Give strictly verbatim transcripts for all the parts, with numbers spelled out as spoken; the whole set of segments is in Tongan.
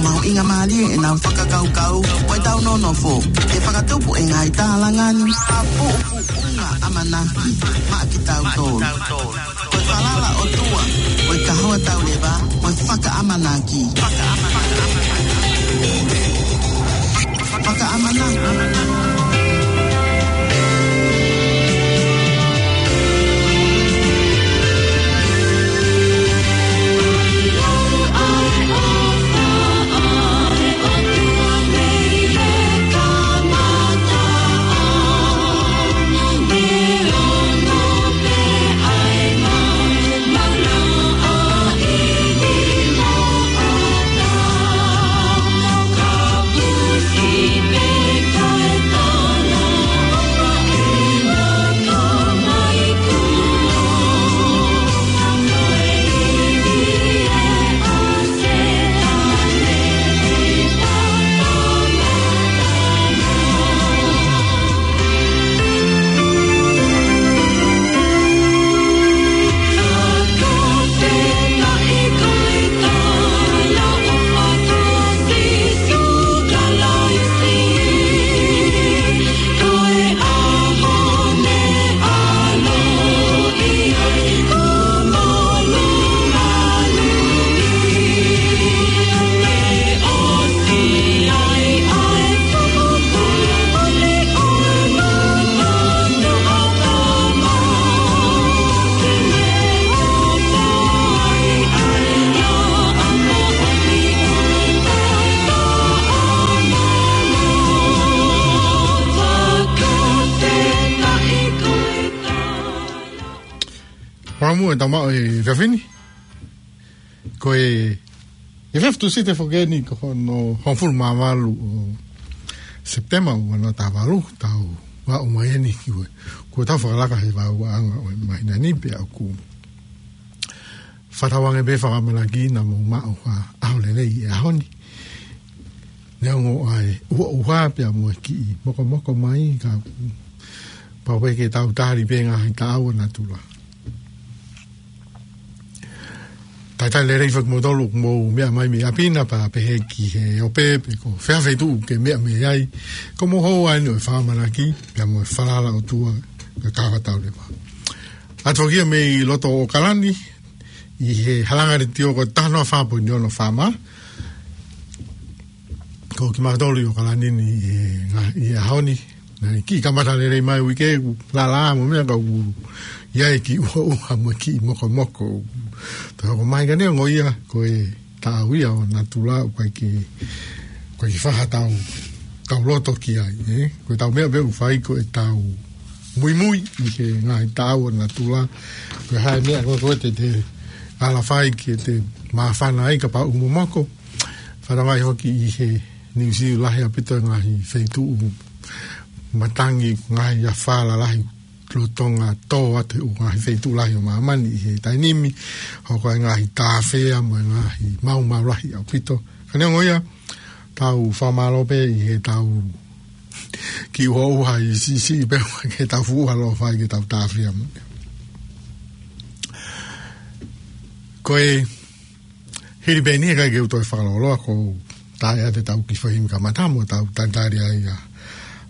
Mahuʻinga mālie ʻenau fakakaukau, ko ʻetau nonofo ke fakatupu e ngaahi tālanga ni, ʻa puʻupuʻunga ʻamanaki maʻa kitautolu. Ko e falala ʻOtua, ko e kahoa tauleva, ko e fakaʻamanaki. Fakaʻamanaki. Fakamuʻa e tau maʻu e efiafi ni. Ko e efiafi Tūsite foki eni ko hono hongofulu mā valu ʻo Sepitema ua noa taha valu, tau aʻu mai eni ki he, ko ʻetau fakalaka he vāuʻanga ʻo e māhina ni pea ʻoku fakatauange pē fakaʻamanaki naʻa mou maʻu ha ʻaho lelei he ʻaho ni. Neongo ʻa e ʻuhoʻuha pea mo e kiʻi mokomoko mai, ka pau pē ke tau tali pē ngaahi taʻau ʻa natula. Talitali lelei foki kimoutolu ʻoku mou meʻa mai mei ʻapi na, pea pehē ki he ope pe ko fē feituʻu ke meʻa mei ai. Ko hoʻomou hoa eni ʻo e fakaʻamanaki pea mo e falala ʻOtua, ko e kahoa tauleva. ʻAtu foki ia mei loto ʻAokalani, ʻi he halanga letiō ko e taha noa fā poini ono FM. Ko kimautolu ʻi ʻAokalani ni ʻi he ngaahi, ʻi he ʻaho ni. Naʻe kiʻi kamata lelei mai uike, kuo lala mo e meʻa ka kuo ʻi ai e kiʻi ʻuhoʻuha mo e kiʻi mokomoko. Pea ko e meʻa ia neongo ia, ko e taʻau ia ʻo natula, ʻoku ʻikai ke, ʻoku ʻikai ke faʻa tau, tau loto ki ai, ē? Ko ʻetau meʻa pē ʻoku fai ko ʻetau muimui ʻi he ngaahi taʻau ʻo natula. Ko e hā e meʻa ko ē te te ala fai ke te māfana ai kapau ʻoku momoko. Fanongo ai hoki ʻi he Niu Sila, lahi ʻaupito e ngaahi feituʻu matangi, ngaahi afā lalahi lolotonga tō atu he ʻū ngaahi feituʻu lahi ʻo māmani ʻi he taimi ni, hoko ai e ngaahi tāfea mo e ngaahi maumau lahi ʻaupito. Ka neongo ia, tau fakamālō pē ʻi heʻetau kiʻi ʻuhoʻuha ʻi siʻisiʻi pē ke tau fuʻu ʻalu ʻo fai ke tau tāfea mo. Ko e hili pē eni, ʻikai ke u toe fakalōloa, ko u tā atu ʻetau kiʻi fai himi kamata mo tau talitali ai ʻa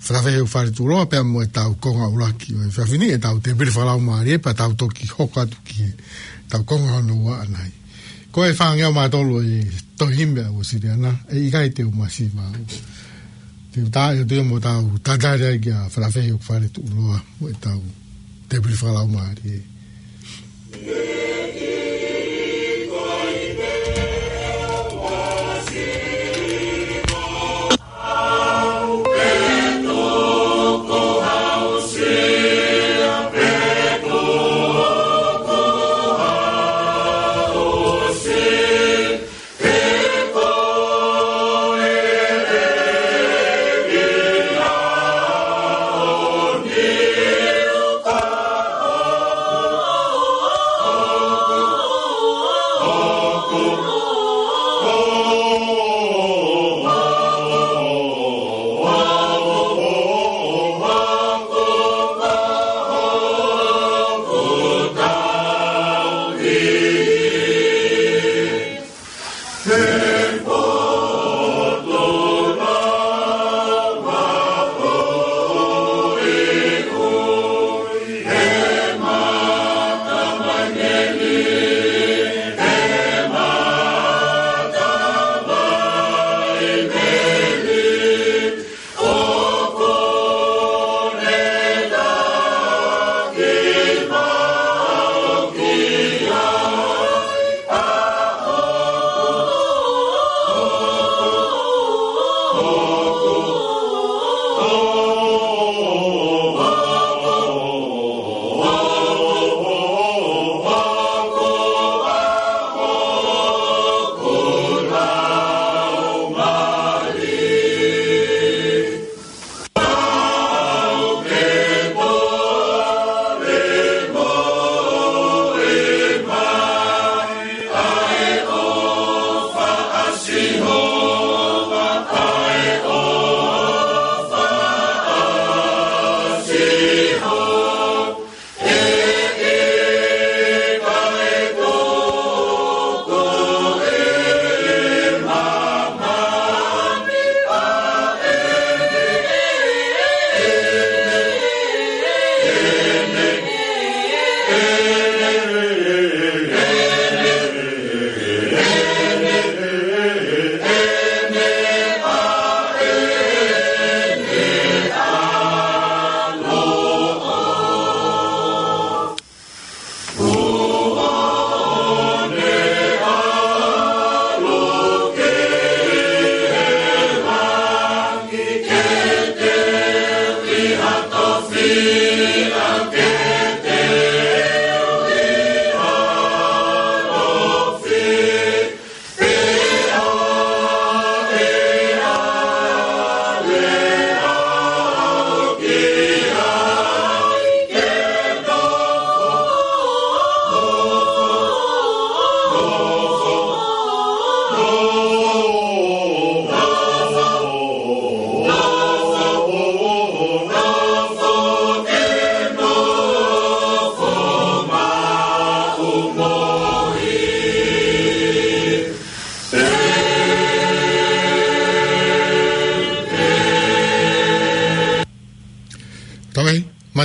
Fēfē Heʻeku Faletuʻuloa pea mo ʻetau konga ʻuluaki ʻo e efiafi ni, ʻetau tēpile fakalaumālie, pea tau toki hoko atu ki heʻetau konga hono ua ʻanai. Ko e fāngeau mā tolu e tohi himi ʻa Uēsiliana, ʻe ʻikai te u masiva au. Te u tā atu ia mo tau talitali ai kia Fēfē Heʻeku Faletuʻuloa mo ʻetau tēpile fakalaumālie.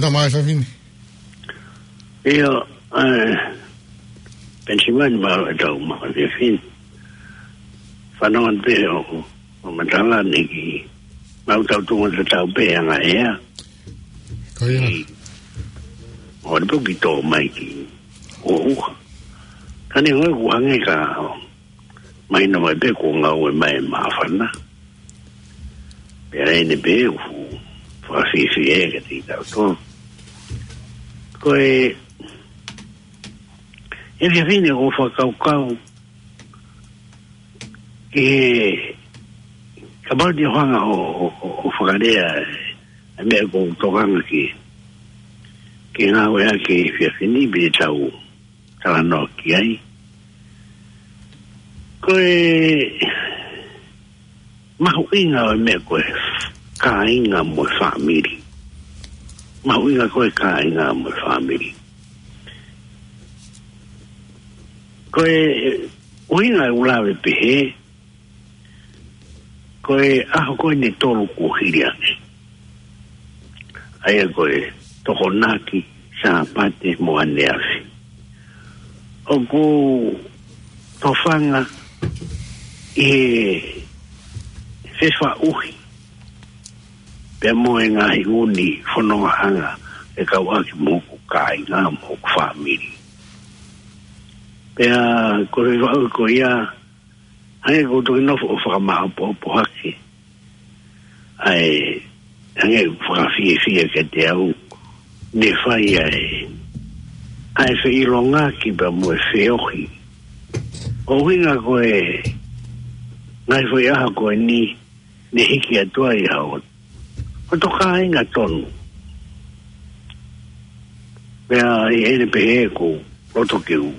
Ka mai sa fini. Ia, ē, Penisimani, mālō e tau maʻu e fefine. Fanongo pē ʻo, ʻo matala ni ki, mau tau tunga te tau pē anga ea. Ko ia. Ki, ʻo ni pō ki tō mai ki, ʻo uha. Ka ne ngoi kuhange ka, mai na mai pē ko ngau e mai māfana. Pea ʻene pē ʻoku fakafiefia ʻe ka te tau tō. Ko e, e fefine ʻo fakakaukau, ke kapau te hanga ʻo, ʻo, ʻo, ʻo fakalea, e meʻa ko tokanga ke, ke ngāue ake fefine pe tau, talanoa ki ai. Ko e mahuʻinga ʻo e meʻa ko e kāinga mo e fāmili. Mahuʻinga ko e kāinga mo e fāmili. Ko e ʻuhinga e ulave pehē, ko e ʻaho ko eni ʻe tolu kuo hili ange. ʻA ia ko e Tokonaki, Sāpate mo ʻAneafi. ʻOku tofanga ʻi he fefaʻuhi pea mo e ngaahi ʻū fonongaʻanga ʻe kau ʻaki mo hoku kāinga mo hoku fāmili. Pea ko e fefaʻuhi ko ia, hangē ko e toki nofo ʻo fakamāʻopoʻopo hake. ʻA e, hangē fakafiefia kiate au, ne fai ai ʻa e feʻilongaki pea mo e feohi. ʻUhinga ko e, ngaahi foʻi ʻaho ko eni, ne hiki atu ai ʻa hoto, hoto kāinga tonu. Pea ʻi heʻene pehē ko e loto ke u,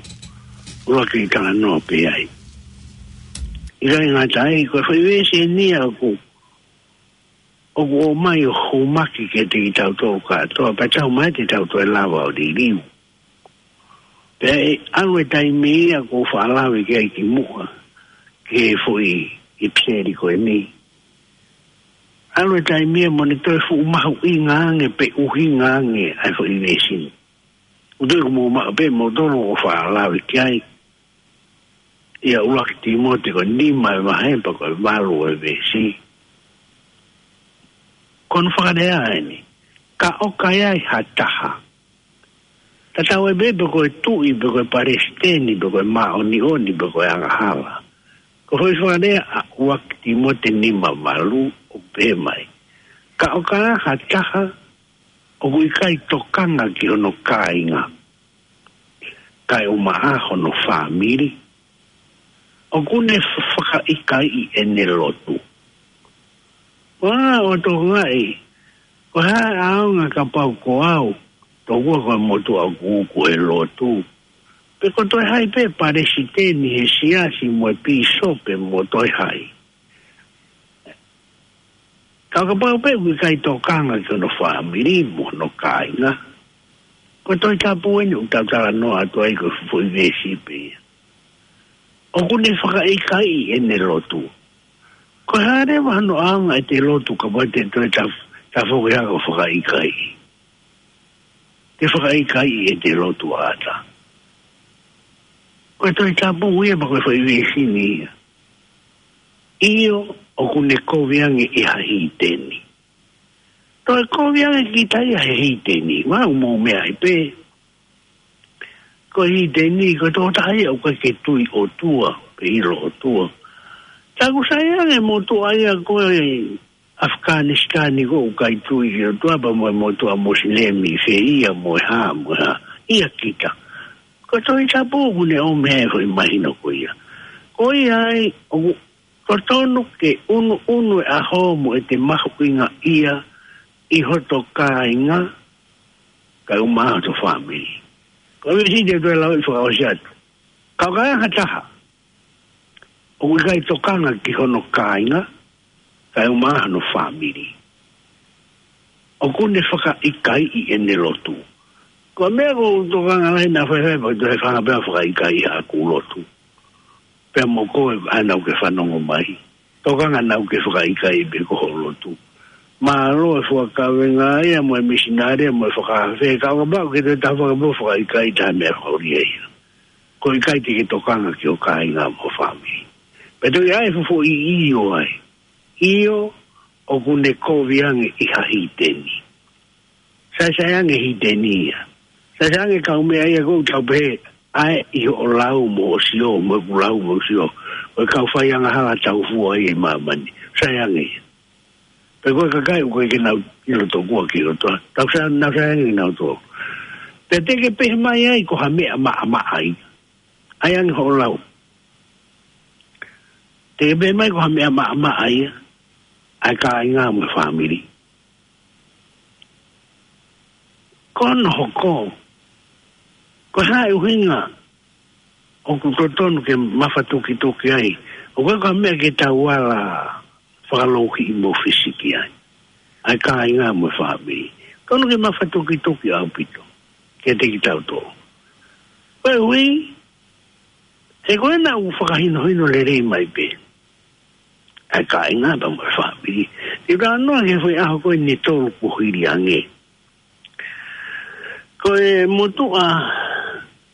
ʻuluaki talanoa pē ai. ʻIkai ngata ai, ko e foʻi veesi eni ia ʻoku, ʻoku ʻomai ʻo hūmaki kiate kitautolu kātoa, pea tau mai te tau toe lava ʻo liliu. Pea ʻe ʻalu e taimi ia ʻoku ou faʻa lave ki ai kimuʻa, ki he foʻi ʻipiseli ko eni. ʻAlu e taimi ia mo ne toe fuʻu mahuʻinga ange pe ʻuhinga ange ʻa e foʻi veesi ni. ʻOku ou tui ʻoku mou maʻu pē moutolu ʻoku ou faʻa lave ki ai. ʻI he ʻuluaki Tīmote ko e nima e vahe pea ko e valu e veesi. Ko hono fakalea eni. Ka ʻoka ʻi ai ha taha. Tatau ai pē pe ko e tuʻi, pe ko e palesiteni, pe ko e māʻoniʻoni, pe ko e angahala. Ko e foʻi fakalea ʻa ʻuluaki Tīmote nima valu ʻoku pehē mai. Ka ʻoka ʻi ai ha taha, ʻoku ʻikai tokanga ki hono kāinga, kae ʻumaʻā hono fāmili, ʻoku ne fakaʻikaiʻi ʻene lotu. Ua ʻo tokangaʻi, ko e hā e ʻaonga kapau ko au, tokua ko e motuʻa ʻoku uku he lotu. Pe ko e toe hai pē palesiteni he siasi mo e pīsope mo e toe hai. Ka kapau pē ʻoku ʻikai tokanga ki hono fāmili mo hono kāinga. Ko e Tohi Tapu eni ʻoku tau talanoa atu ai ko e foʻi veesi pē ia. ʻOku ne fakaʻikaiʻi ʻene lotu. Ko e hā leva hono ʻaonga ʻete lotu kapau te toe taf-, tafoki hake ʻo fakaʻikaiʻi. Te fakaʻikaiʻi ʻete lotu ʻata. Ko e Tohi Tapu ia pea ko e foʻi veesi ni ia. ʻIo, ʻoku ne kovi ange ʻi ha hiteni. Toe kovi ange kita ia he hiteni. Mau mou meaʻi pē. Ko e hiteni, ko e tokotaha ia ʻoku ʻikai ke tui ʻOtua, pe ʻilo ʻOtua. Taku sai ange motuʻa ia ko e ʻAfikanisitani ko ē ʻoku ʻikai tui ki he ʻOtua pea mo e motuʻa Mosilemi, fē ia mo e hā, mo e hā. ʻIa kita. Ko e Tohi Tapu ʻoku ne ʻomai e foʻi mahino ko ia. Ko ia ai, ʻoku totonu ke ʻunuʻunu e ʻaho mo ʻete mahuʻingaʻia ʻi hoto kāinga, kae ʻumaʻā hoto fāmili. Ko e veesi te u toe lau ʻi fakaʻosi atu. Ka ʻoka ʻi ai ha taha ʻoku ʻikai tokanga ki hono kāinga, kae ʻumaʻā hono fāmili, ʻoku ne fakaʻikaiʻi ʻene lotu. Ko e meʻa ʻoku ou tokanga lahi naʻa faifai pea toe fanga pea fakaʻikaiʻi haʻaku lotu. Pea mo koe ʻa naʻa ke fanongo mai. Tokanga naʻa ke fakaʻikaiʻi pē ko hoʻo lotu. Mālō e fuakaveinga ia mo e misinale mo e fakaafe, ka ʻoka pau ke te tafa ka mo fakaʻikaiʻi ha meʻa fakaʻuli ia. Ko e ʻikai te ke tokanga ki hoʻo kāinga mo e fāmili. Pea toe ʻi ai e fuofua ʻio ai. ʻIo, ʻoku ne kovi ange ʻi ha hiteni. Sai sai ange hiteni ia. Sai sai ange kau meʻa ia ʻoku tau pehē, ʻa e ʻi hoʻo lau mo hoʻo sio, mo ʻeku lau mo hoku sio. Ko e kau fai angahala tau fua ia ʻi māmani. Sai ange ia. Pe ko e kakai ʻoku ʻikai ke nau ʻilo tokua ki he ʻOtua. Tau sai, nau sai ange kinautolu. Pea te ke pehē mai ai ko ha meʻa maʻamaʻa ia. ʻAi ange hoʻo lau. Te ke pehē mai ko ha meʻa maʻamaʻa ia. ʻA e kāinga mo e fāmili. Ko hono hoko. Ko e hā e ʻuhinga ʻoku totonu ke mafatukituki ai. ʻOku ʻikai ko ha meʻa ke tau ala fakalouhiʻi mo fisiki ai. ʻA e kāinga mo e fāmili. Totonu ke mafatukituki ʻaupito. Kiate kitautolu. Koeʻuhi, he ko ena ʻoku fakahinohino lelei mai pē. ʻA e kāinga pea mo e fāmili. Te u talanoa ki he foʻi ʻaho ko eni ʻe tolu kuo hili ange. Ko e motuʻa,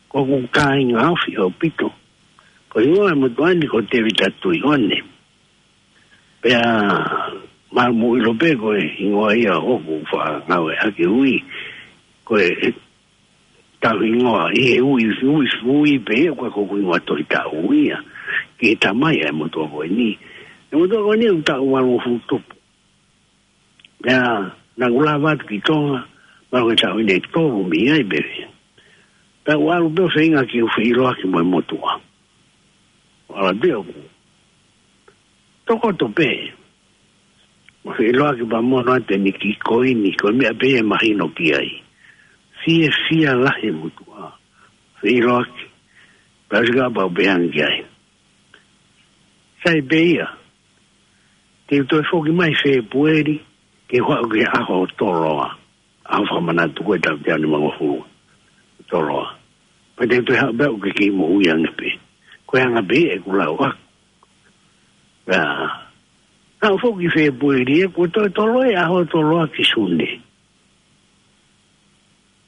ko hoku kāinga ofi ʻaupito. Ko e hingoa e motuʻa ni ko Tēvita Tuʻiʻone. Pea mou ʻilo pē ko e hingoa ia ʻoku fakangāueʻaki ui. Ko e tau hingoa, ʻi he ui, ui, ui pē, ʻoku ʻikai ko hoku hingoa tohi taʻu ia. Ki he tamai ʻa e motuʻa ko eni. E motuʻa ko eni ʻoku taʻu valungofulu tupu. Pea, naʻa ku lava atu ki Tonga, mahalo ko e taʻu ʻe tolu mei ai pē. Pea u ʻalu pē ʻo feinga ke u feʻiloaki mo e motuʻa. ʻAlu pē ʻo tokoto pē. Mo feʻiloaki pea mo ʻoatu ʻeni kiʻi koini, ko e meʻa pē ia ʻe mahino ki ai. Fiefia lahi e motuʻa. Feʻiloaki. Pea sika pea u pehē ange ki ai. Sai pē ia. Te u toe foki mai Fēpueli, ke u haʻu ki he ʻaho ʻo Toloa. ʻAho fakamanatu ko e taʻu teau nimangofulu. Toloa. Pea te u toe haʻu pē au ke kei moʻui ange pē. Ko e anga pē ʻeku lau ʻaku. Pea, naʻa ku foki Fēpueli ʻeku toe Toloa ʻi he ʻaho ʻo Toloa ki Sune.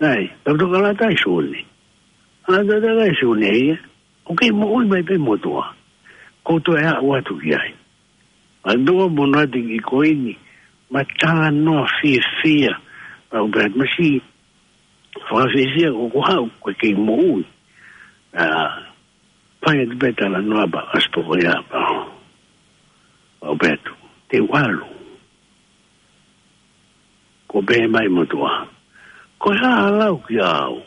Nai, tau toka lata ʻi Sune. ʻA tau toka ʻi Sune ia. ʻOku kei moʻui mai pē motuʻa. Ko u toe aʻu atu ki ai. ʻA tau mo ʻoatu kiʻi koini. Mo talanoa fiefia. Pea u pehē atu masi. Fakafiefia ʻoku ou haʻu ko e kei moʻui. ʻA, fai atu pē talanoa pea ʻasi pē ko ia pea u pehē atu. Te u ʻalu. Ko e pehē mai motuʻa. Ko e hā ʻa e lau kiate au.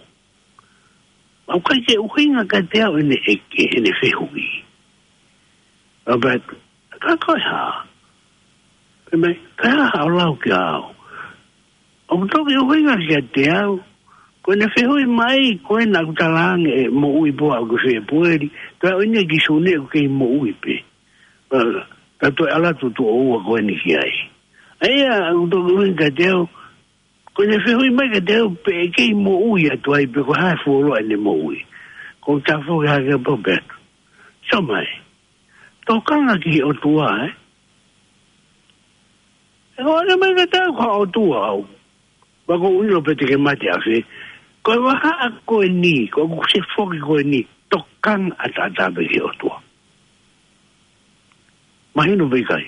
ʻOku ʻikai ke ʻuhinga kiate au ʻene ʻeke, ʻene fehuʻi. Pea u pehē atu. Ka ko e hā. Pehē mai, ka hā ʻa e lau kiate au. ʻOku toki ʻuhinga kiate au. Ko ʻene fehuʻi mai, ko ena ʻoku talaange ʻe moʻui pē au ki Fēpueli. Ka ʻoku ʻi ai ki Sune ʻoku kei moʻui pē. Pea, ka toe ʻalu atu tuʻo ua ko eni ki ai. ʻA ia, ʻoku toki ʻuhinga kiate au, ko ʻene fehuʻi mai kiate au pe ʻe kei moʻui atu ai pe ko e hā e fuoloa ʻene moʻui. Ko u tafoki hake pea u pehē atu. Sio mai. Tokanga ki he ʻOtua, ē? ʻE ko ʻene mai kiate au ko e ʻOtua au. Pea ko u ʻilo pē te ke mate ʻafē. Ko e vahaʻa ko eni, ko ʻeku se foki ko eni, tokanga ʻataʻatā pē ki he ʻOtua. Mahino pe ʻikai.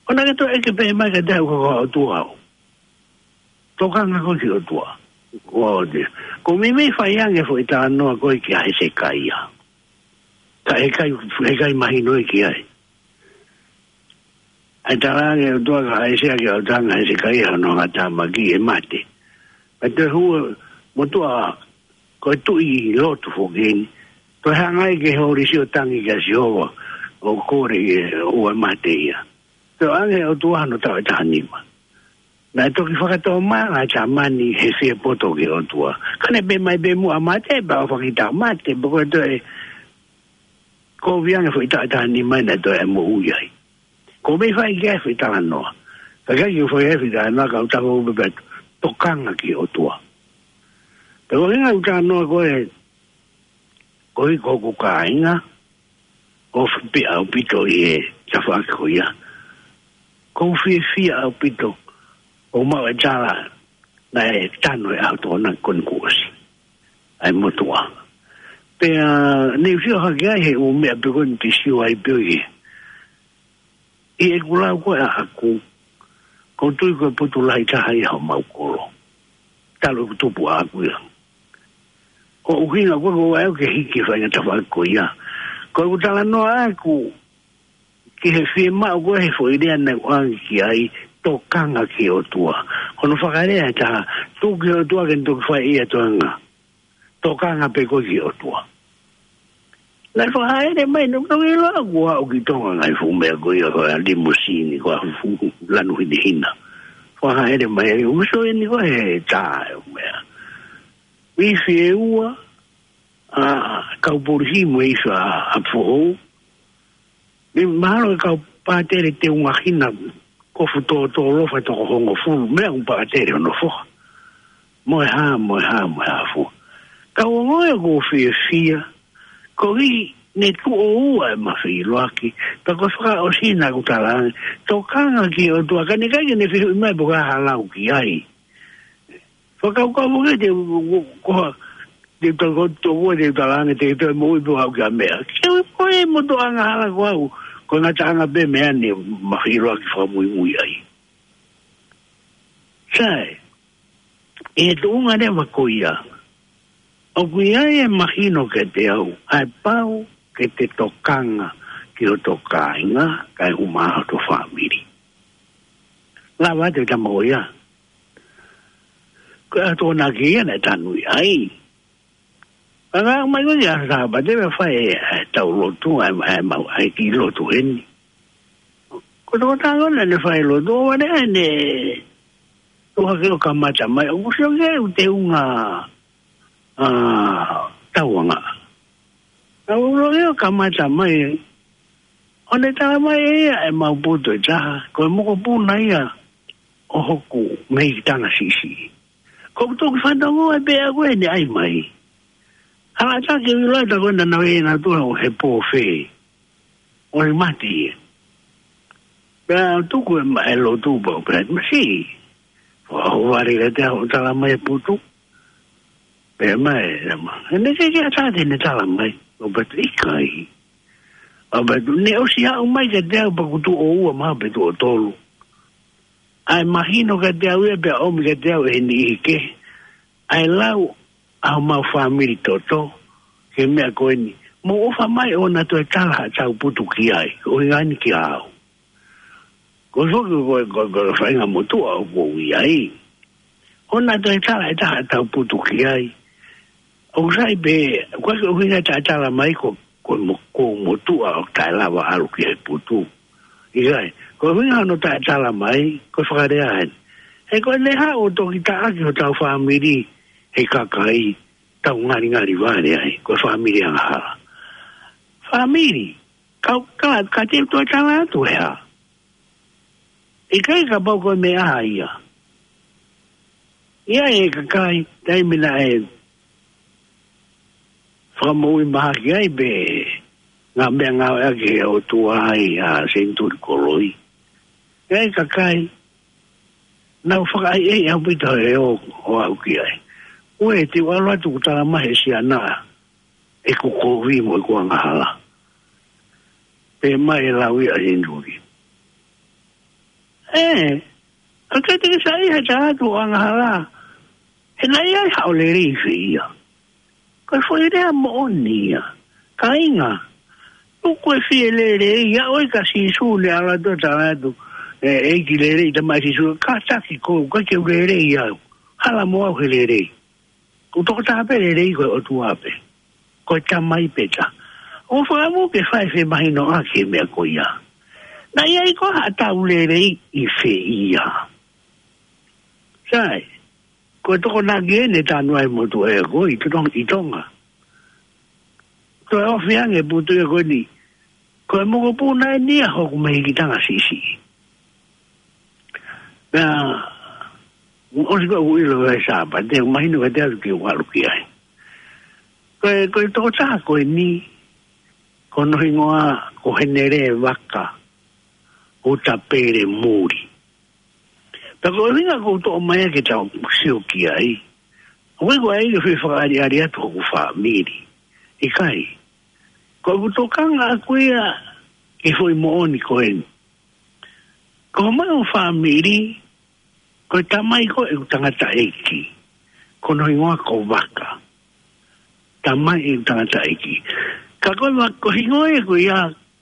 ʻO naʻa ke toe ʻeke pē mai kiate au ko e ʻOtua au. Tokanga koe ki he ʻOtua. Ko au te. Ko e meimei fai ange foʻi talanoa ko ē kia Hesekaia. Ka ʻe ʻikai, ʻe ʻikai mahino ia ki ai. ʻA e talaange ʻe he ʻOtua kia ʻAisea ki he ʻautanga ʻo Hesekaia hono angatāmaki ʻe mate. Pea toe hū e motuʻa ko e tuʻi lotu foki eni. Toe hanga ai ki he holisi ʻo tangi kia Sihova ʻo kole ke ʻoua ʻe mate ia. Toe ʻoange ʻe he ʻOtua hono taʻu ʻe taha nima. Naʻe toki fakatomala ʻa e tama ni he fie poto ki he ʻOtua. Ka ne pehē mai pē muʻa mate, pea ʻofa ki he tama mate, pea ko e toe kovi ange foʻi taʻu ʻe taha nima naʻe toe moʻui ai. Ko e meimei fai ki ai foʻi talanoa. Ka ʻikai ke u fai ai foʻi talanoa, ka u tafoki pē pea tokanga ki he ʻOtua. Pea ko e ʻuhinga ʻeku talanoa ko ē, ko e, ko hoku kāinga, ʻoku ou fiefia ʻaupito ʻi he tafaʻaki ko ia. ʻOku ou fiefia ʻaupito ʻOku maʻu e tala naʻe tanu e ʻaho Tokonaki ko eni kuo ʻosi ʻa e motuʻa. Pea ne u sio hake ai he ʻū meʻa pē ko eni te u sio ai pē ʻo ʻi he, ʻi heʻeku lau ko ē ʻaʻaku, ʻoku ou tui ko e potu lahi taha ia homau kolo. Talu ʻeku tupu ʻaʻaku ia. Ko e ʻuhinga ko ē ʻoku ou ʻai au ke hiki e faʻahinga tafaʻaki ko ia. Ko ʻeku talanoa ʻaʻaku ki he fiemaʻu ko ē he foʻi lea naʻe ʻoange ki ai, tokanga ki he ʻOtua. Ko hono fakalea ʻe taha, tuku ki he ʻOtua ke ne toki fai ʻe ia e toenga. Tokanga pē koe ki he ʻOtua. Naʻe fakahaʻele mai, naʻe toki ʻilo au kuo aʻu ki Tonga ngaahi fuʻu meʻa ko ia ko e limousine, ko e fuʻu lanu hinehina. Fakahaʻele mai, ʻoku sio eni ko e tā e meʻa. Ifi ʻe ua, ʻa, kau polisi mo e ifi ʻa, ʻa foʻou. Mahalo e kau pātele teunga hina kofu tōtōlofa toko hongofulu, meʻa ʻoku pātele hono foha. Mo e hā, mo e hā, mo e hā fua. Kau ongoʻi ʻoku ou fiefia, koeʻuhi ne tuʻo ua ʻema feʻiloaki, pea ko e fakaʻosi naʻa ku talaange, tokanga ki he ʻOtua, ka ne ʻikai ke ne fehuʻi mai pe ko e hā ha lau ki ai. Fakakaukau mo ke te, ko ha, te tau ko toko te talaange te toe moʻui pe ko e hā ha meʻa. Ke ui ko e motuʻa angahala ko au, ko e ngataʻanga pē meʻa ne ma feʻiloaki fakamuimui ai. Sai, ʻi he tuʻunga leva ko ia, ʻoku ʻi ai e mahino kiate au, ʻa e pau ke te tokanga ki hoto kāinga, kae ʻumaʻā hoto fāmili. Lava atu e tama ko ia. Ko e ʻaho Tokonaki ia naʻe tanu ai. Ka ngāueʻaki mai ko ē ki he ʻaho Sāpate, pea fai e, e tau lotu, ʻa e, ʻa e mau, ʻa e kiʻi lotu heni. Ko e tokotaha ko ē naʻa ne fai e lotu, ʻo vale ai ne, ʻo hake ʻo kamata mai, ʻoku sio ki ai ʻū teunga, ʻa, tauangaʻa. Naʻa ku ʻilo ʻo kamata mai, ʻo ne tala mai ʻe ia ʻemau putu ʻe taha, ko e mokopuna ia ʻo hoku mehikitanga siʻisiʻi. Ko ʻeku toki fanongo ai pē ʻaʻaku ʻene ʻai mai. Hala ʻatā ke u ʻilo ʻe taku ʻena naʻe ʻi ai ʻena tuʻa ʻo he pō fē. ʻOi mati ia. Pea tuku e ma-, e lotu pau pē, masi. ʻO vale kiate au ʻo tala mai e putu. Pea mai, ʻe ma. ʻE ne ke ke ʻatā te ne tala mai. ʻO patu ʻikai. ʻO patu ne ʻosi aʻu mai kiate au pea kuo tuʻo ua mahalo pe tuʻo tolu. ʻA e mahino kiate au ia pea ʻomi kiate au ʻe he niʻihi kehe. ʻA e lau ʻa homau fāmili toto, ki he meʻa ko eni. Mou ʻofa mai ʻo na toe tala haʻatau putu ki ai, ʻo ʻuhinga ni kia au. Ko e foki ko, ko, ko e faʻahinga motuʻa ʻoku ou ʻi ai. ʻO na toe tala ʻe taha haʻatau putu ki ai. ʻOku sai pē, ko e ʻuhinga taʻetala mai ko, ko mo-, ko e motuʻa ʻoku taʻe lava ʻalu ki he putu. ʻIkai, ko e ʻuhinga hono taʻetala mai, ko e fakalea eni. He ko ʻene haʻu ʻo toki taʻaki hotau fāmili, he kakai, tau ngalingali vale ai, ko e fāmili angahala. Fāmili, kau ka, ka te u toe tala atu he hā. ʻIkai kapau ko e meʻa ia. ʻI ai e kakai, taimi naʻe fakamoʻui mahaki ai pē ngaahi meʻa ngāueʻaki ʻe he ʻOtua ai ʻa e senituli koloi. ʻI ai e kakai, nau fakaʻaiʻai ʻaupito he ō, ʻo aʻu ki ai. Ko e te u ʻalu atu kuo tala mai he siana ʻeku kovi mo ʻeku angahala. Pea mai e lau ia ʻa e senituli. ʻE, ka ke te ke sai he tala atu ʻo angahala. He naʻe ʻi ai haʻo lelei fē ia. Ko e foʻi lea moʻoni ia. Kāinga. Tuku e fie lelei, ia ʻoi ka Sīsū ne ʻalu atu ʻo tala atu. ʻE, ʻEiki lelei, tamaʻi Sīsū, kātaki ʻoku ʻikai ke u lelei au. Hala mo au he lelei. Ko e tokotaha pē lelei ko e ʻOtua pē. Ko e Tamai pē taha. ʻO fakamu ke fai femahinoʻaki e meʻa ko ia. Naʻe ʻi ai ko haʻatau lelei ʻi fē ia. Sai, ko e Tokonaki eni naʻe tanu ai e motuʻa ko ē ʻi Tonga, ʻi Tonga. Toe ofi ange e putu ia ko eni. Ko e mokopuna eni ia hoku mehikitanga siʻisiʻi. Pea, ʻosi ko ē ʻoku ʻilo ʻe he Sāpate, mahino kiate au ke u ʻalu ki ai. Ko e, ko e tokotaha ko eni, ko hono hingoa, ko Henele Vaka, ʻo Tapele Muli. Ka ko e ʻuhinga ʻoku ou toʻo mai ʻa e ke tau sio ki ai, ʻoku ʻikai ko e ʻai ke fai fakaʻaliʻali atu hoku fāmili. ʻIkai. Ko ʻeku tokanga ʻaʻaku ia ki he foʻi moʻoni ko eni. Ko homau fāmili, ko e tamai ko ē ʻeku tangataʻeiki, ko hono hingoa ko Vaka. Tamai ʻeku tangataʻeiki. Ka ko e va-, ko e hingoa ia ko ia,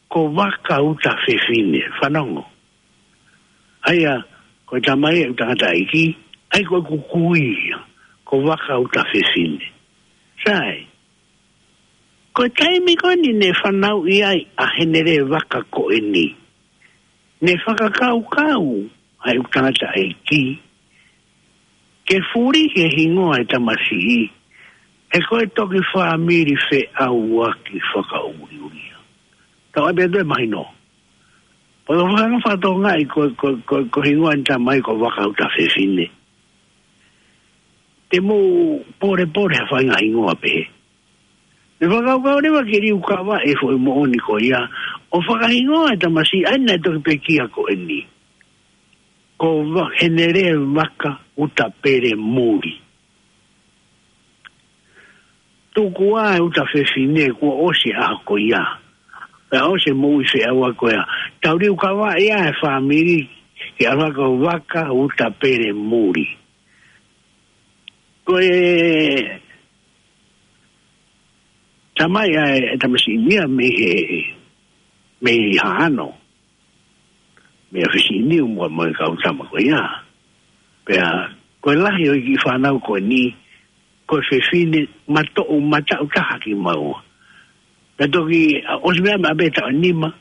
ko Vaka Uta Fefine, fanongo. ʻA ia, ko e tamai ʻeku tangataʻeiki, ʻa ia ko ʻeku kui ia, ko Vaka Uta Fefine. Sai, ko e taimi ko eni ne fanauʻi ai ʻa Henele Vaka ko eni, ne fakakaukau ʻa ʻeku tangataʻeiki ke fuli he hingoa e tamasiʻi, he ko e toki fāmili feʻauaki fakaʻuliʻulia. Tau ʻai pē ʻe toe mahino. Pea ʻoku ou fakatokangaʻi ko, ko, ko, ko e hingoa ʻene tamai ko Vaka Uta Fefine. Te mou polepole ha faʻahinga hingoa pehē. Ne fakakaukau leva ke liukavaʻi e foʻi moʻoni ko ia, ʻo fakahingoa e tamasiʻi ʻa ia naʻe toki pekia ko eni, ko Va-, Henele Vaka Uta Pele Muli. Tuku ā e Uta Fefine, kuo ʻosi e ʻaho ko ia. Pea ʻosi e moʻui feʻauaki ko ia. Tau liukavaʻi ā e fāmili ke ʻalu hake ko Vaka Uta Pele Muli. Ko e tamai ʻa e tamasiʻi ni ia mei he, mei Haʻano, mei ʻAfisi Niu mo, mo e kau tama ko ia. Pea ko e lahi ʻo e kiʻi fānau ko eni, ko e fefine matoʻu mataʻu taha kimaua. Pea toki, ʻa, ʻosi meʻa meʻa pē taʻu ʻe nima,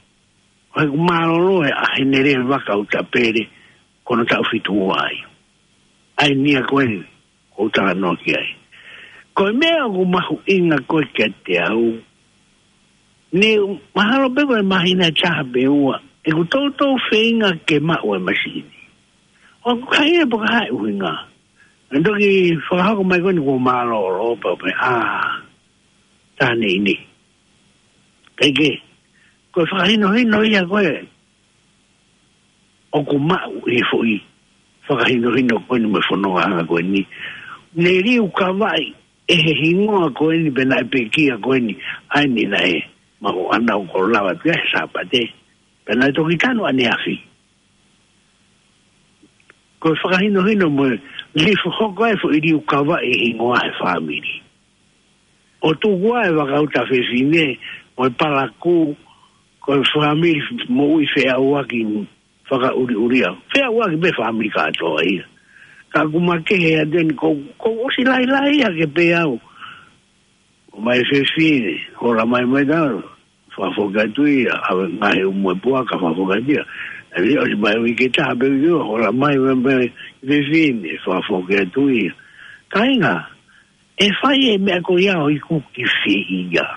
ʻo ʻeku mālōlō ē ʻa Henele Vaka Uta Pele, ko hono taʻu fitu ua ai. ʻA ia ko eni ʻoku ou talanoa ki ai. Ko e meʻa ʻoku mahuʻinga ko ē kiate au, ne mahalo pē ko e māhina ʻe taha pe ua, ʻeku toutou feinga ke maʻu e masiʻi ni. ʻOku ʻikai ʻi ai pē ha ʻuhinga. Naʻe toki fakahoko mai ko eni kuo mālōlō pea u pehē, ʻā, tā neʻineʻi. Kae kehe, ko e fakahinohino ia ko ē ʻoku maʻu ʻi he foʻi fakahinohino ko eni mo e fonongaʻanga ko eni, ne liukavaʻi ʻe he hingoa ko eni pea naʻe pekia ko eni, ʻa eni naʻe maʻu ʻa e ʻaho ko e lava pē he Sāpate, pea naʻe toki tanu ʻaneafi. Ko e fakahinohino mo e liu hoko ai e foʻi liukavaʻi e hingoa he fāmili. ʻO tuku ā e Vaka Uta Fefine, mo e Palaku, ko e fāmili moʻui feʻauaki fakaʻuliʻulia. Feʻauaki pē fāmili kātoa ia. Ka ʻoku makehe atu eni, ko, kuo ʻosi lahilahi hake pē au. ʻOmai e fefine, hola mai mai tau, fakafoki atu ia, ʻave ngaahi umu e puaka, fakafoki atu ia. ʻE ʻosi mai uike ʻe taha pe uike ua, hola mai mai mai e fefine, fakafoki atu ia. Kāinga, ʻe fai e meʻa ko ia ʻo iku ki fē ia?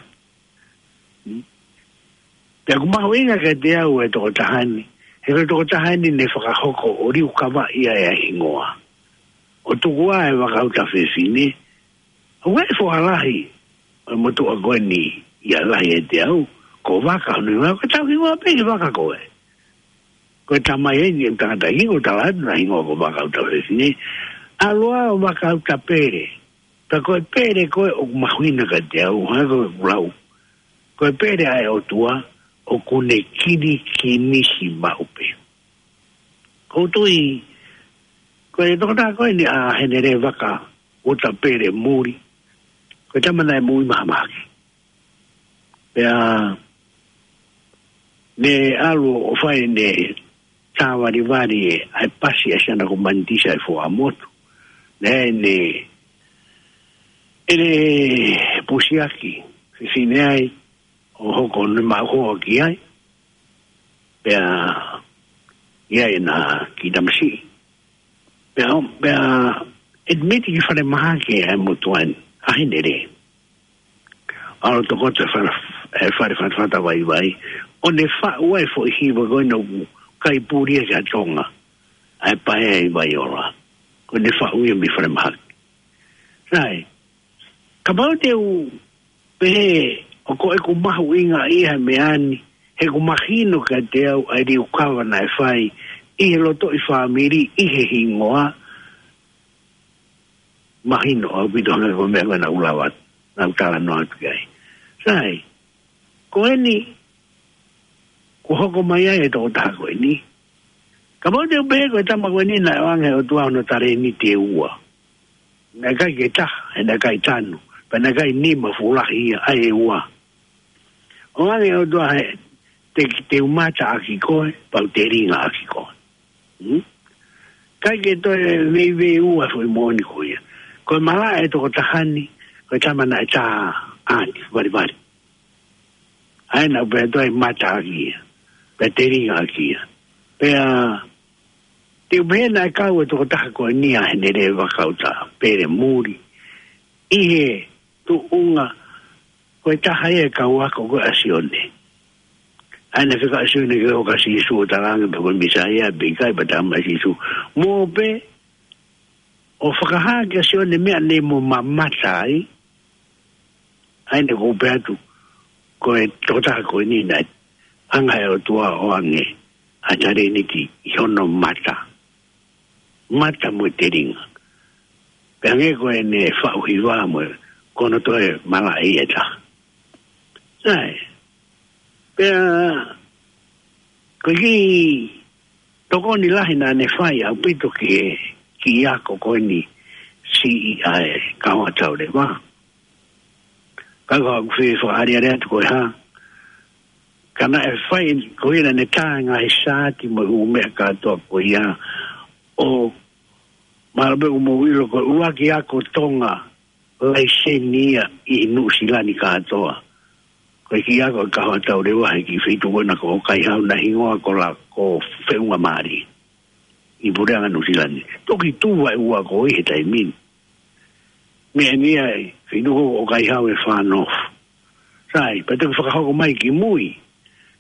Pea ʻoku mahuʻinga kiate au e tokotaha ni, he ko e tokotaha ni ne fakahoko ʻo liukavaʻi ʻa e hingoa. ʻO tuku ā e Vaka Uta Fefine, ʻoku ʻi ai e foha lahi ʻo e motuʻa ko eni ia lahi ʻiate au, ko Vaka hono hingoa, ko e tau hingoa pē ki he vaka ko ē. Ko e tamai eni e tangata ʻi ʻoku tala atu naʻe hingoa ko Vaka Uta Fefine. ʻAlu ā ʻo Vaka Uta Pele. Pea ko e Pele ko ē ʻoku mahuʻinga kiate au, hangē ko ʻeku lau, ko e Pele ʻa e ʻOtua ʻoku ne kinikini siʻi maʻu pē. ʻOku ou tui, ko e tokotaha ko eni ʻa Henele Vaka Uta Pele Muli, ko e tama naʻe moʻui mahamahaki. Pea ne ʻalu ʻo fai ʻene tāvalivali ʻa e pasi ʻa Siana ko Manitisa ʻi Fuaʻamotu. Naʻe ne, ʻene pusiaki fefine ai, ʻo hoko ʻene maʻu hoa ki ai. Pea ʻi ai ʻena kiʻi tamasiʻi. Pea, pea admit ki falemahaki ʻa e motuʻa ni, ʻa Henele. ʻAlu tokoto e fale, e fale fatafata vaivai, ʻo ne faʻu ai e foʻi hiva ko ena ʻoku kai puli ia ki ha tonga, ʻa e Paea ʻi Vaiola. Ko ʻene faʻu ia mei falemahaki. Sai, kapau te u pehē ʻoku ʻikai ko ʻeku mahuʻingaʻia he meʻa ni, he ʻoku mahino kiate au ʻa e liukava naʻe fai ʻi he lotoʻi fāmili, ʻi he hingoa, mahino ʻaupito hangē ko e meʻa ko ē naʻa ku lava, naʻa ku talanoa atu ki ai. Sai, ko eni, kuo hoko mai ai e tokotaha ko eni. Kapau te u pehē ko e tama ko eni naʻe ʻoange ʻe he ʻOtua hono talēniti ʻe ua. Naʻe ʻikai ke taha, he naʻe ʻikai tanu, pea naʻe ʻikai nima fuʻu lahi ia, ʻa e ua. ʻOange ʻe he ʻOtua he, te, te u mata ʻaki koe, pea u telinga ʻaki koe. Hmm? ʻIkai ke toe veiveiua foʻi moʻoni ko ia. Ko e malaʻe ʻa e tokotaha ni, ko e tama naʻe tā ʻaati, valivali. ʻA ia naʻa ku pehē ʻe au ʻe mata ʻaki ia, pea telinga ʻaki ia. Pea, te u pehē naʻe kau e tokotaha ko eni ʻa Henele Vakautapele Muli, ʻi he tuʻunga ko e taha ia e kau ako ko ē ʻa Sione. ʻA ia naʻe fekau ʻa Sione ke ʻoka Sīsū ʻo talaange pe ko e Mīsaia pe ʻikai, pea talamai ʻe Sīsū, mou pē ʻo fakahā kia Sione e meʻa ne mo mamata ai. ʻA ia naʻa ku pehē atu, ko e tokotaha ko eni naʻe ʻoange ʻe he ʻOtua ʻo ʻoange ʻa e talēniti ʻi hono mata. Mata mo e telinga. Pea hangē ko ʻene faʻu hiva mo e, ko hono toe malaʻe ia ʻe taha. Sai. Pea, ko e kiʻi tokoni lahi naʻa ne fai ʻaupito ki he kiʻi ako ko eni siʻi ʻa e Kahoa Tauleva. Ka ko ʻeku fie fakaʻaliʻali atu ko e hā. Ka naʻe fai ko ia naʻa ne tā e ngaahi saati mo e ʻū meʻa kātoa ko ia ʻo mahalo pē ʻoku mou ʻilo ko e ʻuluaki ako Tonga laiseni ia ʻi Nuʻusila ni kātoa. Ko e kiʻi ako ʻa e Kahoa Tauleva he kiʻi feituʻu ko ena ko ʻOkaihau naʻe hingoa ko la ko Feʻunga Mali. ʻI Puleʻanga Nuʻusila ni. Toki tuʻu ʻa e ua ko ē he taimi ni. Meʻa ni ʻa e feituʻu ko ʻOkaihau ʻe Far North. Sai, pea toki fakahoko mai ki mui.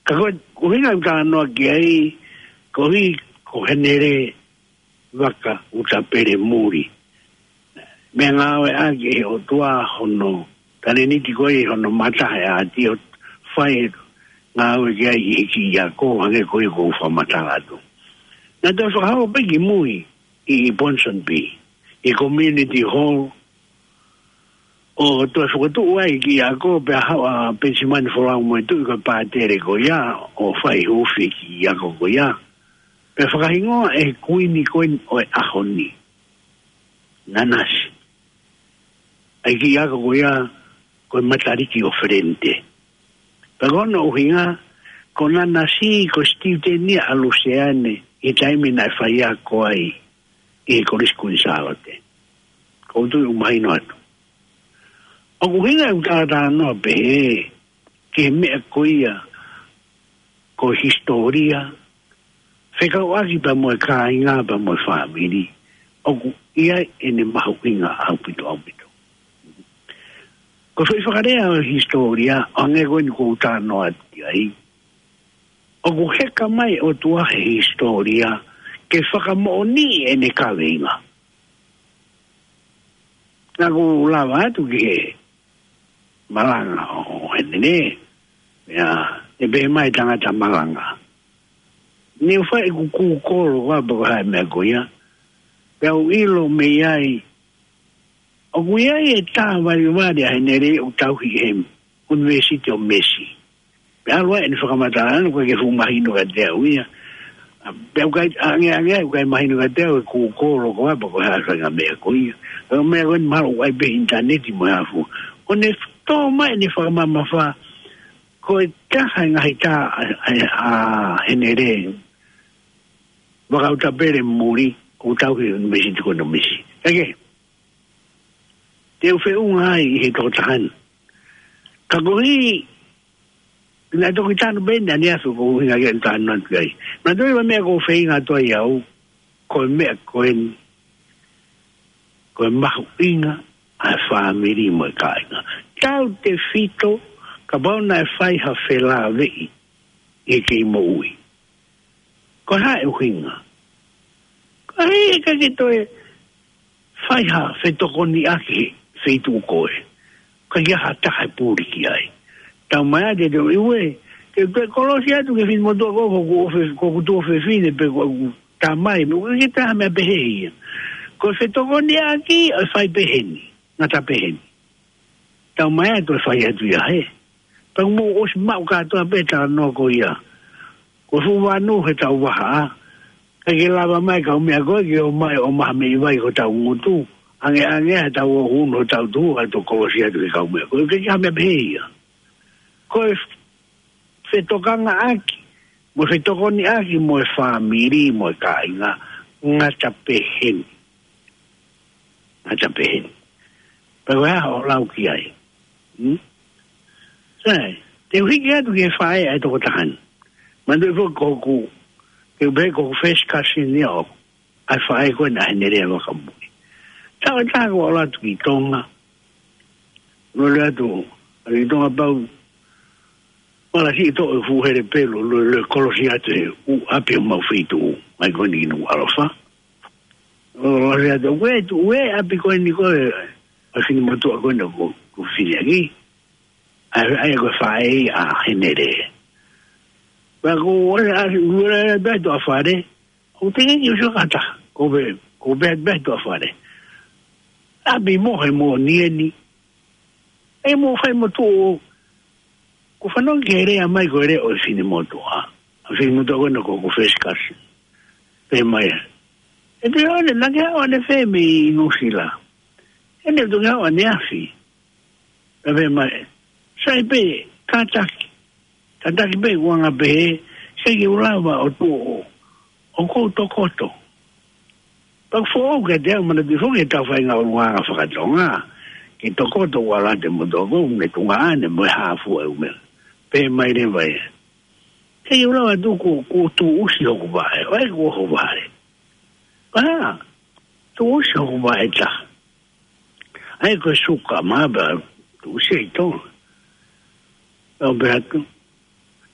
Ka ko e, ko e ʻuhinga ʻoku ou talanoa ki ai, ko e, ko Henele Vakautapele Muli. Meʻa ngāueʻaki ʻe he ʻOtua hono talēniti ko ē ʻi hono mata he ʻaati ʻo fai e ngāue ki ai ʻi he kiʻi ako hangē ko ia ʻoku ou fakamatala atu. Naʻe toe fakahoko pē ki mui ʻi, ʻi Ponsonby, ʻi Community Hall, ʻo toe fokotuʻu ai e kiʻi ako pea haʻu ʻa Penisimani Folau Moetuʻi ko e pātele ko ia, ʻo fai huufi e kiʻi ako ko ia. Pea fakahingoa ʻe he kuini ko eni ʻo e ʻaho ni, Nanasi. ʻA e kiʻi ako ko ia, ko e Matariki ʻo Felente. Pea ko hono ʻuhinga, ko Nanasi ko e sitiuteni ia ʻa Luseane, ʻi he taimi naʻe faiako ai ʻi he Kolisi Kuini Sālote. ʻOku ou tui ʻoku mahino atu. ʻOku ʻuhinga ʻeku talatalanoa pehē ki he meʻa ko ia ko e hisitōlia, fekauʻaki pea mo e kāinga pea mo e fāmili, ʻoku ʻi ai ʻene mahuʻinga ʻaupito, ʻaupito. Ko e foʻi fakalea ʻo e hisitōlia, ʻo hangē ko eni ʻoku ou talanoa atu ki ai, ʻoku heka mai e ʻOtua he hisitōlia ke fakamoʻoniʻi ʻene kaveinga. Naʻa ku lava atu ki he malanga ʻo Henele, ia, ʻe pehē mai e tangata malanga, ne u fai ʻeku Google ko ē pe ko e hā e meʻa ko ia, pea u ʻilo mei ai, ʻoku ʻi ai e tā valivali ʻa Henele ʻoku tauhi ʻe he ʻUnivēsiti ʻo Mesi. Pea ʻalu ai ʻene fakamatala, naʻe ʻikai ke fuʻu mahino kiate au ia. Pea ʻoku ʻikai, ange, ange, ʻoku ʻikai mahino kiate au e Google ko ē pe ko e hā e faʻahinga meʻa ko ia. Ko e meʻa ko eni mahalo ʻoku ʻi ai pē ʻinitaneti mo e hā fua. ʻO ne tō mai ʻene fakamamafa, ko e taha e ngaahi tā ʻa, ʻa, ʻa Henele Vakautapele Muli, ʻoku tauhi ʻe he ʻUnivēsiti ko eni ʻo Mesi. Kae kehe, te u feʻunga ai ʻi he tokotaha ni. Ka koeʻuhi, naʻe toki tanu pē ʻeni ʻaneafi ko e ʻuhinga ke u tanu atu ai. Naʻe toe ʻi ai e meʻa ʻoku ou feinga atu ai au, ko e meʻa ko eni, ko e mahuʻinga ʻa e fāmili mo e kāinga. Tautefito, kapau naʻe fai ha felāveʻi ʻi he kei moʻui, ko e hā e ʻuhinga? Ko e hā e ʻikai ke toe fai ha fetokoniʻaki he feituʻu ko ē? ʻIkai ha taha ʻe puli ki ai. Talamai ʻe he ʻEiki, ʻiuē, te u toe kolosi atu ki he finemotuʻa ko ē, ko ʻeku ʻofe-, ko ʻeku tuofefine pe ko ʻeku tamai, mo ke taha meʻa pehē ia. Ko e fetokoniʻaki ʻoku fai pehē ni, ngata pehē ni. Tau mai atu e fai atu ia he. Pea mou ʻosi maʻu kātoa pē talanoa ko ia. Ko e fuʻu vanu he tau vaha. ʻIkai ke lava mai kau meʻa ko ē ke ō mai ʻo maha meʻi vai ko hotau ngutu. Ange ange he tau ō hū no tau tuʻu ʻa e tokolosi atu ke kau meʻa. Ko e ke ha meʻa pehē ia. Ko e fetokangaʻaki, mo e fetokoniʻaki, mo e fāmili, mo e kāinga, ngata pehē ni. Ngata pehē ni. Pea ko e hā hoʻo lau ki ai. Hmm? Sai, te u hiki atu ki he faʻē ʻa e tokotaha ni. Manatuʻi foki ko hoku, te u pehē ko hoku first cousin ia ʻoku ʻa e faʻē ko ena ʻa Henelea Vakamui. Taʻu ʻe taha kuo u ʻalu atu ki Tonga. Lole atu, ʻalu ki Tonga pau, mala si to e fuʻu hele pelu, lole, lole kolosi atu he ʻū ʻapi ʻo mau feituʻu, mai ko eni ki Nukuʻalofa. Lole atu, ʻoku ʻi ai e ʻapi ko eni ko e, ʻa e finemotuʻa ko ena ko, ko Fineʻaki. ʻAi, ʻai ko e faʻē ia ʻa Henelea. Pea ko e ʻalu, lole atu ʻa fale, ʻoku teʻeki ke u sio ki ha taha, ko e, ko e pehē, pehē atu ʻa fale. ʻApi mo he mo ni eni. ʻE mo fai mo tuʻu, ko e fanongo ki he lea mai ko e lea ʻo e finemotuʻa. ʻA e finemotuʻa ko ena ko, ko e first cousin. Pehē mai. ʻE te one, naʻa ke ʻalu ʻanefe mei Nuʻusila. ʻE ne tuʻu ke ʻalu ʻaneafi. Pea pehē mai, sai pē, kātaki. Kātaki pē ʻoku anga pehē, sai ke u lava ʻo tuʻu ʻo, ʻo kou tokoto. Pea ʻoku foʻou kiate au manatuʻi foki he tau fai ngā ʻulungaanga faka-Tonga. Ke tokoto ʻo ʻalu atu e motuʻa ko ē, ne tunga ʻane mo e hā fua e ʻū meʻa. Pehē mai leva ia. Sai ke u lava tuʻu kou, kou tuʻusi hoku vaʻe, ʻo ʻai ko hoku vaʻe. Pea, tuʻusi hoku vaʻe taha. ʻAi ko e suka mā pea tuʻusi ʻi Tonga. ʻO pehē atu.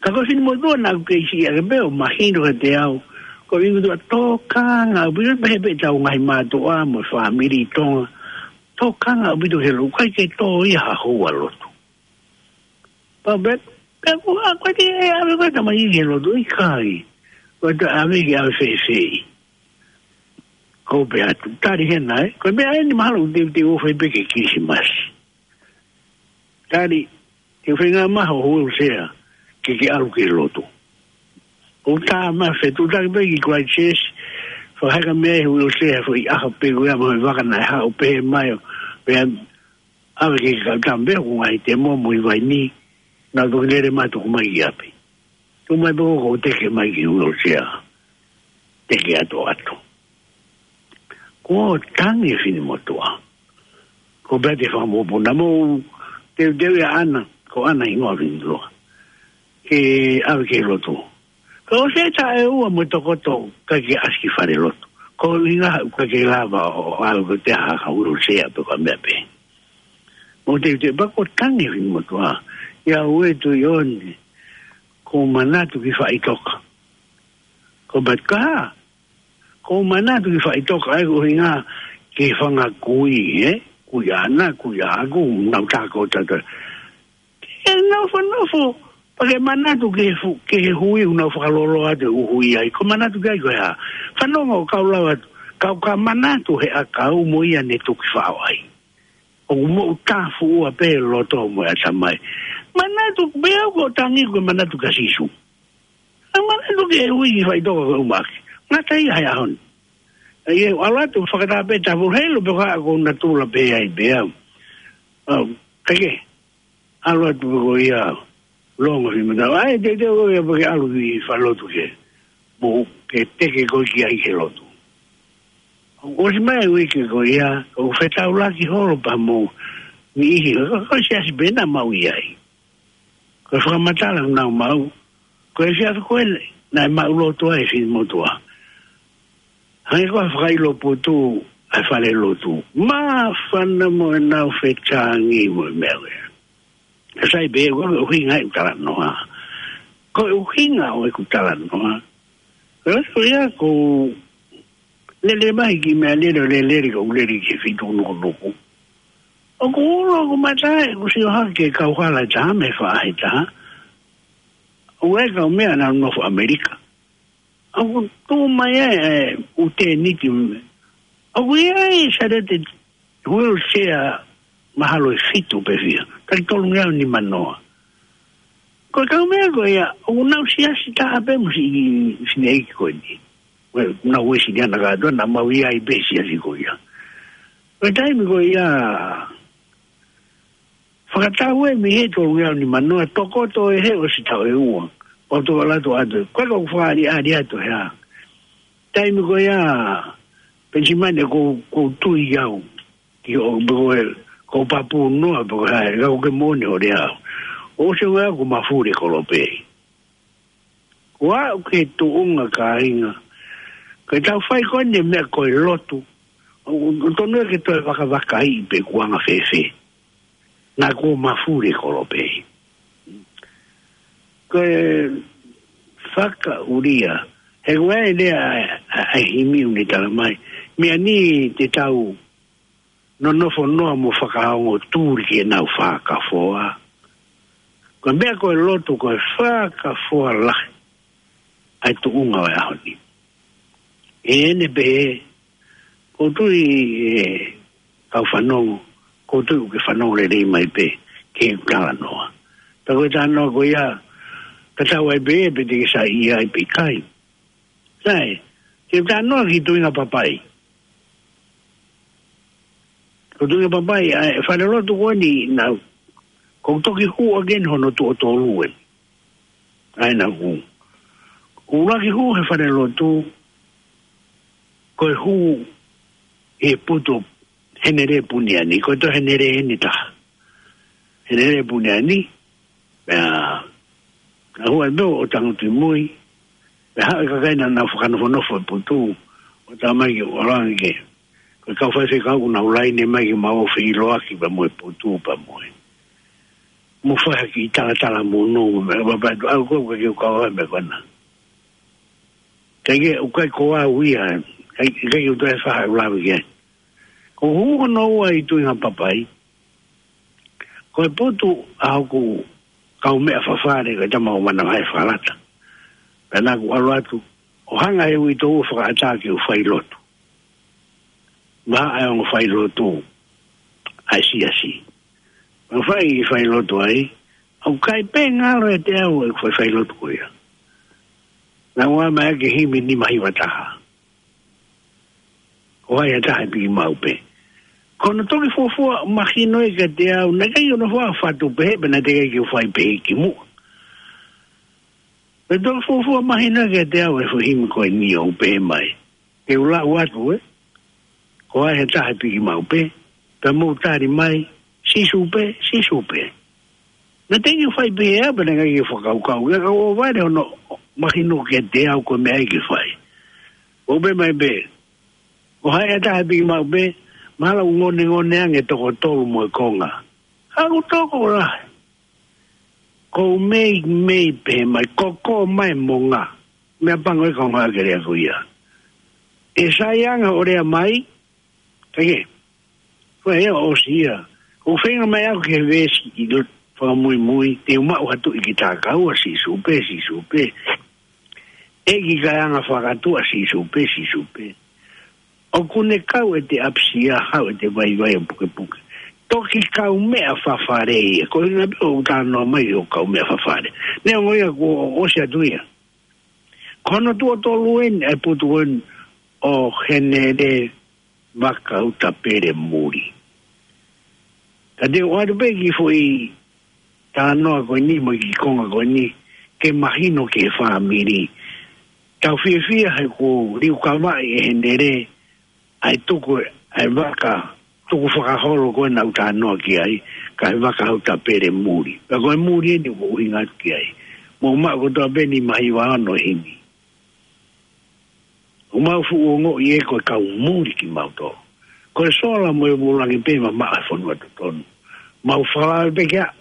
Ka ko e finemotuʻa naʻa ku kei siʻi ake pē ʻo mahino kiate au. Ko e finemotuʻa tokanga, ʻo pehē pē tau ngaahi mātuʻa mo e fāmili ʻi Tonga. Tokanga ʻaupito he lotu, ʻikai ke tō ia ha houa lotu. Pea pehē, pea ko e hā, ko e te ʻave ko e tamai ki he lotu, ʻikai. Ko e te ʻave ke ʻave fēfē. Ko e pehē atu, tali hena ē. Ko e meʻa eni mahalo ʻoku teuteu ʻo fai pē ki he Kilisimasi. Tali, te u feinga maha ho wheelchair, ke ke ʻalu ki he lotu. ʻO tā mai fetuʻutaki pē ki Christchurch, fakaheka mei ai ho wheelchair, foʻi ʻaho pē ko ia mo e vaka naʻe haʻu pehē mai ʻo, pea ʻave ki he kau tama pē ko e ngaahi temo mo e vaini, naʻa ku toki lele mai tuku mai ki ʻapi. Tuku mai pē ko ʻeku teke mai ki he wheelchair. Teke atoʻato. Ko e tangi e finemotuʻa. Ko e pehē atu e fanga mokopuna mo teuteu ia ʻAna, ko ʻAna hingoa e finemotuʻa. Ke ʻave ki he lotu. Ka ʻosi e taʻu ʻe ua mo e tokoto ʻikai ke ʻasi ki fale lotu. Ko e ʻuhinga ʻoku ʻikai ke lava ʻo ʻave ko e te ha ka wheelchair pe ko e meʻa pē. Mo teuteu pē ko e tangi e finemotuʻa. ʻIa ue tu i oni. Ko e manatu ki faʻitoka. Ko e pehē atu ka hā. Ko e manatu ki faʻitoka ʻa e ʻuhinga ki he fanga kui, ē? Kui ʻAna, kui ʻaʻaku, nau tā ko tata. Ke nau fanofo, pea ke manatu ki he fu-, ki he hui ʻoku nau fakalōloa atu e ʻū hui ai. Ko e manatu ki ai ko e hā. Fanongo kau lau atu, kau ka manatu he ʻakau mo ia ne tuki faʻo ai. ʻOku moʻu tāfuʻua pē loto mo e ʻatamai. Manatu, pea ko e tangi ko e manatu kia Sīsū. ʻA e manatu ki he hui ki faʻitoka ko e ʻumaki. Ngata ia he ʻaho ni. ʻA ia, ʻalu atu fakataha pē tafu helu pe ko e hā ko natula pē ai pē au. Au, kae kehe. ʻAlu atu pē ko ia. Longo fi mata. ʻAi, te, te, ko ia pē ke ʻalu ki fale lotu ke. Mo ke teke ko ki ai ke lotu. ʻOsi mai uike ko ia, ʻo fetaulaki holo pea mo niʻihi, ko, ko e siasi pē naʻa mau ʻi ai. Ko e fakamatala naʻa mau, ko e siasi ko ē, naʻe maʻuloto ai e finemotuʻa. Hangē ko e fakaʻilo putu, ʻa e fale lotu. Māfana mo ʻenau fetangi mo e meʻa ko ē. Sai pē, ko e ʻuhinga ʻeku talanoa. Ko e ʻuhinga ʻo ʻeku talanoa. Ko e, ko ia, ko lele mai ki meʻa lele, lele, lele, ko lele ki fitu nukunuku. ʻOku ulo ʻoku mata ʻeku sio hake kau hala taha mei he faʻahi taha. ʻOku ʻi ai e kau meʻa naʻa nau nofo ʻAmelika. ʻOku tuʻu mai ʻa e, ʻū tēniti. ʻOku ʻi ai e sālete wheelchair mahalo ʻe fitu pe fiha. Taki tolungeau nimanoa. Ko e kau meʻa ko ia, ʻoku nau siasi taha pē mo siʻi fineʻeiki ko eni. Ko e nau Uēsiliana kātoa, naʻa mau ʻi ai pē siasi ko ia. Ko e taimi ko ia, fakatau ē mei he tolungeau nimanoa, tokoto ē he ʻosi taʻu ʻe ua. ʻO tō ʻalu atu atu. Ko e kau fakaʻaliʻali atu he ʻā. Taimi ko ia, Penisimani, ʻoku ou, ʻoku ou tui au. Ki o, pe ko e, ʻoku ou pāpū noa, pe ko e hā, ka ʻoku ke moʻoni ʻo lea au. ʻOsi ʻo ngā ʻoku mafuli e kolope. Ua ʻoku ke tuʻunga kāinga. Ko e tau fai ko eni e meʻa ko e lotu. ʻO, ʻo tonu ē ke toe vakavakaiʻi pe kuo anga fēfē. Naʻa kuo mafuli e kolope. Ko e fakaʻulia. He ko e lea ʻa, ʻa, ʻa e himi ʻoku ne tala mai. Meʻa ni te tau nonofo noa mo fakaongo tuli ke nau fakafoa. Ko e meʻa ko e lotu ko e fakafoa lahi. ʻA e tuʻunga ʻo e ʻaho ni. ʻE ʻene pē, ʻoku ou tui ʻe kau fanongo, ʻoku ou tui ʻoku ke fanongo lelei mai pē, ke u talanoa. Pea ko e talanoa ko ia, ka tau ai pē, pe te ke saiʻia ai pe ʻikai. Sai, ke u talanoa ki Tuʻinga Papai. Ko Tuʻinga Papai, ʻa e falelotu ko eni naʻa, ʻoku toki hū again hono tuʻo tolu ē. ʻA ia naʻa ku. ʻUluaki hū he falelotu, ko e hū he putu Henele Puniani, ko e toe Henele eni taha. Henele Puniani, pea, ka hua e meo ʻo Tangutu ʻi Mui, pea haʻu e kakai naʻa nau fakanofonofo e putu, ʻo tā mai ke ʻolangi ke. Ko e kau faifekau ʻoku nau laine mai ke mau feʻiloaki pea mo e putu pea mo e. Mo fai ha kiʻi talatala mo nō, mo e papa tu au ko ke kau ai me kona. Kai ke, ʻoku ʻikai ko au ia, kai, kai ke u toe faha u lawe ke. Ko hū hono ua ʻi Tuʻinga Papai, ko e putu ʻa hoku kaumeʻa fafale, ko e tama ʻo Mana Vai Falata. Pea naʻa ku ʻalu atu, ʻo hanga he uitou ʻo fakaʻatā ke u fai lotu. Maha ʻa e ongo fai lotu, ʻa e siasi. Pea fai, fai lotu ai, ʻoku ʻikai pē ngalo ʻiate au ʻeku fai, fai lotu ko ia. Naʻa ku ʻomai ʻa e himi nima hiva taha. Ko hai ha taha ʻe piki maʻu pē. Ko hono toki fuofua mahino ē kiate au, naʻe ʻikai hono fua fatu pehē, pea naʻe teʻeki ke u fai pehē ki muʻa. Pea toki fuofua mahino ē kiate au e foʻi himi ko eni ʻoku pehē mai. Ke u lau atu ē. Ko hai ha taha ʻe piki maʻu pē, pea mou tali mai, Sīsū pē, Sīsū pē. Naʻe teʻeki ke u fai pehē au, pea naʻe ʻikai ke u fakakaukau. Ka ʻoku ou vale hono mahino kiate au ko e meʻa ia ke fai. ʻOku pehē mai pē, ko hai ha taha ʻe piki maʻu pē, mahalo ʻoku ngonengone ange toko tolu mo e konga. Ka ʻoku tokolahi. Ko u mei, mei pē mai, ko ko mai mo ngā. Meʻa pango e kau ngā ke lea ko ia. ʻE sai anga ʻo lea mai, ka ke. Ko e ʻosi ia. ʻOku feinga mai au ke veesi ʻi loto fakamuimui, te u maʻu ha tuʻi ki tākaua, Sīsū pē, Sīsū pē. ʻEiki kaeanga fakatuʻa, Sīsū pē, Sīsū pē. ʻOku ne kau ʻete ʻapisia, haʻu ʻete vaivai ʻo pukepuke. Toki kaumeʻa fafale ia, ko e ʻuhinga pē ʻoku talanoa mai ʻo kaumeʻa fafale. Neongo ia kuo ʻosi atu ia. Ko hono tuʻo tolu eni, ʻa e putu eni ʻo Henele Vakautapele Muli. Ka te u ʻoatu pē kiʻi foʻi talanoa ko eni mo e kiʻi konga ko eni, ke mahino ki he fāmili. Tau fiefia he kuo liukavaʻi ʻe Henele, ʻa e tuku, ʻa e vaka, tuku fakaholo ko ē naʻa ku talanoa ki ai, ko e Vakautapele Muli. Pea ko e muli eni ʻoku ou ʻuhinga atu ki ai. Mou maʻu kotoa pē nima hiva ono himi. ʻOku mau fuʻu ongoʻi ē ko e kau muli kimautolu. Ko e sola mo e vūlangi pē mamaʻo he fonua totonu. Mau fakalave pē ke aʻu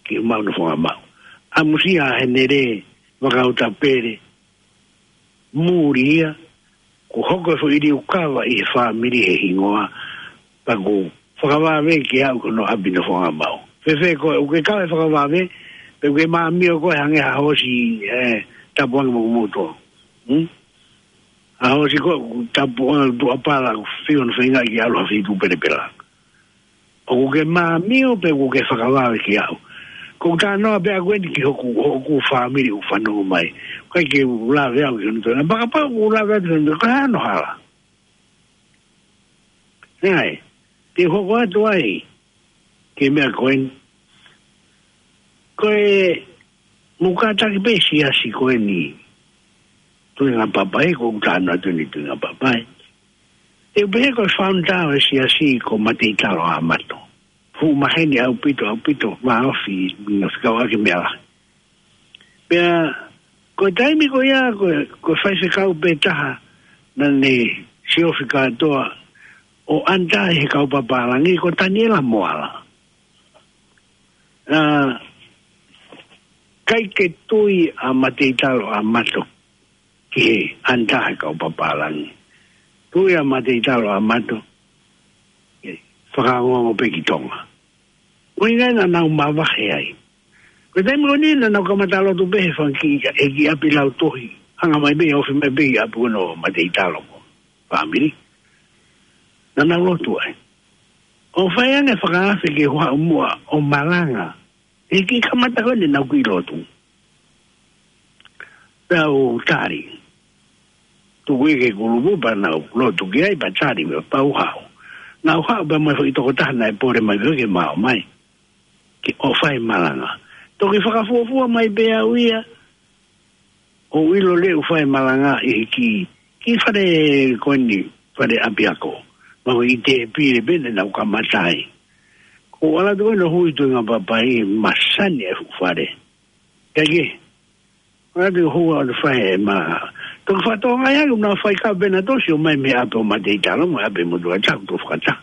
ki homau nofoʻanga maʻu. ʻAmusia ʻa Henele Vakautapele Muli ia, kuo hoko e foʻi liukava ʻi he fāmili he hingoa, pea kuo fakavave ke aʻu ki hono ʻapi nofoʻanga maʻu. Fēfē koe, ʻoku ke kau he fakavave, pe ʻoku ke māmio koe hangē ha hoosi, ē, tapu ange mo kimoutolu. Hmm? A hosi ko, tapu o tuʻa pala, ʻoku fiu ʻoku feinga ke ʻalu ha feituʻu pelepela. ʻOku ke māmio pe ʻoku ke fakavave ki au. Ko u talanoa pē ʻaku eni ki hoku, hoku fāmili ʻoku fanongo mai. ʻIkai ke u lave au ki hono toe. Paka pau ʻoku lave au ki hono toe. Ko e hā hono hala. Naʻe, te u hoko atu ai, ki he meʻa ko eni. Ko e, mou kātaki pē siasi ko eni, Tuʻinga Papai, ko u talanoa atu eni Tuʻinga Papai. Te u pehē ko e founder ʻo e siasi ko Mateitalo ʻAmato. Fuʻu maheni ʻaupito, ʻaupito, vāofi, ngaahi fekauʻaki meʻa lahi. Pea, ko e taimi ko ia, ko e, ko e faifekau pē taha, naʻa ne siofi kātoa, ʻo under he kau papālangi, ko Taniela Moala. ʻA, ʻikai ke tui ʻa Mateitalo ʻAmato, ki he under he kau papālangi. Tui ʻa Mateitalo ʻAmato, ke fakaongoongo pē ki Tonga. ʻUhinga naʻa nau mavahe ai. Ko e taimi ko eni naʻa nau kamata lotu pē he fanga kiʻi, he kiʻi ʻapi lautohi. Hanga mai pē, ofi mai pē ʻapi ko eni ʻo Mateitalo mo e fāmili. Naʻa nau lotu ai. ʻO fai ange fakaafe ke u haʻu muʻa ʻo malanga. He kiʻi kamata ko eni naʻa nau kiʻi lotu. Pea u tali. Tuku ia ki he kulupu pea nau lotu ki ai pea tali pea u haʻu. Naʻa ku haʻu pea mo e foʻi tokotaha naʻe pole mai pē ke ma ō mai. Ke ʻo fai malanga. Toki fakafuofua mai pē au ia. ʻO ʻilo leva ʻoku fai malanga ʻi he kiʻi, kiʻi fale ko eni, fale ʻapiako. Ma ko e ʻi he pile pē naʻa nau kamata ai. Ko u ʻalu atu ko eni ʻo hui Tuʻinga Papai, masani e fuʻu fale. Kae kehe, ʻalu atu ʻo hui ʻo fai e malanga. Toki fakatokangaʻi ange naʻa nau fai ka pena tosi ō mai mei he ʻapi ʻo Mateitalo mo e ʻapi ʻo Motuʻa Taha, ʻoku tau fakataha.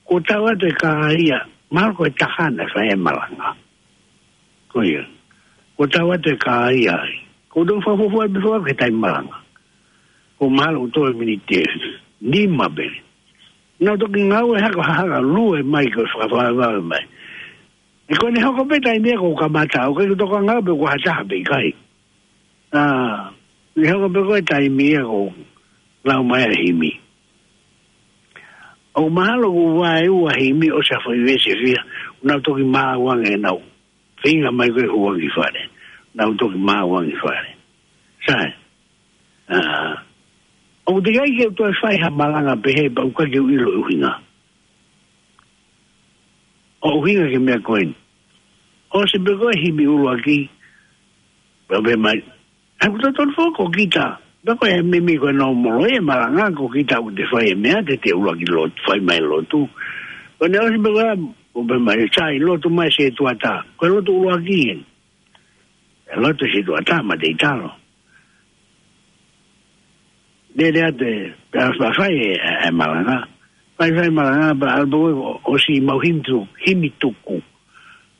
Ko u tau atu e kā ia, mahalo ko e taha naʻe fai e malanga. Ko ia. Ko u tau atu e kā ia ai. Ko u tau fakafuofua pē fua ke tai malanga. Ko mahalo ʻoku toe miniti ʻe nima pē. Naʻa ku toki ngāue haka haka lue mai ko e fakavavevave mai. ʻE ko eni hoko pē taimi ia ko u kamata au, ʻikai ke u toki ngāue pe ko ha taha pe ʻikai. ʻA, ʻi hoko pē ko e taimi ia ko u lau mai ʻa e himi. ʻOku mahalo ko e vaeua himi ʻosi ha foʻi veesi ʻe fiha, naʻa ku toki maau ange naʻa ku feinga mai ko e hū ange ki fale. Naʻa ku toki maau ange ki fale. Sai. ʻA, ʻoku teʻeki ai ke u toe fai ha malanga pehē pea ʻoku ʻikai ke u ʻilo e ʻuhinga. ʻO ʻuhinga ki he meʻa ko eni. ʻOsi pē ko e himi ʻuluaki, pea pehē mai, ʻoku totonu foki ko kita, pea ko e meimei ko e nōmolo e malanga ko kita ʻoku te fai e meʻa, te te ʻuluaki lotu, fai mai lotu. Ko ʻene ʻosi pē ko e, ʻo pehē mai, sai, lotu mai setuata. Ko e lotu ʻuluaki eni. E lotu setuata Mateitalo. Lele atu e, pea fai e, e, e malanga. Fai, fai malanga, pea ʻalu pē ko e ʻosi mau himi tu-, himi tuku.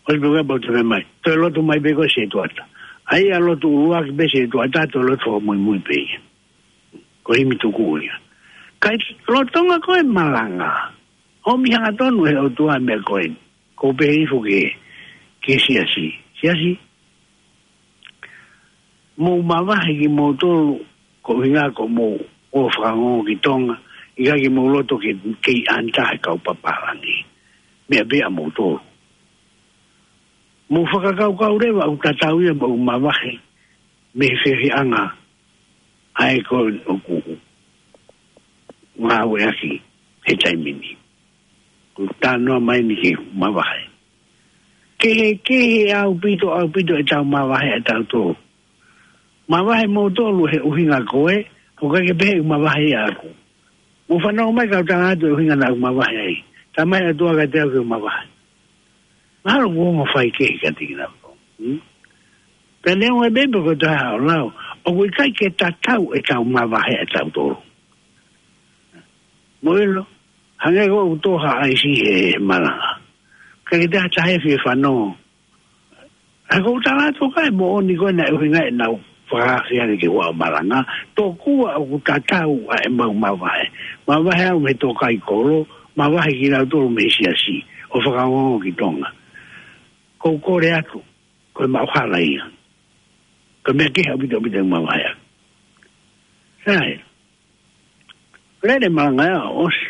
ʻOsi pē ko e pau te fai mai. Toe lotu mai pē ko e setuata. ʻA ia lotu ʻuluaki pē setuata, toe lotu fakamuimui pē ia. Ko e himi tuku ia. Kae lolotonga ko e malanga. ʻOmi hangatonu he ʻOtua e meʻa ko eni. Ko u pehē hifo ki he, ki he siasi. Siasi. Mou mavahe kimoutolu, ko e ʻuhinga ko hoʻomou ō fakaongo ki Tonga, ʻikai ke mou loto ke, ke under he kau papālangi. Meʻa pē ʻamoutolu. Mou fakakaukau leva ʻoku tatau ia mo hoʻomou mavahe, mei he feohiʻanga, ʻa ē ko ē ʻoku ngāueʻaki he taimi ni. Ko u talanoa mai eni ki he mavahe. Kehekehe ʻaupito, ʻaupito ʻetau mavahe ʻatautolu. Mavahe moutolu he ʻuhinga ko ē, ʻoku ʻikai ke pehē ʻoku mavahe ʻaʻaku. Mou fanongo mai ka u tala atu e ʻuhinga naʻa ku mavahe ai. Talamai ʻe he ʻOtua kiate au ke u mavahe. Mahalo ʻoku ongo faikehe kiate kinautolu. Hmm? Pea neongo e meʻa ko e taha ʻo lau, ʻoku ʻikai ke tatau ʻetau mavahe ʻatautolu. Mou ʻilo, hangē ko ʻeku tō ha ʻaisi he malanga. ʻIkai ke te ha taha ʻe fie fanongo. He ko u tala atu ka e moʻoni ko ē naʻe ʻuhinga ʻenau fakaafe ange ke u ō ʻo malanga. Tokua ʻoku tatau ʻa ʻemau mavahe. Mavahe au mei he tōkaikolo, mavahe kinautolu mei he siasi, ʻo fakaongoongo ki Tonga. Ko u kole atu, ko e maʻu hala ia. Ko e meʻa kehe ʻaupito ʻaupito ʻemau mavahe. Sai. Lele malanga ia ʻosi.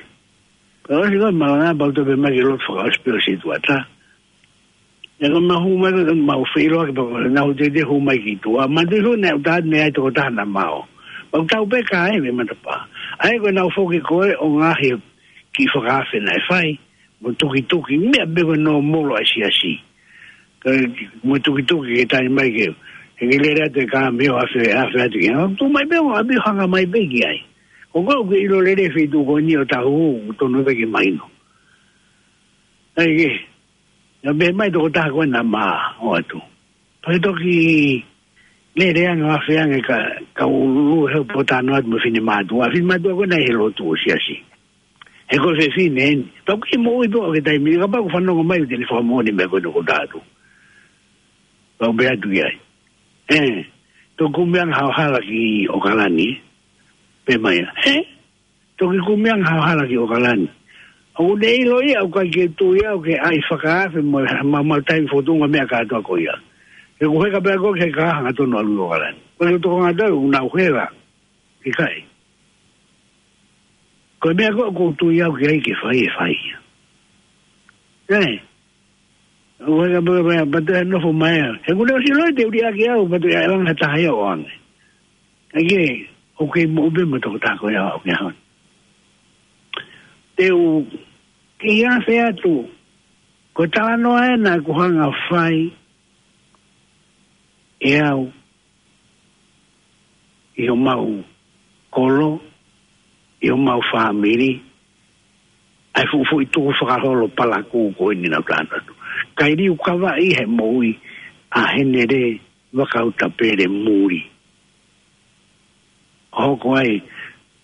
Ka ʻosi ko e malanga pau tope mai ki lotu fakaʻosi pē ʻosi tuata. Ia ko mau hū mai ko mau filo ke pau na hu te te hū mai ki tuʻa. Ma te hū ne uta ne ai toko taha na mao. Pau tau pē ka e me matapa. ʻAi ko nau foki ko e ʻo ngaohi ki fakaafe naʻe fai. Mo tukituki, meʻa pē ko e nōmolo ʻa e siasi. Ka mo tukituki ke tali mai ke, he ke lele atu e ka mio afe, afe atu ke. Tu mai pē ʻo ʻapi hanga mai pē ki ai. Ko ko ke ʻilo lele feituʻu ko eni ʻo tahu, tonu pē ke mahino. ʻAi ke, ia pē mai toko taha ko e na ma, ʻo atu. Pau toki lele ange ʻo afe ange ka, ka ulu he potano atu mo finemātuʻa. Finemātuʻa ko e na he lotu ʻo siasi. He ko e fefine eni. Pau ki moʻui pē ʻo ke taimi, ka pau fanongo mai ʻo te ne fakamoʻoni meʻa ko eni ko tatu. Pau pē atu ki ai. ʻE, toki kumi ange hao hala ki ʻOkalani. Pē mai ia. ʻE, toki kumi ange hao hala ki ʻOkalani. ʻOku ne ʻilo ia, ʻoku ʻikai ke tui au ke ʻai fakaafe mo, ma, ma taimi fotunga meʻa kātoa ko ia. He ko heka pē ko ke ka hanga tonu ʻalu ʻOkalani. Ko e toko ngata ʻoku nau hela. ʻIkai. Ko e meʻa ko ʻoku ou tui au ki ai ke fai e fai ia. ʻE. ʻO heka pē, pē, pē, te nofo mai ia. He kune ʻosi loi te uri ake au, pea te ia langa taha ia ʻo ange. ʻAi ke, ʻoku kei moʻu pē mo toko taha ko ia ʻo ke hon. Te u, ke ia fe atu, ko e talanoa ena ʻoku hanga fai, ʻe au, ʻi homau kolo, ʻi homau fāmili, ʻa e fuʻu fuʻu tuku fakaholo palakū ko eni naʻa ku talanoa atu. Kai liu kavaʻi he moʻui ʻa Henele Vakautapele Muli. Hoko ai,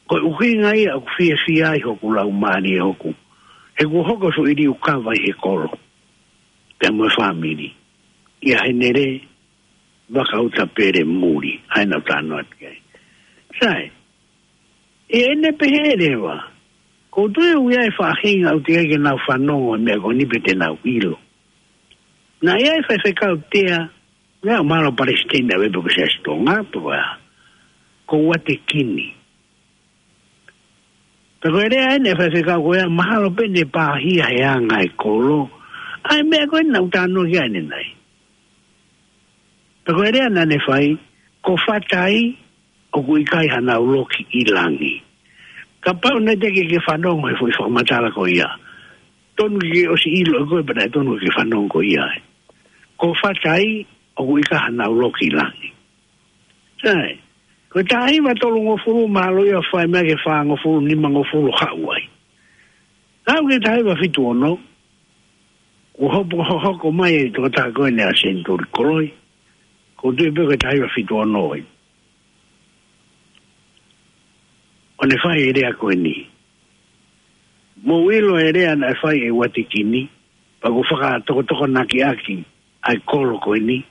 ko e ʻuhinga ia ʻoku fiefia ai hoku laumālie hoku. He kuo hoko e fuʻu liu kavaʻi he kolo. Pea mo e fāmili. ʻIa Henele Vakautapele Muli, ʻa ia naʻa ku talanoa atu ki ai. Sai, ʻi heʻene pehē leva, ko u tui ʻoku ʻi ai e faʻahinga ʻoku teʻeki ke nau fanongo he meʻa ko eni pe te nau ʻilo. Naʻe ʻi ai e faifekau tea, naʻe ʻomai ʻo palesiteni ʻa e pē ko e Siasi Tonga, pea ko Uatekini. Pea ko e lea eni ʻa e faifekau ko ia, mahalo pē ne pāhia he anga e kolo. ʻA e meʻa ko ē naʻa ku talanoa ki ai ʻanenai. Pea ko e lea naʻa ne fai, ko Fatai ʻoku ʻikai hanau loki ʻi langi. Kapau naʻe teʻeki ke fanongo he foʻi fakamatala ko ia. Tonu ke ʻosi ʻilo ko e pena tonu ke fanongo ko ia. Ko Fatai ʻoku ʻikai hanau loki ʻi langi. Sai, ko e taha hiva tolungofulu mahalo ia fai mai ke fāngofulu, nimangofulu haʻu ai. Haʻu ki he taha hiva fitu ono, ʻo hopo hohoko mai e tokotaha ko eni ʻa Senituli Koloi, ko u tui pē ko e taha hiva fitu ono ai. ʻO ne fai e lea ko eni. Mou ʻilo e lea naʻe fai ʻe Uatekini, pea ʻoku fakatokotokonakiʻaki ʻa e kolo ko eni,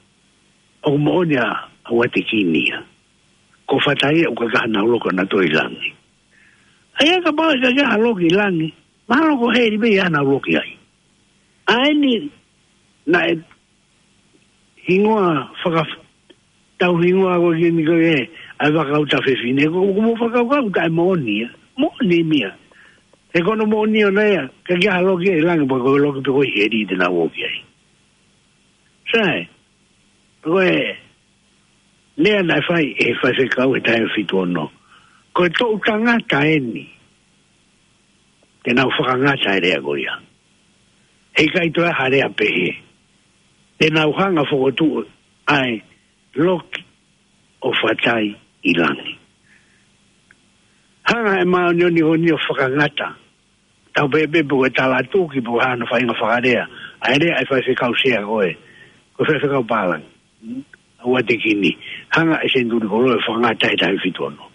ʻoku moʻoni ʻa Uatekini ia. Ko Fatai ʻoku ʻikai hanau loki ʻa nautolu ʻi langi. ʻA ia kapau ʻe ʻikai ke ha loki ʻi langi, mahalo ko heli pē ia hanau loki ai. ʻA eni naʻe hingoa faka-, tau hingoa ko eni ko e, ʻa e Vakautafefine, ko, ko mo fakakaukau taʻemoʻoni ia. Moʻoni mia. He ko hono moʻoni ʻona ia, ʻikai ke ha loki ʻi langi, pea ko e loki pē ko ē ʻi heli te nau ō ki ai. Sai, ko e lea naʻe fai ʻe he faifekau he taha hiva fitu ono. Ko e toʻu tangata eni, te nau fakangata e lea ko ia. Heʻikai toe ha lea pehē. Te nau hanga fokotuʻu ʻa e loki ʻo Fatai ʻi langi. Hanga ʻe he māʻoniʻoni ko eni ʻo fakangata. Tau pehē pē pe ko e tala tuki pe ko hano faʻahinga fakalea. ʻA e lea ʻa e faifekau sea ko ē. Ko e faifekau pālangi. ʻA Uatekini. Hanga ʻe Senituli Koloi ʻo fakangata he taha hiva fitu ono.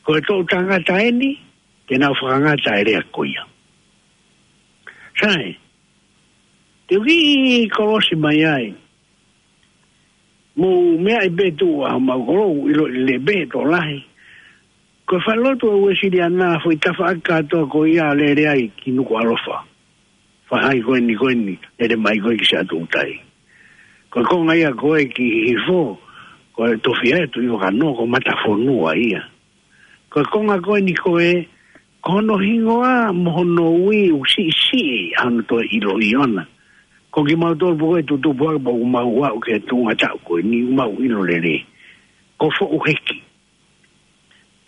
Ko e toʻu tangata eni, te nau fakangata e lea ko ia. Sai, te u kiʻi kolosi mai ai. Mou meaʻi pē tuʻu ʻa homau kolo, ʻilo lelei pē tokolahi. Ko e falelotu ʻa e Uēsiliana, foʻi tafaʻaki kātoa ko ia lele ai ki Nukuʻalofa. Faʻahi ko eni ko eni, lele mai ko ē ki Siaʻatoutai. Ko e konga ia ko ē ki Hihifo, ko e tofiʻa ʻo e Tuʻi Vakanoa, ko Matafonua ia. Ko e konga ko eni ko ē, ko hono hingoa mo hono ui ʻoku siʻisiʻi ʻa hono toe ʻiloʻi ʻona. Ko kimautolu pē ko ē tutupu hake pea ʻoku mau aʻu ki he tuʻunga taʻu ko eni ʻoku mau ʻilo lelei. Ko Foʻu Heki.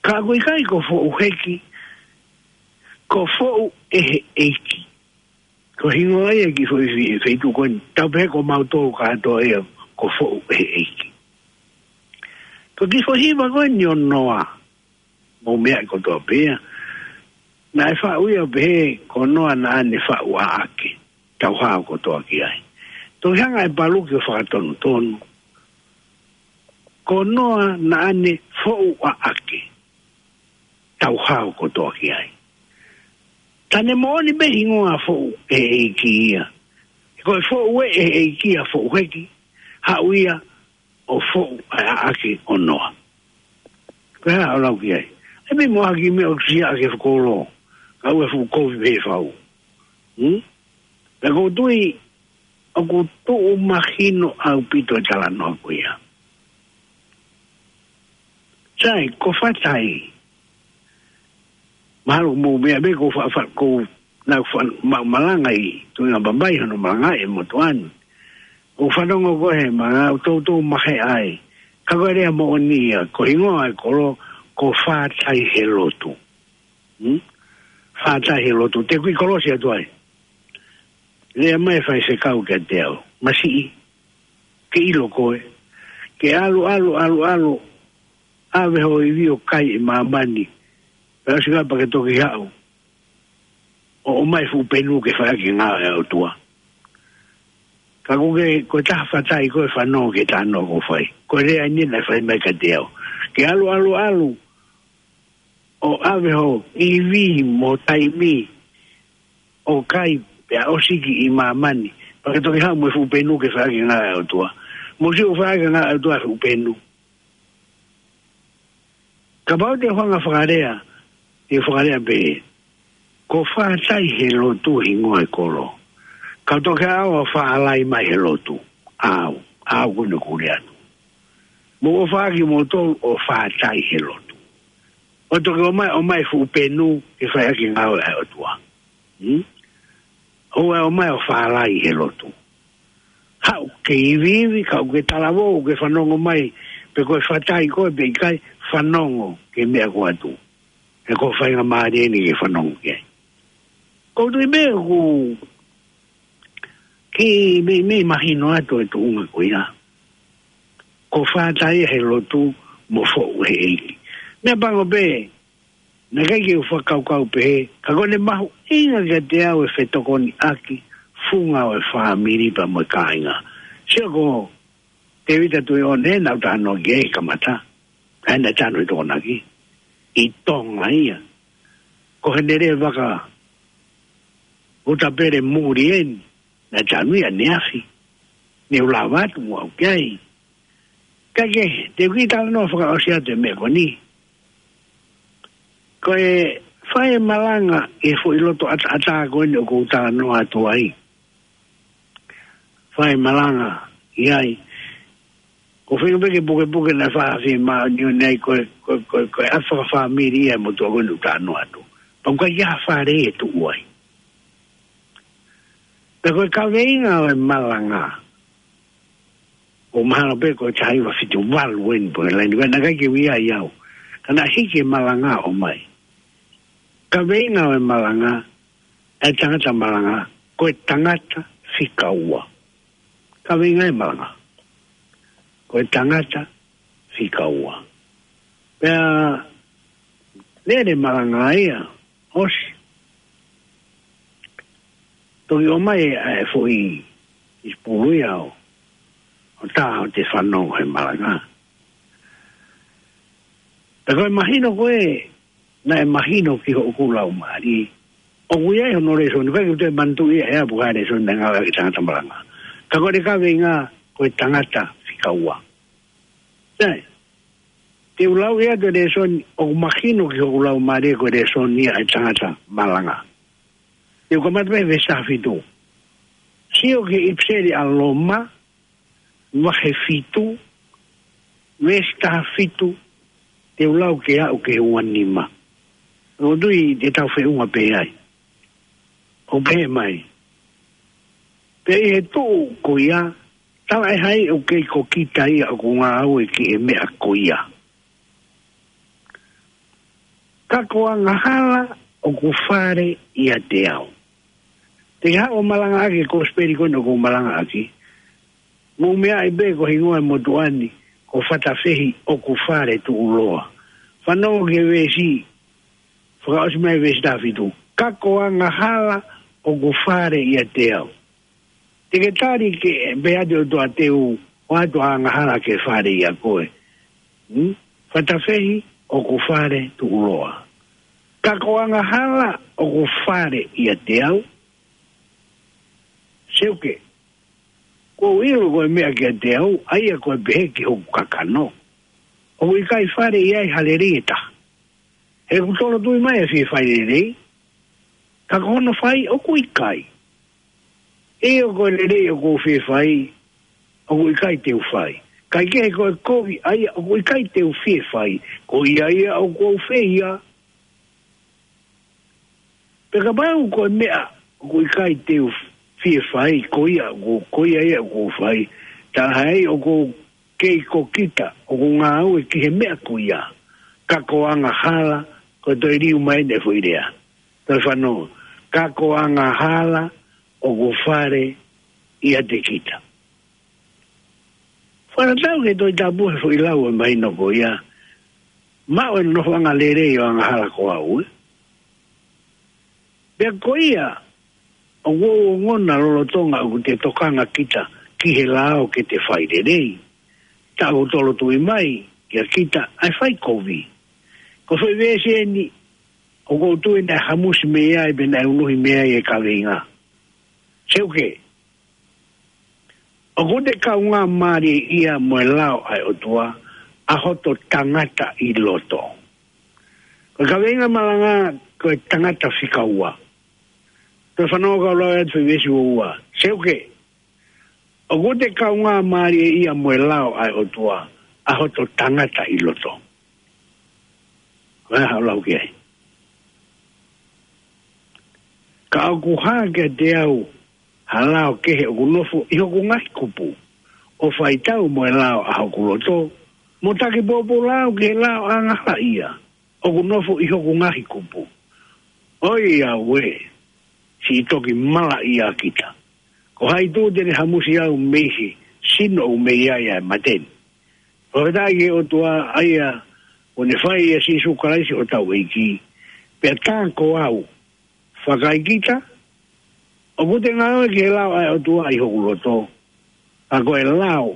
Ka ʻoku ʻikai ko Foʻu Heki, ko Foʻu ʻe he ʻEiki. Ko e hingoa ia ki he foʻi fe-, feituʻu ko eni. Tau pehē ko mautolu kātoa ia ko Foʻu ʻe he ʻEiki. Ko e kiʻi foʻi hiva ko eni ʻo Noa. Mou meaʻi kotoa pē ia. Naʻe faʻu ia ʻo pehē ko Noa naʻa ne faʻu ʻaʻake. Tau hao kotoa ki ai. Toki hanga ʻe Paluki ʻo fakatonutonu. Ko Noa naʻa ne foʻu ʻaʻake. Tau hao kotoa ki ai. Tā ne moʻoni pē hingoa Foʻu ʻe he ʻEiki ia. Ko e Foʻu ʻe he ʻEiki ʻa Foʻu Heki, haʻu ia ʻo foʻu ʻa e ʻaʻake ʻo Noa. Ko e hā ʻoku lau ki ai? ʻE mei mo haki meʻa ʻoku sia ake fakolo. Ka ʻoku fuʻu kovi pē fau. Hmm? Pea ʻoku ou tui ʻoku tuʻu mahino ʻaupito e talanoa ko ia. Sai, ko Fatai. Mahalo mou meaʻi pē ko fa, fa, ko naʻa ku fa, ma, malanga ʻi Tuʻinga Bambai hono malanga ʻe motuʻa ni. ʻOku fanongo ko ē he malanga ʻoku toutou mahe ai. Ka ko e lea moʻoni ia, ko e hingoa e kolo, ko Fatai he lotu. Hmm? Fatai he lotu. Te u kiʻi kolosi atu ai. Lea mai e faifekau kiate au. Masiʻi, ke ʻilo koe. Ke ʻalu, ʻalu, ʻalu, ʻalu. ʻAve ho ivi ʻo kai ʻi māmani. Pea ʻosi ka pea ke toki haʻu ʻo ʻomai fuʻu penu ke fai ʻaki e ngāue ʻa e ʻOtua. Ka ko e, ko e taha Fatai ko e fanongo ki he talanoa ʻoku fai. Ko e lea eni naʻe fai mai kiate au. Ke ʻalu, ʻalu, ʻalu. ʻO ʻave ho ivi mo taimi ʻo kai pea ʻosi ki ʻi māmani. Pea ke toki haʻu mo e fuʻu penu ke fai ʻaki e ngāue ʻa e ʻOtua. Mou sio ʻoku fai ʻaki e ngāue ʻa e ʻOtua fuʻu penu. Kapau te u hanga fakalea, te u fakalea pē. Ko Fatai he lotu hingoa e kolo. Ka toki ʻalu ʻo fālai mai he lotu. ʻAu, ʻaku ne kule atu. Mou ʻofa ʻaki moutolu ʻo Fatai he lotu. ʻO toki ʻomai, ʻomai fuʻu penu ke fai ʻaki e ngāue ʻa e ʻOtua. Hmm? ʻOua ʻe ʻomai ʻo fālai he lotu. Haʻu ke iviivi, ka ʻoku ke talavou, ke fanongo mai, pe ko e Fatai koe, pe ʻikai fanongo ki he meʻa ko ē atu. He ko e faingamālie eni ke fanongo ki ai. ʻOku ou tui pē ʻoku kiʻi meimei mahino atu e tuʻunga ko ia. Ko Fatai he lotu mo Foʻu he ʻEiki. Meʻapango pē, naʻe ʻikai ke u fakakaukau pehē, ka ko ʻene mahuʻinga kiate au e fetokoniʻaki funga ʻo e fāmili pea mo e kāinga. Sio ko Tēvita Tuʻiʻone naʻa ku talanoa ki ai he kamata. ʻA ia naʻe tanu he Tokonaki. ʻI Tonga ia. Ko ʻene lea vaka uta pele muli eni. Naʻe tanu ia ʻaneafi. Ne u lava atu mo au ki ai. Ka ke, te u kiʻi talanoa fakaʻosi atu e meʻa ko eni. Ko e fai e malanga ʻi he foʻi loto ʻataʻatā ko eni ʻoku ou talanoa atu ai. Fai e malanga ʻi ai. Ko e feinga pē ke pukepuke naʻe fai ha fiemāʻoniʻoni ai ko e, ko e, ko e, ko e ʻapi fakafāmili ia e motuʻa ko eni ʻoku ou talanoa atu. Pea ʻoku ʻikai ha fale ʻe tuʻu ai. Pea ko e kaveinga ʻo e malanga. ʻOku mahalo pē ko e taha hiva fitu valu eni pē laine ko ē naʻe ʻikai ke u ʻi ai au. Ka naʻe hiki e malanga ʻo ʻomai. Kaveinga ʻo e malanga, e tangata malanga, ko e tangata fika ua. Kaveinga e malanga. Ko e tangata fika ua. Pea lele malanga ia, ʻosi. Toki ʻomai ʻa e foʻi ʻIsipulu ia ʻo, ʻo tā ʻo te fanongo he malanga. Pea ko e mahino ko ē, naʻe mahino ki hoʻoku laumālie. ʻOku ʻi ai hono lēsoni, ʻikai ke u toe manatuʻi ʻe au pe ko e hā e lēsoni naʻe ngāueʻaki e tangata malanga. Ka ko e kaveinga ko e tangata fika ua. Sai. Te u lau ia ʻa e lēsoni ʻoku mahino ki hoku laumālie ko e lēsoni ia ʻa e tangata malanga. Te u kamata pē he veesi taha fitu. Sio ki he ʻipiseli ʻa Loma, vahe fitu, veesi taha fitu, te u lau ke aʻu ki he ua nima. ʻOku ou tui te tau feʻunga pē ai. ʻOku pehē mai: Pea ʻi he tuʻu ko ia, talaʻehai ʻoku kei ko kita ia ʻoku ngāue ki he meʻa ko ia. Ka ko angahala ʻoku fale ʻiate au. Te ke haʻu ʻo malangaʻaki e kosipeli ko eni ʻoku ou malangaʻaki. Mou meaʻi pē ko e hingoa e motuʻa ni ko Fatafehi ʻoku fale tuʻuloa. Fanongo ki he veesi, fakaʻosi mai veesi taha fitu. Ka ko angahala ʻoku fale ʻiate au. Te ke tali ke pehē atu ʻe he ʻOtua te u ʻoatu ʻa e angahala ke fale ʻia koe. Hmm? Fatafehi ʻoku fale tuʻuloa. Ka ko angahala ʻoku fale ʻiate au. Seuke, kuo u ʻilo ko e meʻa kiate au, ʻa ia ko e pehē ki hoku kakano. ʻOku ʻikai fale ʻi ai ha lelei ʻe taha. He ʻoku tolotui mai e fie fai lelei, ka ko hono fai ʻoku ʻikai. ʻIo, ko e lelei ʻoku ou fie fai, ʻoku ʻikai te u fai. Kaekehe ko e kovi ʻa ia ʻoku ʻikai te u fie fai, ko ia ia ʻoku ou feia. Pea kapau ko e meʻa ʻoku ʻikai te u fie fai, ko ia ʻoku, ko ia ia ʻoku ou fai, talaʻehai ʻoku ou kei ko kita ʻoku ngāue ki he meʻa ko ia. Ka ko angahala, ko e toe liliu mai eni e foʻi lea. Toe fanongo. Ka ko angahala ʻoku fale ʻiate kita. Fakatatau ki he Tohi Tapu he foʻi lau ʻe mahino ko ia. Maʻu e nofoʻanga lelei ʻo e angahala ko au, ē. Pea ko ia, ʻoku ou ongona lolotonga ʻoku te tokanga kita ki he lao ke te fai lelei, ka ʻoku tolotui mai kia kita ʻa e fai kovi. Ko e foʻi veesi eni ʻoku ou tui naʻe hamusi mei ai pe naʻe unuhi mei ai e kaveinga. Seuke, ʻoku te kaungāmālie ia mo e lao ʻa e ʻOtua, ʻa hoto tangata ʻi loto. Ko e kaveinga malanga ko e tangata fika ua. Toe fanongo kau lau atu e veesi ua ua. Seuke, ʻoku te kaungāmālie ia mo e lao ʻa e ʻOtua, ʻa hoto tangata ʻi loto. Ko e hā haʻo lau ki ai? Ka ʻoku hā kiate au ha lao kehe ʻoku nofo ʻi hoku ngaahi kupu, ʻo faitau mo e lao ʻa hoku loto, mo taki poupou lao ki he lao ʻa e angahala ia ʻoku nofo ʻi hoku ngaahi kupu. ʻOiauē, siʻi toki malaʻia kita. Ko hai tuʻu te ne hamusi au mei he sino ʻoku mei ai ʻa e mate ni? Fakafetaʻi ki he ʻOtua ʻa ia kuo ne fai ʻia Sīsū Kalaisi hotau ʻEiki. Pea tā ko au, fakaikita, ʻoku te ngāue ki he lao ʻa e ʻOtua ʻi hoku loto, ka ko e lao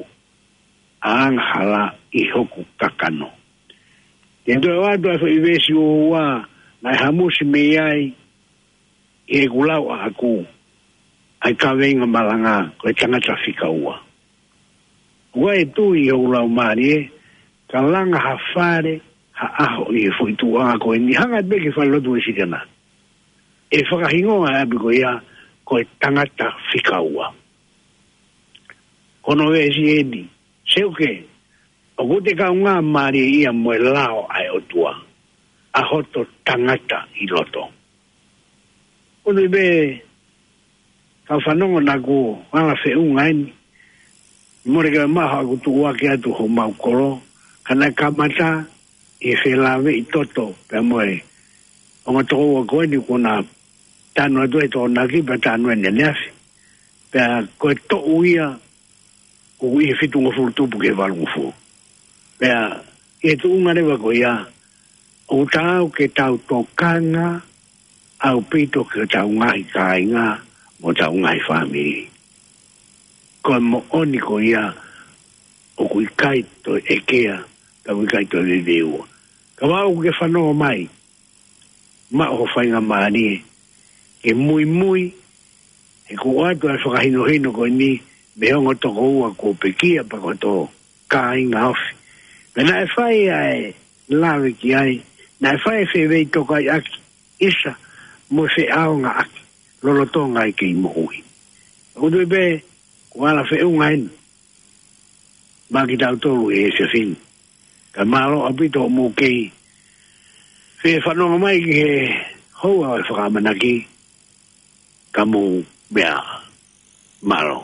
ʻa e angahala ʻi hoku kakano. Te u toe ʻoatu ʻa e foʻi veesi ua ua naʻe hamusi mei ai ʻi heʻeku lau ʻaʻaku ʻa e kaveinga malanga ko e tangata fika ua. ʻOku ʻi ai e tui ʻi hoku laumālie, ka langa ha fale, ha ʻaho ʻi he foʻi tuʻuʻanga ko eni, hanga pē ki he falelotu Uēsiliana, ʻe fakahingoa e ʻapi ko ia ko e tangata fika ua. Ko hono veesi eni, seuke, ʻoku te kaungāmālie ia mo e lao ʻa e ʻOtua, ʻa hoto tangata ʻi loto. ʻOku ou tui pē, kau fanongo naʻa ku ala feʻunga eni, mole ke maha ʻoku tuʻuaki atu homau kolo, ka naʻe kamata ʻi he felāveʻi toto pea mo e ongo tokoua ko eni kuo na tanu atu e Tokonaki pea tanu eni ʻaneafi. Pea ko e toʻu ia ʻoku ʻi he fitungofulu tupu ki he valungofulu. Pea ʻi he tuʻunga leva ko ia, ʻoku taau ke tau tokanga ʻaupito ki hotau ngaahi kāinga mo hotau ngaahi fāmili. Ko e moʻoni ko ia, ʻoku ʻikai toe ʻekea, ka ʻoku ʻikai toe veveua. Kapau ʻoku ke fanongo mai, maʻu ho faingamālie ke muimui, he kuo ʻoatu ʻa e fakahinohino ko eni mei he ongo tokoua kuo pekia pea ko hoto kāinga ofi. Pea naʻe fai ʻa e lave ki ai, naʻe fai e feveitokaiʻaki ʻisa mo e feʻaongaʻaki lolotonga e kei moʻui. ʻOku ou tui pē, kuo ala feʻunga eni maʻa kitautolu he efiafi ni. Pea mālō ʻaupito hoʻomou kei fie fanongo mai ki he houa ʻo e fakaʻamanaki, ka mou meʻa ā. Mālō.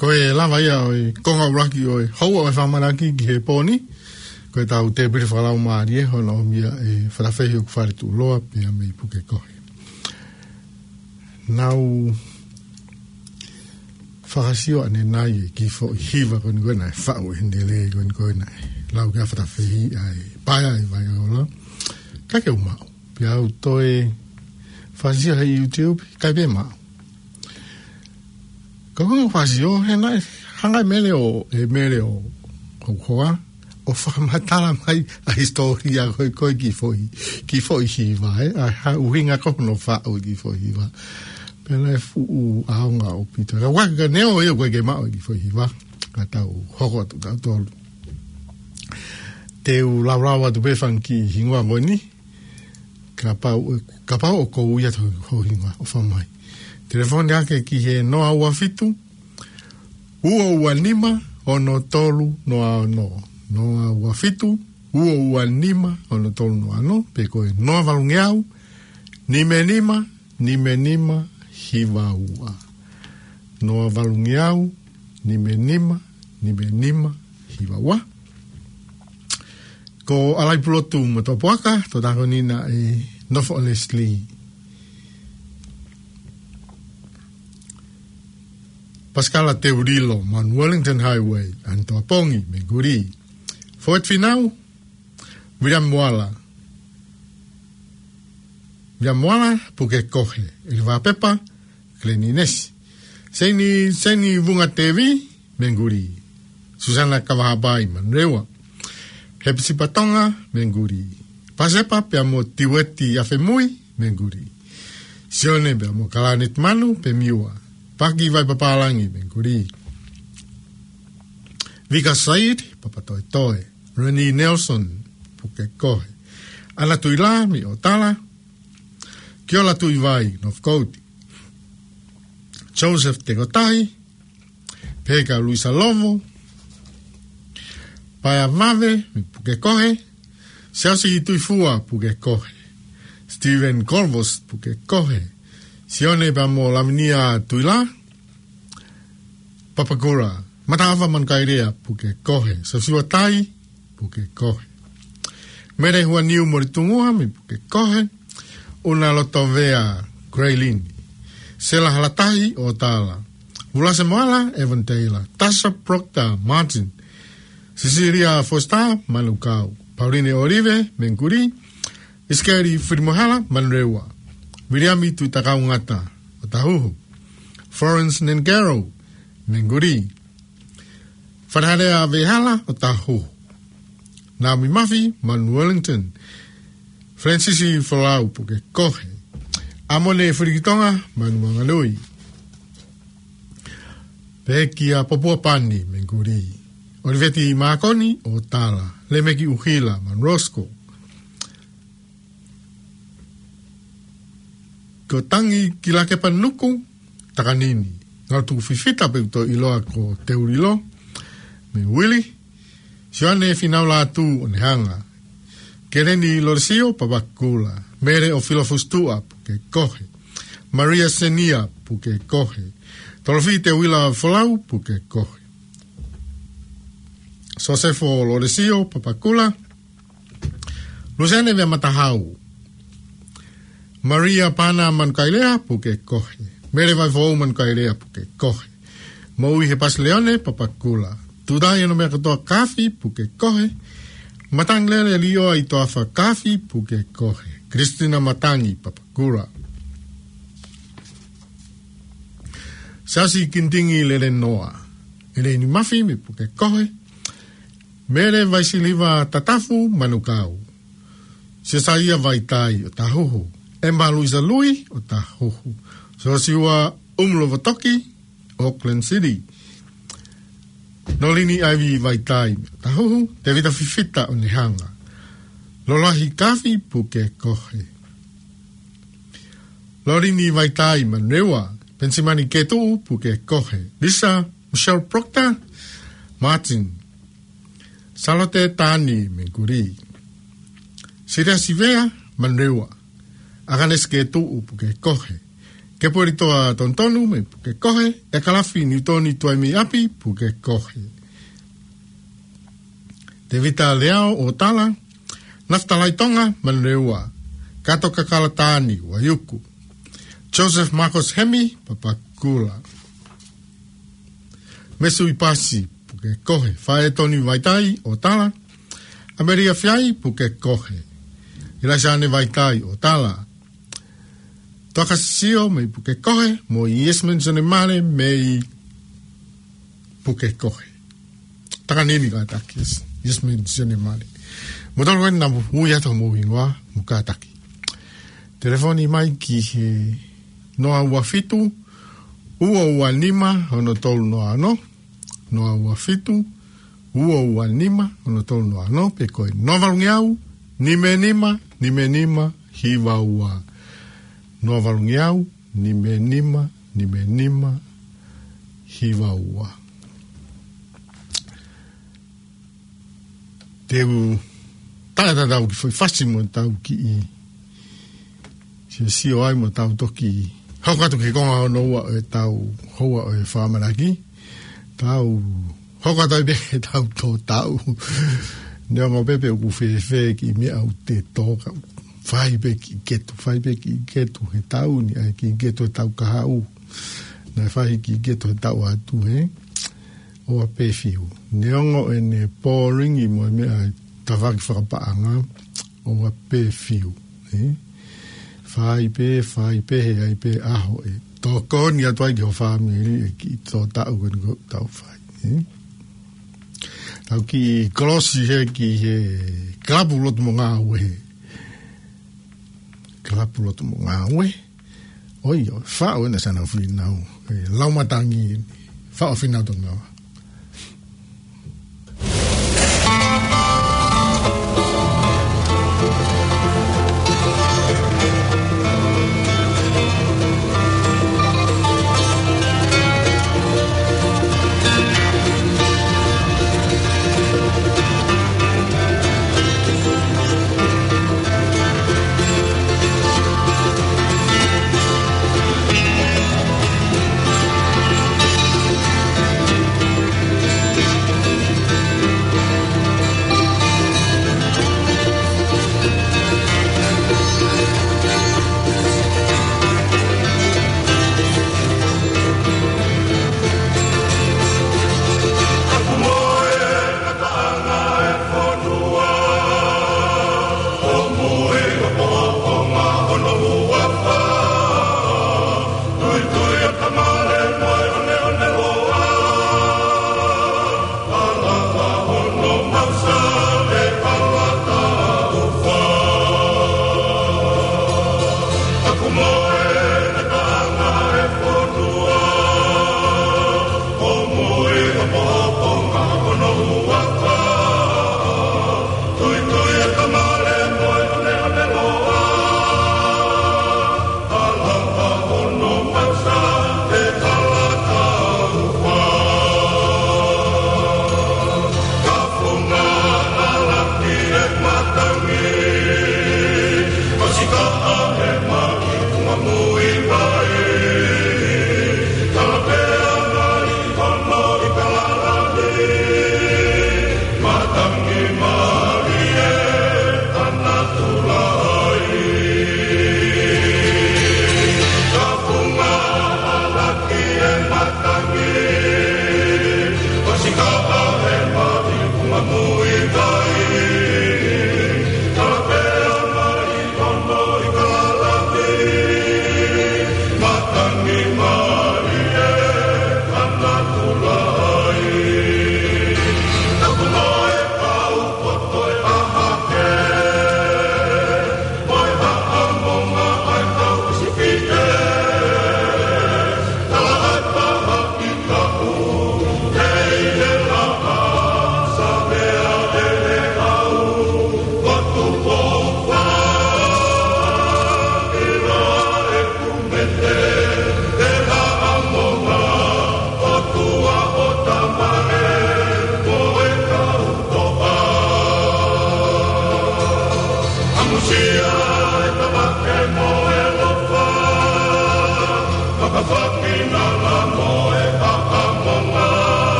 Ko e lava ia ʻo e konga ʻuluaki ʻo e houa ʻo e fakaʻamanaki ki he pō ni. Ko ʻetau tēpile fakalaumālie hono ʻomai ʻe Fatafehi ʻOkufale Tuʻuloa pea mei Pukekohe. Naʻá ku fakasio ʻanenai e kiʻi foʻi hiva ko eni ko ē naʻe faʻu ʻe Hendelē ko eni ko ē naʻe lau kia Fatafehi ʻa e Paea ʻi Vaiola. Ka ke u maʻu. Pea u toe fakasio he YouTube, ʻikai pē maʻu. Ka ko e fakasio, he naʻe hanga ʻe Mele ʻo, ʻe Mele ʻo, ʻo hoa, ʻo fakamatala mai ʻa e hisitōlia ko ē, ko e kiʻi foʻi, kiʻi foʻi hiva, ē, ʻa e ʻuhinga ko hono faʻu e kiʻi foʻi hiva. Pea naʻe fuʻu ʻaonga ʻaupito. Ka ʻoku ʻikai ke ne ʻo ia ʻoku ʻikai ke maʻu e kiʻi foʻi hiva. Ka tau hoko atu tautolu. Te u laulau atu pē fanga kiʻi hingoa ko eni. Kapau, kapau ʻoku ui atu ho hingoa, ʻofa mai. Telefoni hake ki he noa ua fitu, ua ua nima, ono tolu noa ono. Noa ua fitu, ua ua nima, ono tolu noa ono, pe ko e noa valungeau, nima nima, nima nima, hiva ua. Noa valungeau, nima nima, nima nima, hiva ua. Ko ʻAlai Pulotu mo Topuaka, to tako ni na e nofo Leslie. Pasikala Teulilo, Mount Wellington Highway, Anitoapongi, Menguli. Fōeti Finau, Viliami Moala. Viliami Moala, Pukekohe, ʻEli Vapepa, Keleninesi. Seini, Seini Vunga Tevi, Menguli. Susana Kavahapai, Manurewa. Hepisipa Tonga, Menguli. Pasepa pea mo Tiueti Afemui, Menguli. Sione pea mo Kalanet Manu, Pemiua. Paki Vaipapālangi, Menguli. Vika Said, Papatoetoe. Reni Nelson, Pukekohe. ʻAna Tuila, mei ʻOtala. Kiola Tuivai, Northcote. Joseph Tekotai, Peka Luisa Lovo, Paea Vave, mei Pukekohe, Siaosi Tuifua, Pukekohe, Stephen Corvos, Pukekohe, Sione pea mo Lavinia Tuila, Papakura, Mataʻava Manukaelea, Pukekohe, Siosiua Tai, Pukekohe. Mele Huaniu Moritungua, mei Pukekohe, ʻUna Lotovea, Graylin. Sela Halatahi, ʻOtala. Vulase Moala, Evan Taylor. Tasha Proctor, Martin. Cecilia Foster, Manukau. Pauline Olive, Menguli. Isikeli Firimohala, Manurewa. Viliami Tuitakaungata, ʻOtahuhu. Florence Nengero, Menguli. Fanahalea Vehala, ʻOtahuhu. Naomi Mafi, Mount Wellington. Francis Folau, Pukekohe. ʻAmone Filikitonga, Manuanganui. Pekia Popua Pani, Menguli. Oliveti Makoni, ʻOtala. Lemeki ʻUhila, Mount Roskill. Ko Tangi Kilakepa Nuku, Takanini. Ngalo Tuku Fifita pe ʻoku toe ʻiloa ko Teulilo, mei Uili. Sione Finau Latu, ʻOnehanga. Keleni Lolesio, Papakula. Mele ʻOfilo Fusituʻa, Pukekohe. Maria Senia, Pukekohe. Tolofi Teuila Folau, Pukekohe. Sosefo Lolesio, Papakula. Luseane Veamatahau. Maria Pana Manukaelea, Pukekohe. Mele Vaifou Manukaelea, Pukekohe. Moʻui Hepasi Leone, Papakula. Tutai ʻAnomeakatoa Kafi, Pukekohe. Matangi Lele Lioa ʻi Toafa Kafi, Pukekohe. Kristina Matangi, Papakula. Siaosi Kintingi Lelenoa. ʻEleini Mafi, mei Pukekohe. Mele Vaisiliva Tatafu, Manukau. Sesaia Vaitai, ʻOtahuhu. ʻEma Luisa Lui, ʻOtahuhu. Siosiua ʻUmlo Votoki, Auckland City. Nolini Aivi Vaitai, ʻOtahuhu. Tevita Fifita, ʻOnehanga. Lolahi Kafi, Pukekohe. Lolini Vaitai, Manurewa. Penisimani Ketuʻu, Pukekohe. Lisa Michelle Proctor, Martin. Salote Tani, Menguli. Siria Sivea, Manurewa. ʻAkanesi Ketuʻu, Pukekohe. Kepuelitoa Tonutonu, mei Pukekohe. ʻEkalafi Niutoni Tuaimeiapi, Pukekohe. Tevita Leao, ʻOtala. Nafitalai Tonga, Manurewa. Kato Kakala Tani, Vaiuku. Joseph Marcos Hemi, Papakula. Mesui Pasi, Pukekohe. Faetoni Vaitai, ʻOtala. ʻAmelia Fiai, Pukekohe. ʻIlaisane Vaitai, ʻOtala. Toka Sisio, mei Pukekohe, mo Yasmin Sonemale, mei Pukekohe. Takanini kātaki, Yasmin Sonemale. Mo tolu eni naʻa mou ui atu homou hingoa mo kātaki. Telefoni mai ki he noa ua fitu, ua ua nima, ono tolu noa ono, noa ua fitu, ua ua nima, ono tolu noa ono, pe ko e noa valungeau, nima nima, nima nima, hiva ua. Noa valungeau, nime nima, nime nima, hiva ua. Te u tala tatau ki foʻi fasi mo tau kiʻi siosio ai mo tau toki hoko atu ki he konga hono ua ʻo e tau houa ʻo e fakamanaki. Tau hoko atu ai pē he tau tō taʻu. Neongo pē pe ʻoku fēfē kiʻi meʻa ʻoku te tō ka fai pē kiʻi ketu, fai pē kiʻi ketu he taʻu ni, ʻai kiʻi ketu he tau kahaʻu. Naʻe fai kiʻi ketu he taʻu atu he. ʻOua pē fiu. Neongo ʻene boring ʻi mo e meʻa ʻa e tafaʻaki fakapaʻanga, ʻoua pē fiu. ʻE? Fai pē, fai pē, he ʻai pē ʻaho ʻe tokoni atu ai ki ho fāmili ʻe kiʻi tō taʻu ko eni ʻoku tau fai. ʻE? Tau kiʻi kolosi he ki he kalapu lotu mo ngāue. Kalapu lotu mo ngāue. ʻOi, ʻo, faʻo ena sana finau. ʻE, lau matangi, faʻo finau tonu.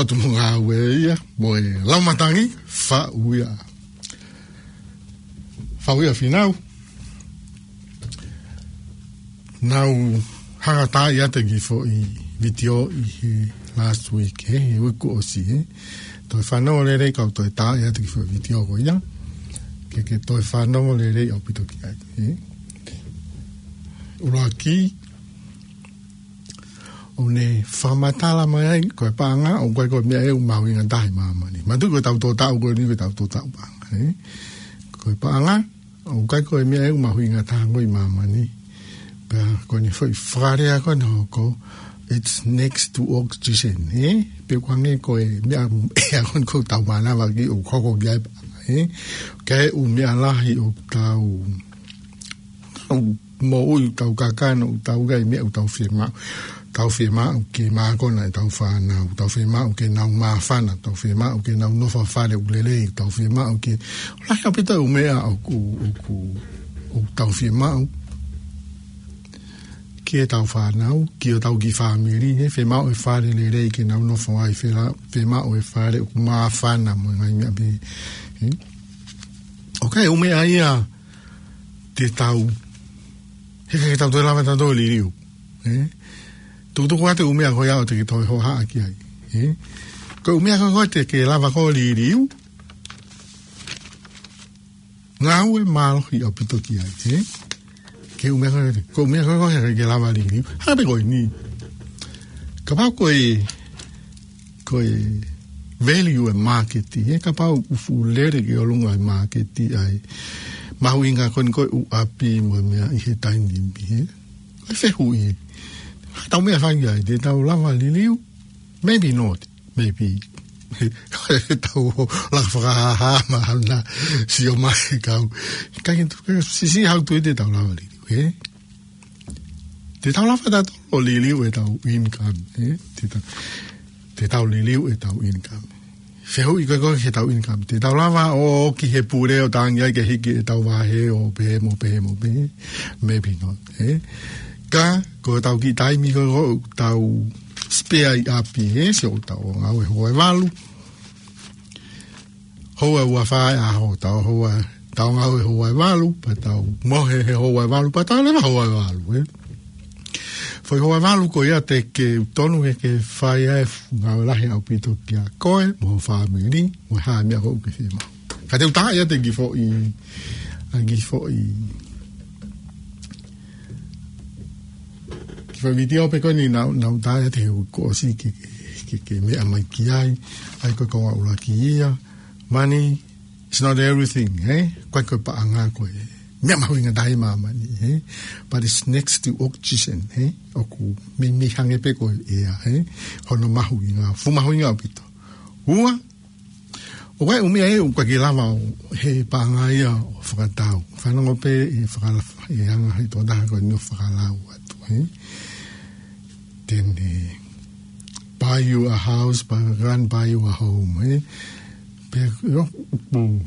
ʻOtu mo ngāue ia, mo e lau matangi, faʻu ia. Faʻu ia Fīnau. Naʻa ku hanga ʻo taaʻi atu e kiʻi foʻi vitiō ʻi he last week, he, he uike kuo ʻosi, he. Toe fanongo lelei kau toe taaʻi atu e kiʻi foʻi vitiō ko ia. Ke, ke toe fanongo lelei ʻaupito ki ai, he. ʻUluaki, ʻoku ne fakamatala mai ai, ko e paʻanga, ʻoku ʻikai ko e meʻa ʻe ʻū mahuʻinga taha ʻi māmani. Mātuʻaki ko ʻetau tō taʻu ko eni, ko ʻetau tō taʻu paʻanga, he. Ko e paʻanga, ʻoku ʻikai ko e meʻa ʻe ʻū mahuʻinga taha ko ē ʻi māmani. Pea ko ʻene foʻi fakalea ko ē naʻe hoko, it's next to oxygen, he. Pea ʻoku hangē ko e meʻa ʻea ko eni ʻoku tau mānava ki ai ʻoku hoko ki ai paʻanga, he. Ka ʻe ʻū meʻa lahi ʻoku tau, tau moʻui, tau kakano, tau ʻikai meʻa ʻoku tau fiemaʻu. Tau fiemaʻu ke mākona ʻetau fānau, tau fiemaʻu ke nau māfana, tau fiemaʻu ke nau nofo ʻi ha fale ʻoku lelei, tau fiemaʻu ke, lahi ʻaupito e ʻū meʻa ʻoku, ʻoku, ʻoku tau fiemaʻu ki heʻetau fānau, ki hotau kiʻi fāmili, he, fiemaʻu e fale lelei ke nau nofo ai, fela-, fiemaʻu e fale ʻoku māfana mo e ngaahi meʻa pehē, he. ʻOku ʻi ai e ʻū meʻa ia te tau, he, he tau toe lava ʻo tau toe liliu, he. Tukutuku atu e ʻū meʻa ko ia ʻoku te ke toe hohaʻa ki ai, he. Ko e ʻū meʻa ko ē ʻoku te ke lava ʻo liliu, ngāue mālohi ʻaupito ki ai, he. Ko e ʻū meʻa ko ē, ko e ʻū meʻa ko ē ʻoku te ke lava ʻo liliu. Hangē pē ko eni. Kapau ko e, ko e value e māketi, he, kapau ʻoku fuʻu lele ki ʻolunga e māketi ʻa e mahuʻinga ko eni ko e ʻū ʻapi mo e meʻa ʻi he taimi ni, he. Ko e fehuʻi. Tau meʻa fai ai, te tau lava ʻo liliu? Maybe not. Maybe. Tau laka fakahāhā mahalo naʻa sio mai kau. Ka ke tu, ke sisi hau tu te tau lava ʻo liliu, he? Te tau lava ʻo tau liliu ʻetau income, he? Te tau, te tau liliu ʻetau income. Fehuʻi ko ē ko ē ki heʻetau income. Te tau lava ʻo ō ki he pule ʻo tangi ai ke hiki ʻetau vahe ʻo pehē mo pehē mo pehē. Maybe not, he? Ka, ko ʻetau kiʻi taimi ko ē ʻoku tau spare ʻi ʻapi, he? Sio ʻoku tau ngāue houa ʻe valu. Houa ʻe ua fā ʻi he ʻaho, tau houa, tau ngāue houa ʻe valu, pea tau mohe he houa ʻe valu, pea tau leva houa ʻe valu, he? Foʻi houa ʻe valu ko ia te ke tonu ke ke fai ai e fuʻu ngāue lahi ʻaupito kia koe, mo ho fāmili, mo e hā e meʻa ko ē ʻoku ke fiemaʻu. Ka te u taaʻi atu e kiʻi foʻi, ʻa e kiʻi foʻi, kiʻi foʻi vitiō pē ko eni naʻa, naʻa ku taaʻi atu he uike kuo ʻosi ke, ke, ke, ke meʻa mai ki ai, ʻa ia ko e konga ʻuluaki ia, money is not everything, he? ʻOku ʻikai ko e paʻanga ko e meʻa mahuʻinga taha ʻi māmani, he? But it's next to oxygen, he? ʻOku meimei hangē pē ko e ʻea, he? Hono mahuʻinga, fuʻu mahuʻinga ʻaupito. Ua, ʻoku ʻi ai e ʻū meʻa ʻe ʻū ʻikai ke lava ʻo, he paʻanga ia ʻo fakatau. Fanongo pē he fakala-, he anga he tokotaha ko eni ʻo fakalau atu, he? Then, eh, buy you a house, buy, go and buy you a home, he? Pea, ʻio, ʻoku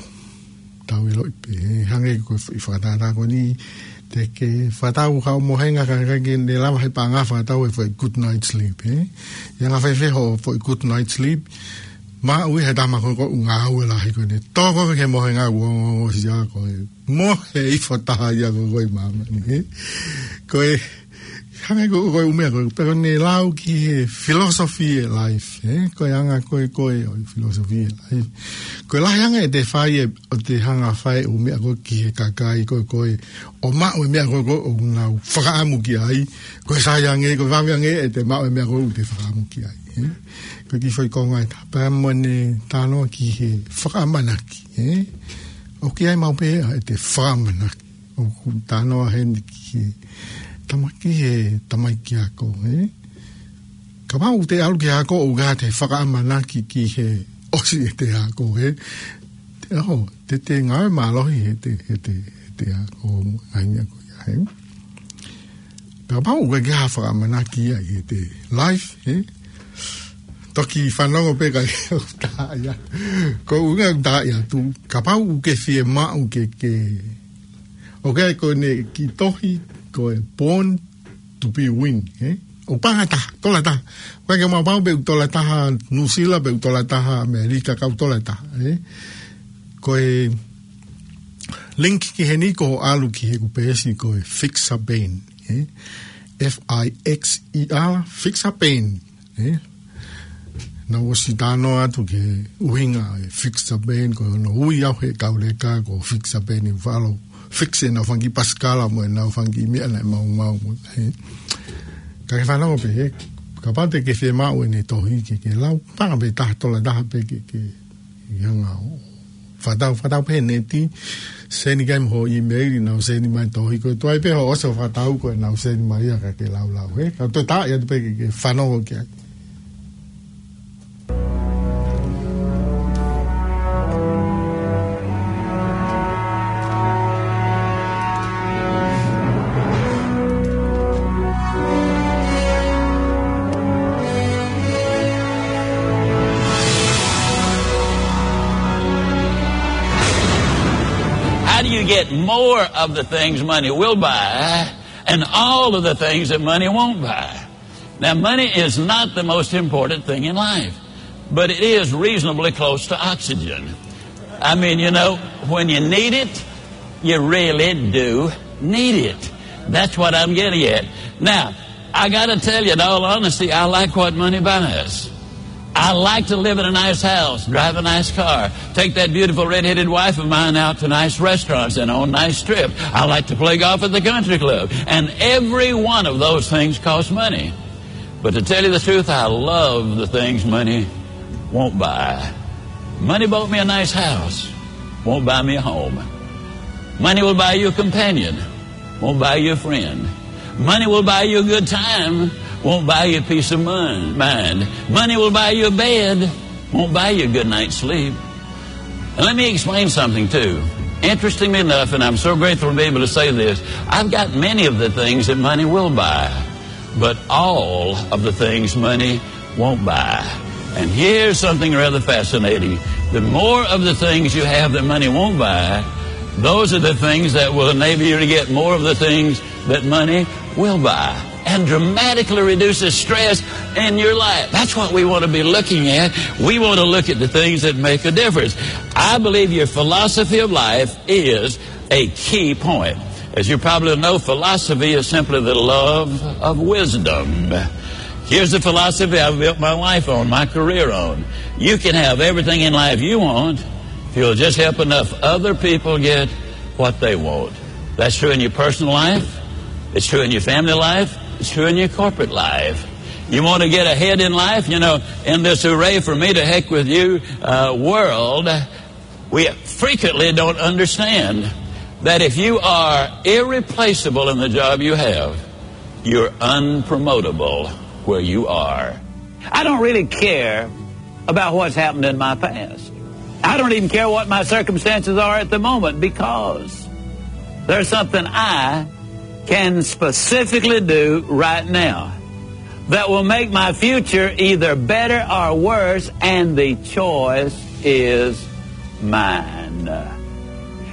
tau ʻiloʻi pē, he? Hangē ko e fakatātā ko eni, te ke fakatau haʻo mohenga ka, ka ke ne lava he paʻanga fakatau e foʻi good night sleep, he? ʻI he anga fēfē hoʻo foʻi good night sleep, maʻu ʻe he tama ko ē ʻoku ngāue lahi ko ē, ne tō ko ē ki he mohenga ʻoku ongoongo ʻosi ia ko e mohe ʻi he foʻi taha ia ko ē ʻi māmani, he? Ko e, hangē ko, ko e ʻū meʻa ko ē, pea ko ʻene lau ki he philosophy e life, he? Ko e anga ko ē ko ē ʻo e philosophy e life. Ko e lahi ange ʻete fai e, ʻoku te hanga ʻo fai e ʻū meʻa ko ē ki he kakai ko ē ko ē, ʻo maʻu e meʻa ko ē ko ē ʻoku nau fakaʻamu ki ai, ko e sai ange, ko e vave ange ʻete maʻu e meʻa ko ē ʻoku te fakaʻamu ki ai, he? Ko e kiʻi foʻi konga ʻe taha pea mo ʻene talanoa ki he fakaʻamanaki, he? ʻOku ʻi ai maʻu pē ʻete fakaʻamanaki. ʻOku talanoa heni ki he tama-, ki he tamaiki ako, he? Kapau ʻoku te ʻalu ki he ako ʻoku ʻikai te fakaʻamanaki ki he ʻosi ʻete ako, he? Te, ʻoho, te te ngāue mālohi heʻete, heʻete, heʻete ako, ngaahi meʻa ko ia, he? Kapau ʻoku ʻikai ke ha fakaʻamanaki ia ʻi heʻete life, he? Toki fanongo pē ka ʻoku tā ia. Ko e ʻuhinga ʻoku tā ia atu, kapau ʻoku ke fiemaʻu ke, ke, ʻoku ʻi ai ko ʻene kiʻi tohi, ko e born to be win, he? ʻOku paʻanga taha, tola taha. ʻOku ʻikai ke mau pau pe ʻoku tola taha Nuʻusila, pe ʻoku tola taha ʻAmelika, ka ʻoku tola taha, ē? Ko e link ki heni ko hoʻo ʻalu ki heʻeku peesi ko e Fixer Band, ē? F I X E R, Fixer Band, ē? Naʻá ku ʻosi talanoa atu ki he ʻuhinga e Fixer Band, ko hono ui au he kau leka ko Fixer Band, ʻi falo fix ʻenau fanga kiʻi pasikala mo ʻenau fanga kiʻi meʻa naʻe maumau mo, ē? Ka ke fanongo pē, ē? Kapau te ke fiemaʻu ʻene tohi ke ke lau, paʻanga pē taha, tola taha pē ke, ke, ke hanga ʻo fakatau, fakatau pē he neti, send ki ai mo hoʻo email, nau send mai tohi, ko e tuai pē hoʻo ʻosi ʻo fakatau ko ē nau send mai ia ka ke laulau, ē? Ka toe tā ia pē ke, ke fanongo ki ai. How do you get more of the things money will buy and all of the things that money won't buy? Now, money is not the most important thing in life, but it is reasonably close to oxygen. I mean, you know, when you need it, you really do need it. That's what I'm getting at. Now, I gotta tell you, in all honesty, I like what money buys. I like to live in a nice house, drive a nice car, take that beautiful red-headed wife of mine out to nice restaurants and on nice trips. I like to play golf at the country club. And every one of those things costs money. But to tell you the truth, I love the things money won't buy. Money bought me a nice house, won't buy me a home. Money will buy you a companion, won't buy you a friend. Money will buy you a good time, won't buy you a peace of mind. Money will buy you a bed, won't buy you a good night's sleep. And let me explain something, too. Interestingly enough, and I'm so grateful to be able to say this, I've got many of the things that money will buy, but all of the things money won't buy. And here's something rather fascinating. The more of the things you have that money won't buy, those are the things that will enable you to get more of the things that money will buy and dramatically reduce the stress in your life. That's what we want to be looking at. We want to look at the things that make a difference. I believe your philosophy of life is a key point. As you probably know, philosophy is simply the love of wisdom. Here's the philosophy I've built my life on, my career on. You can have everything in life you want if you'll just help enough other people get what they want. That's true in your personal life. It's true in your family life. It's true in your corporate life. You want to get ahead in life, you know, in this hooray for me to heck with you, uh, world, we frequently don't understand that if you are irreplaceable in the job you have, you're unpromotable where you are. I don't really care about what's happened in my past. I don't even care what my circumstances are at the moment, because there's something I can specifically do right now that will make my future either better or worse, and the choice is mine.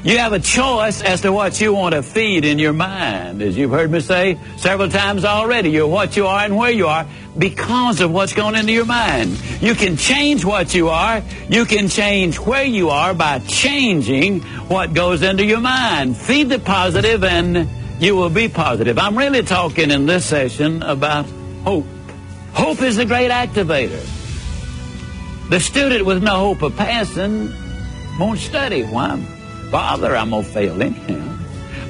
You have a choice as to what you want to feed in your mind. As you've heard me say several times already, you're what you are and where you are because of what's going into your mind. You can change what you are. You can change where you are by changing what goes into your mind. Feed the positive and you will be positive. I'm really talking in this session about hope. Hope is the great activator. The student with no hope of passing won't study. Why bother? I'm gonna fail anyhow.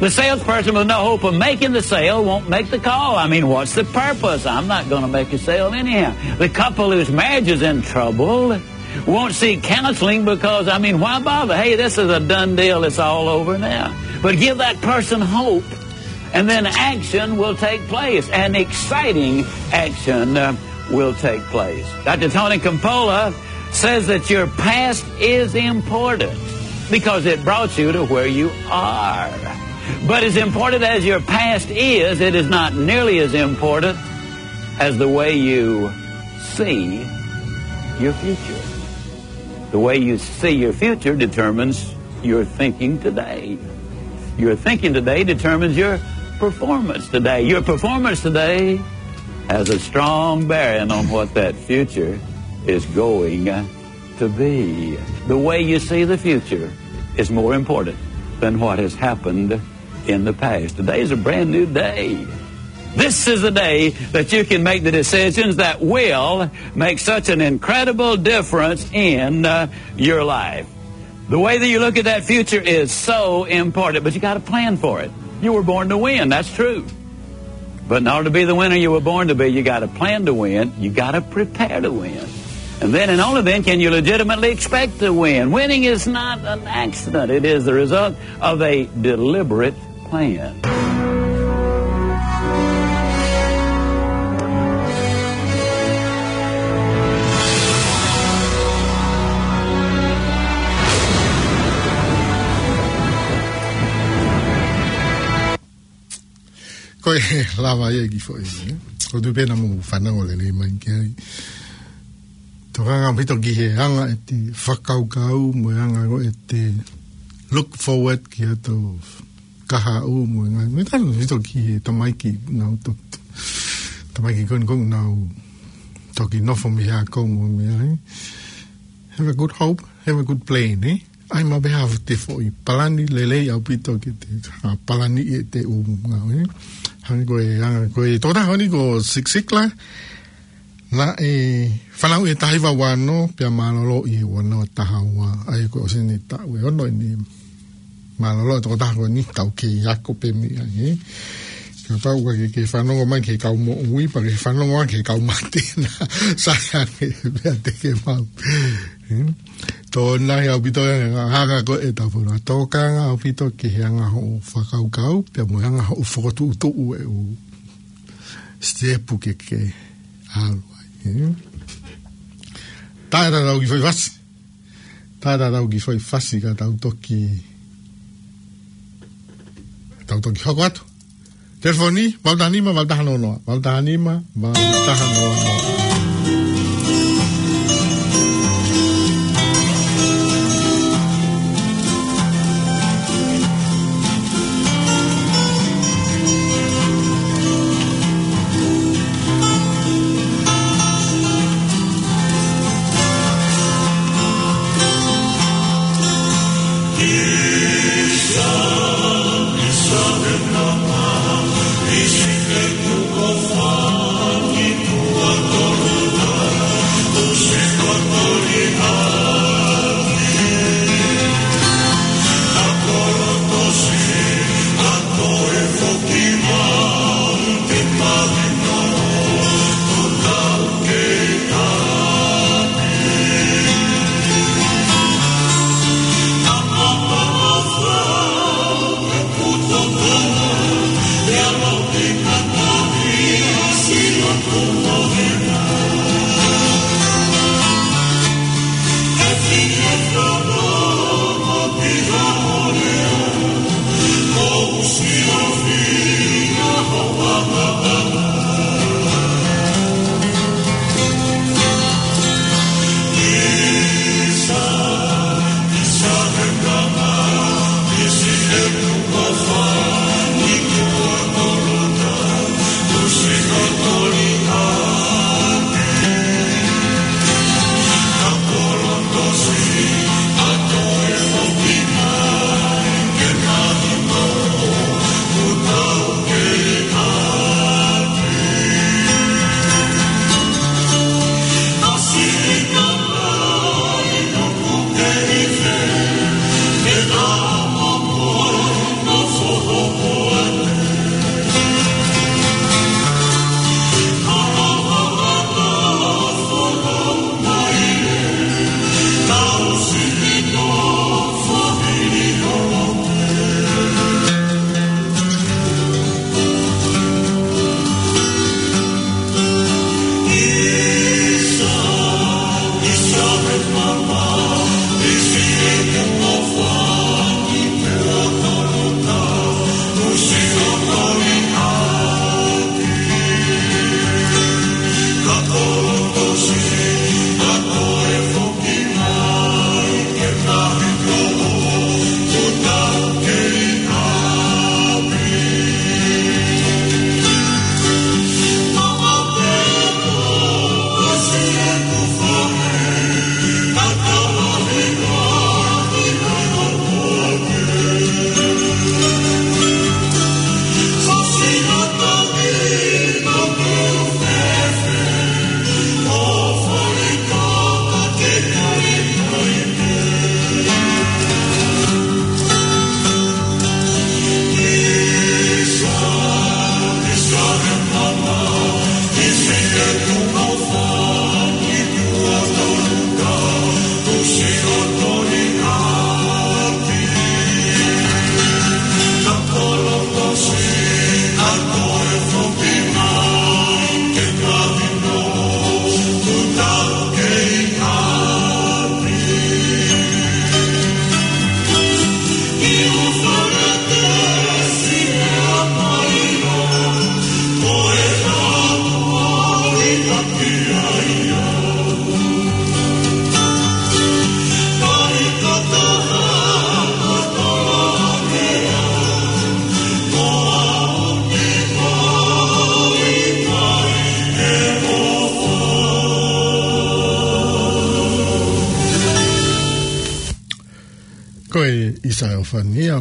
The salesperson with no hope of making the sale won't make the call. I mean, what's the purpose? I'm not gonna make a sale anyhow. The couple whose marriage is in trouble won't seek counseling because, I mean, why bother? Hey, this is a done deal. It's all over now. But give that person hope, and then action will take place. An exciting action, uh, will take place. Doctor Tony Campolo says that your past is important because it brought you to where you are. But as important as your past is, it is not nearly as important as the way you see your future. The way you see your future determines your thinking today. Your thinking today determines your performance today. Your performance today Has a strong bearing on what that future is going to be. The way you see the future is more important than what has happened in the past. Today is a brand new day. This is the day that you can make the decisions that will make such an incredible difference in, uh, your life. The way that you look at that future is so important, but you gotta plan for it. You were born to win, that's true. But in order to be the winner you were born to be, you gotta plan to win, you gotta prepare to win. And then and only then can you legitimately expect to win. Winning is not an accident. It is the result of a deliberate plan. Ko e lava ia ki foʻi, eh? Ko tu pena mo fanau lelei mai ki ai. Tokanga ʻaupito ki he anga ʻete fakakaukau, mo e anga ko ʻete look forward ki hato kahaʻu mo e ngaahi. Mo e tanu ʻaupito ki he tamaiki nau to-, tamaiki ko eni ʻoku nau toki nofo mei he ako mo e meʻa, eh? Have a good hope, have a good plan, eh? ʻAi maʻu pē ha foʻi palani lelei ʻaupito ke te, ha palani ʻi heʻete ʻū ngāue, eh? Hangē ko e, hangē ko e tokotaha ko eni ko Zig Ziglar, naʻe fanauʻi he taha hiva ua ono, pea mālōlō ʻi he ua noa taha ua, ʻa ia ko e ʻosi eni taʻu ʻe ono eni. Mālōlō e tokotaha ko eni, tau kei ako pē mei ai, eh? Kapau ʻoku ke, ke fanongo mai ki he kau moʻui, pea ke fanongo mai ki he kau mate na. Sai ange, pea te ke maʻu. Eh? Tō nai ʻaupito e anga, anga ko e tau fona. Tokanga ʻaupito ki he anga hoʻo fakakaukau, pea mo e anga hoʻo fokotuʻutuʻu e ʻū sitepu ke ke ʻalu ai, eh? Tae tatau ki foʻi fasi. Tae tatau ki foʻi fasi ka tau toki, tau toki hoko atu. Telefoni, valu taha nima, valu taha noa noa. Valu taha nima, valu taha noa noa. Ko e ʻIsaia Fania,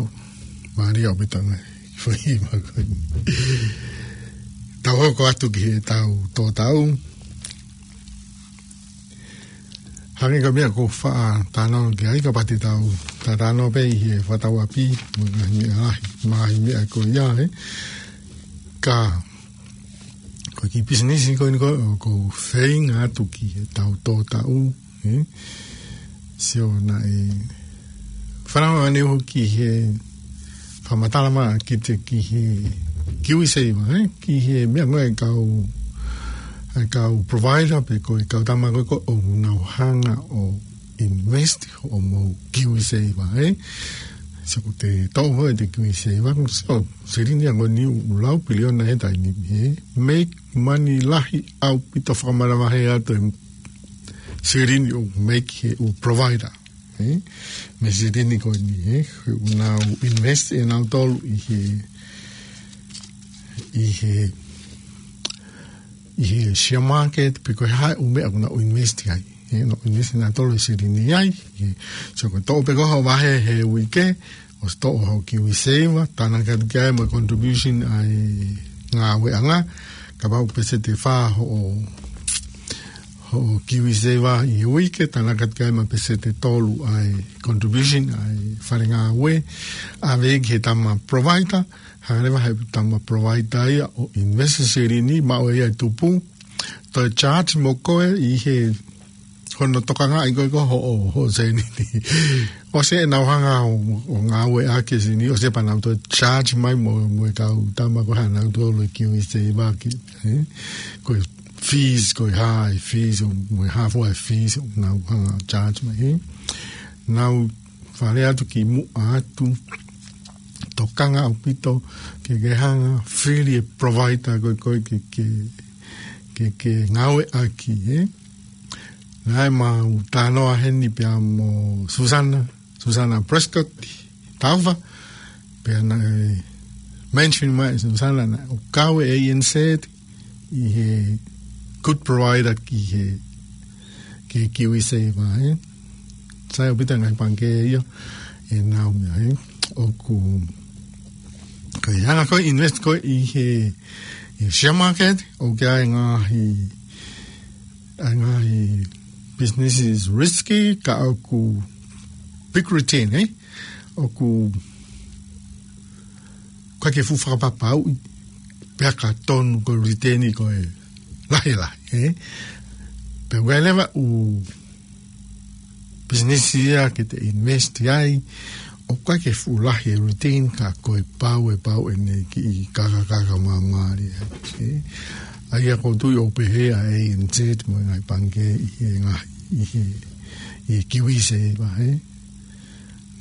mālie ʻaupito e foʻi himi ko eni. Tau hoko atu ki heʻetau tō tau. Hangē ko e meʻa ʻoku ou faʻa talanoa ki ai, kapau te tau talanoa pē ʻi he fakatauʻapi, mo e ngaahi meʻa lahi, ngaahi meʻa ko ia, ē. Ka, ko e kiʻi pisinisi ko eni ko ē, ʻoku ou feinga atu ki heʻetau tō tau, ē. Sio naʻe fanongo ʻaneuhu ki he fakamatala mai kiate ki he KiwiSaver, ē? Ki he meʻa ko ē ʻa e kau, ʻa e kau provider pe ko e kau tama ko ē ʻoku nau hanga ʻo invest hoʻomou KiwiSaver, ē? Sio ko e toʻo ko ē ʻete KiwiSaver, sio, silini ia ko eni ʻoku lau piliona he taimi ni, ē? Make money lahi ʻaupito fakamanavahē atu e silini ʻoku make he ʻū provider, ē? Mei he silini ko eni, ē? ʻOku nau invest ʻe nautolu ʻi he, ʻi he, ʻi he share market, pe ko e hā e ʻū meʻa ʻoku nau invest ai, ē? Nau invest ʻe nautolu e silini ai, ē? So ko e toʻo pē ko ē hoʻo vahe he uike, ʻosi toʻo hoʻo KiwiSaver, tānaki atu ki ai mo e contribution ʻa e ngāueʻanga, kapau peseti ʻe fā hoʻo, hoʻo KiwiSaver ʻi he uike, tānaki atu ki ai mo e peseti ʻe tolu ʻa e contribution ʻa e fale ngāue, ʻave ki he tama provider, hanga leva he tama provider ia ʻo invest e silini, maʻu ʻe ia e tupu, toe charge mo koe ʻi he hono tokangaʻi ko ē ko ē hoʻo, hoʻo silini. ʻOsi ʻenau hanga ʻo, ʻo ngāueʻaki e silini, ʻosi pea nau toe charge mai mo, mo e kau tama ko ē ʻa nautolu e KiwiSaver ki, ē? Ko e fees, ko e hā e fees, ʻo mo e hā fua e fees, ʻoku nau hanga ʻo charge mai, ē? Nau fale atu ki muʻa atu, tokanga ʻaupito, ke ke hanga fili e provider ko ē ko ē ke, ke, ke, ke ngāueʻaki, ē? Naʻe mau talanoa heni pea mo Susana, Susana Prescott, Taufa, pea naʻe mention mai ʻe Susana naʻe ʻoku kau e ANZ ʻi he good provider ki he, ki he KiwiSaver, ē. Sai ʻaupito e ngaahi pangikē ia, ʻenau meʻa, ē. ʻOku, ko e anga ko ē invest ko ē ʻi he, ʻi he share market, ʻoku ʻi ai e ngaahi, ʻa e ngaahi businesses risky, ka ʻoku big return, ē? ʻOku, ʻoku ʻikai ke fuʻu fakapapauʻi, pea ka tonu ko e return ko e lahi lahi, ē? Pea ʻoku ʻi ai leva e ʻū business ia ke te invest ai, ʻoku ʻikai ke fuʻu lahi e return ka ko e pau, e pau ʻene kiʻi kakakaka māmālie, ē? ʻA ia ʻoku ou tui ʻoku pehē ʻa e ANZ mo e ngaahi pangikē ʻi he ngaahi, ʻi he, ʻi he KiwiSaver, ē?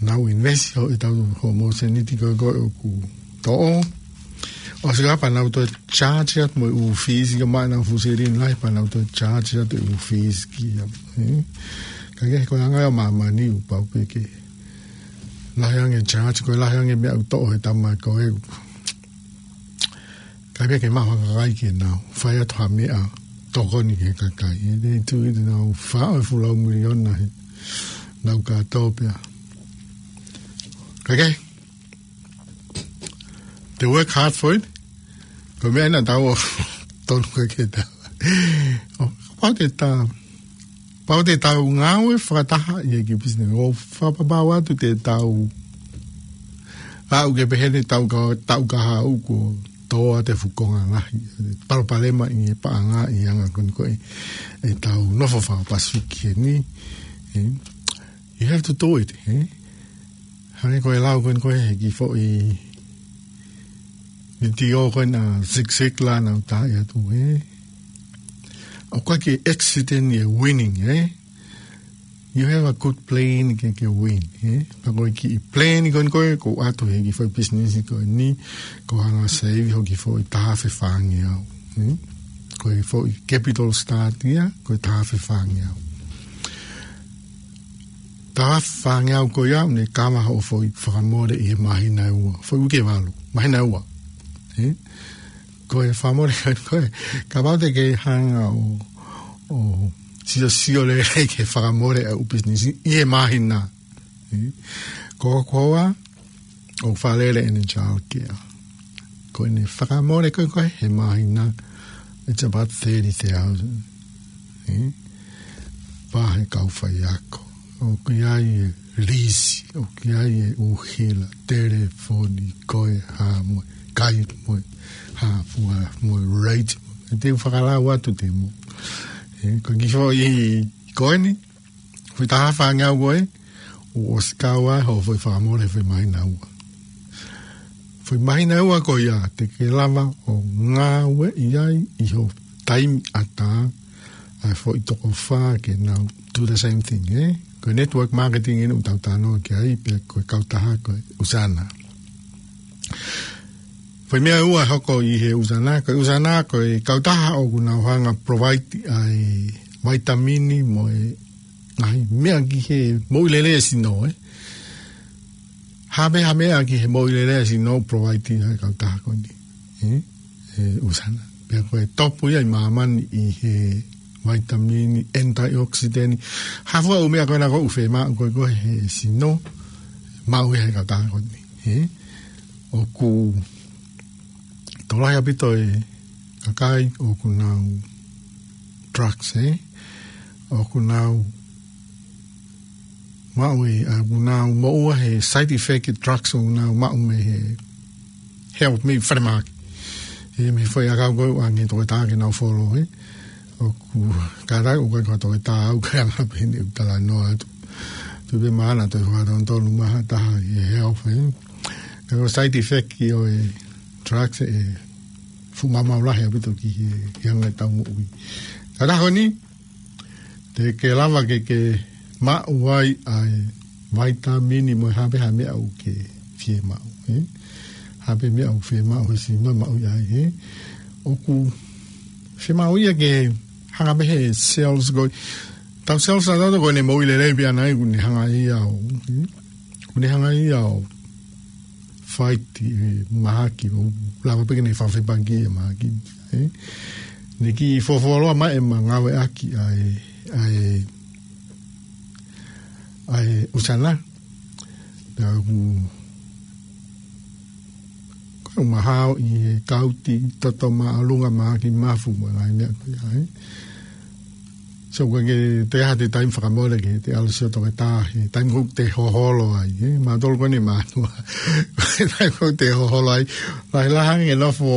Nau invest hoʻo, ʻetau, hoʻomou seniti ko ē ko ē ʻoku toʻo. ʻOsi ka pea nau toe charge atu mo e ʻū fees, ka maʻu ʻenau fuʻu silini lahi pea nau toe charge atu e ʻū fees ki ai, ē? Ka ko e anga ia ʻo māmani ʻoku pau pē ke lahi ange e charge, ko e lahi ange e meʻa ʻoku toʻo he tama ko ē. Ka pea ke maʻu ha kakai ke nau fai atu ha meʻa tokoni ki he kakai. ʻE te tui te nau faʻo e fuʻu lau miliona he nau kātoa pea. Ka ke, they work hard for it. Ko e meʻa ʻena ʻoku tau tonu ko ē ke tau. ʻO, kapau te tau, kapau te tau ngāue fakataha ʻi he kiʻi business. ʻO fakapapau atu te tau aʻu ki he pehē ni tau ka, tau ka haʻu kuo tō atu e fuʻu konga lahi, palopalema ʻi he paʻanga ʻi he anga ko eni ko ē ʻetau nofo faka-Pasifiki heni, ē? You have to do it, ē? Hangē ko e lau ko eni ko ē he kiʻi foʻi vitiō ko ena Zig Ziglar naʻa ku taaʻi atu, ē? ʻOku ʻikai ke accident e winning, ē? You have a good plan ke, ke win, ē? Pea ko e kiʻi plan ko eni ko ē ʻoku ʻoatu he kiʻi foʻi business ko eni, ko e hanga ʻo save hoʻo kiʻi foʻi taha afe fāngeau, ē? Ko e foʻi capital start ia, ko e taha afe fāngeau. Taha afe fāngeau ko ia, ʻoku ne kava hoʻo foʻi fakamole ʻi he māhina ʻe ua. Foʻi uike ʻe valu, māhina ʻe ua, ē? Ko e fakamole ko ē, kapau te ke hanga ʻo, ʻo siosio lelei ki he fakamole ʻa e ʻū business ʻi he māhina, ē? Ko koa, ʻoku fakalele ʻene childcare. Ko ʻene fakamole ko ē ko ē he māhina, it's about thirty thousand. Ē? Pea he kau faiako. ʻOku ʻi ai e lisi, ʻoku ʻi ai e ʻuhila, telefoni, ko e hā mo e, kai mo e, hā fua mo e rate. ʻE te u fakalau atu te mo. Ē, ko e kiʻi foʻi ko eni, foʻi taha fāngeau ko ē, ʻoku ʻosi kau ai hoʻo foʻi fakamole foʻi māhina ua. Foʻi māhina ua ko ia, te ke lava ʻo ngāueʻi ai ʻi ho taimi ʻatā, ʻa e foʻi toko fā ke nau do the same thing, ē? Ko e network marketing eni ʻoku tau talanoa ki ai, pea ko e kautaha ko e Usana. Foʻi meʻa ua hoko ʻi he Usana, ko e Usana ko e kautaha ʻoku nau hanga provide ʻa e vaitamini mo e ngaahi meʻa ki he moʻui lelei e sino, ē. Hā pē ha meʻa ki he moʻui lelei e sino provide ʻe he kautaha ko eni. Ē? ʻE Usana. Pea ko e topu ia ʻi māmani ʻi he vaitamini, antioxidant. Hā fua ʻū meʻa ko ena ʻoku fiemaʻu ko ē ko ē he sino, maʻu ia ʻe he kautaha ko eni. Ē? ʻOku tokolahi ʻaupito e kakai ʻoku nau drugs, ē? ʻOku nau maʻu ē, ʻoku nau moʻua he side effect e drugs ʻoku nau maʻu mei he health mei falemahaki. Ē, mei he foʻi ʻakau ko ē ʻoku ʻange toketā ke nau follow, ē? ʻOku kātaki ʻoku ʻikai ko ha toketā au, ka ʻoku anga pē eni ʻeku talanoa atu. Tuʻu pē maʻana toe fakatonutonu mai ha taha ʻi he health, ē? Ka ko e side effect ʻo e drugs ʻe fuʻu maumau lahi ʻaupito ki he, ki he anga ʻetau moʻui. Kautaha ko eni, te ke lava ke ke maʻu ai ʻa e vaitamini mo e hā pē ha meʻa ʻoku ke fiemaʻu, ē? Hā pē meʻa ʻoku fiemaʻu he sino maʻu ia ai, ē? ʻOku fiemaʻu ia ke hanga pē he cells ko ē. Tau cells ʻa tautolu ko ʻene moʻui lelei pē ʻana ē, ʻoku ne hanga ia ʻo, ē? ʻOku ne hanga ia ʻo fight e mahaki, ʻo lava pē ke ne fakafepaki e mahaki, ē? Ne kiʻi fuofuoloa mai ʻema ngāueʻaki ʻa e, ʻa e, ʻa e Usana. Pea ʻoku, ko e mahao ʻi he kauti, toto māʻolunga, mahaki mafu mo e ngaahi meʻa ko ia, ē? So, ko e ke te ha te taimi fakamole ke te ʻalu ʻo sio toketā he taimi ʻoku te hoholo ai, ē? Mautolu ko eni mātuʻa. Taimi ʻoku te hoholo ai. Lahi lahi ange nofo,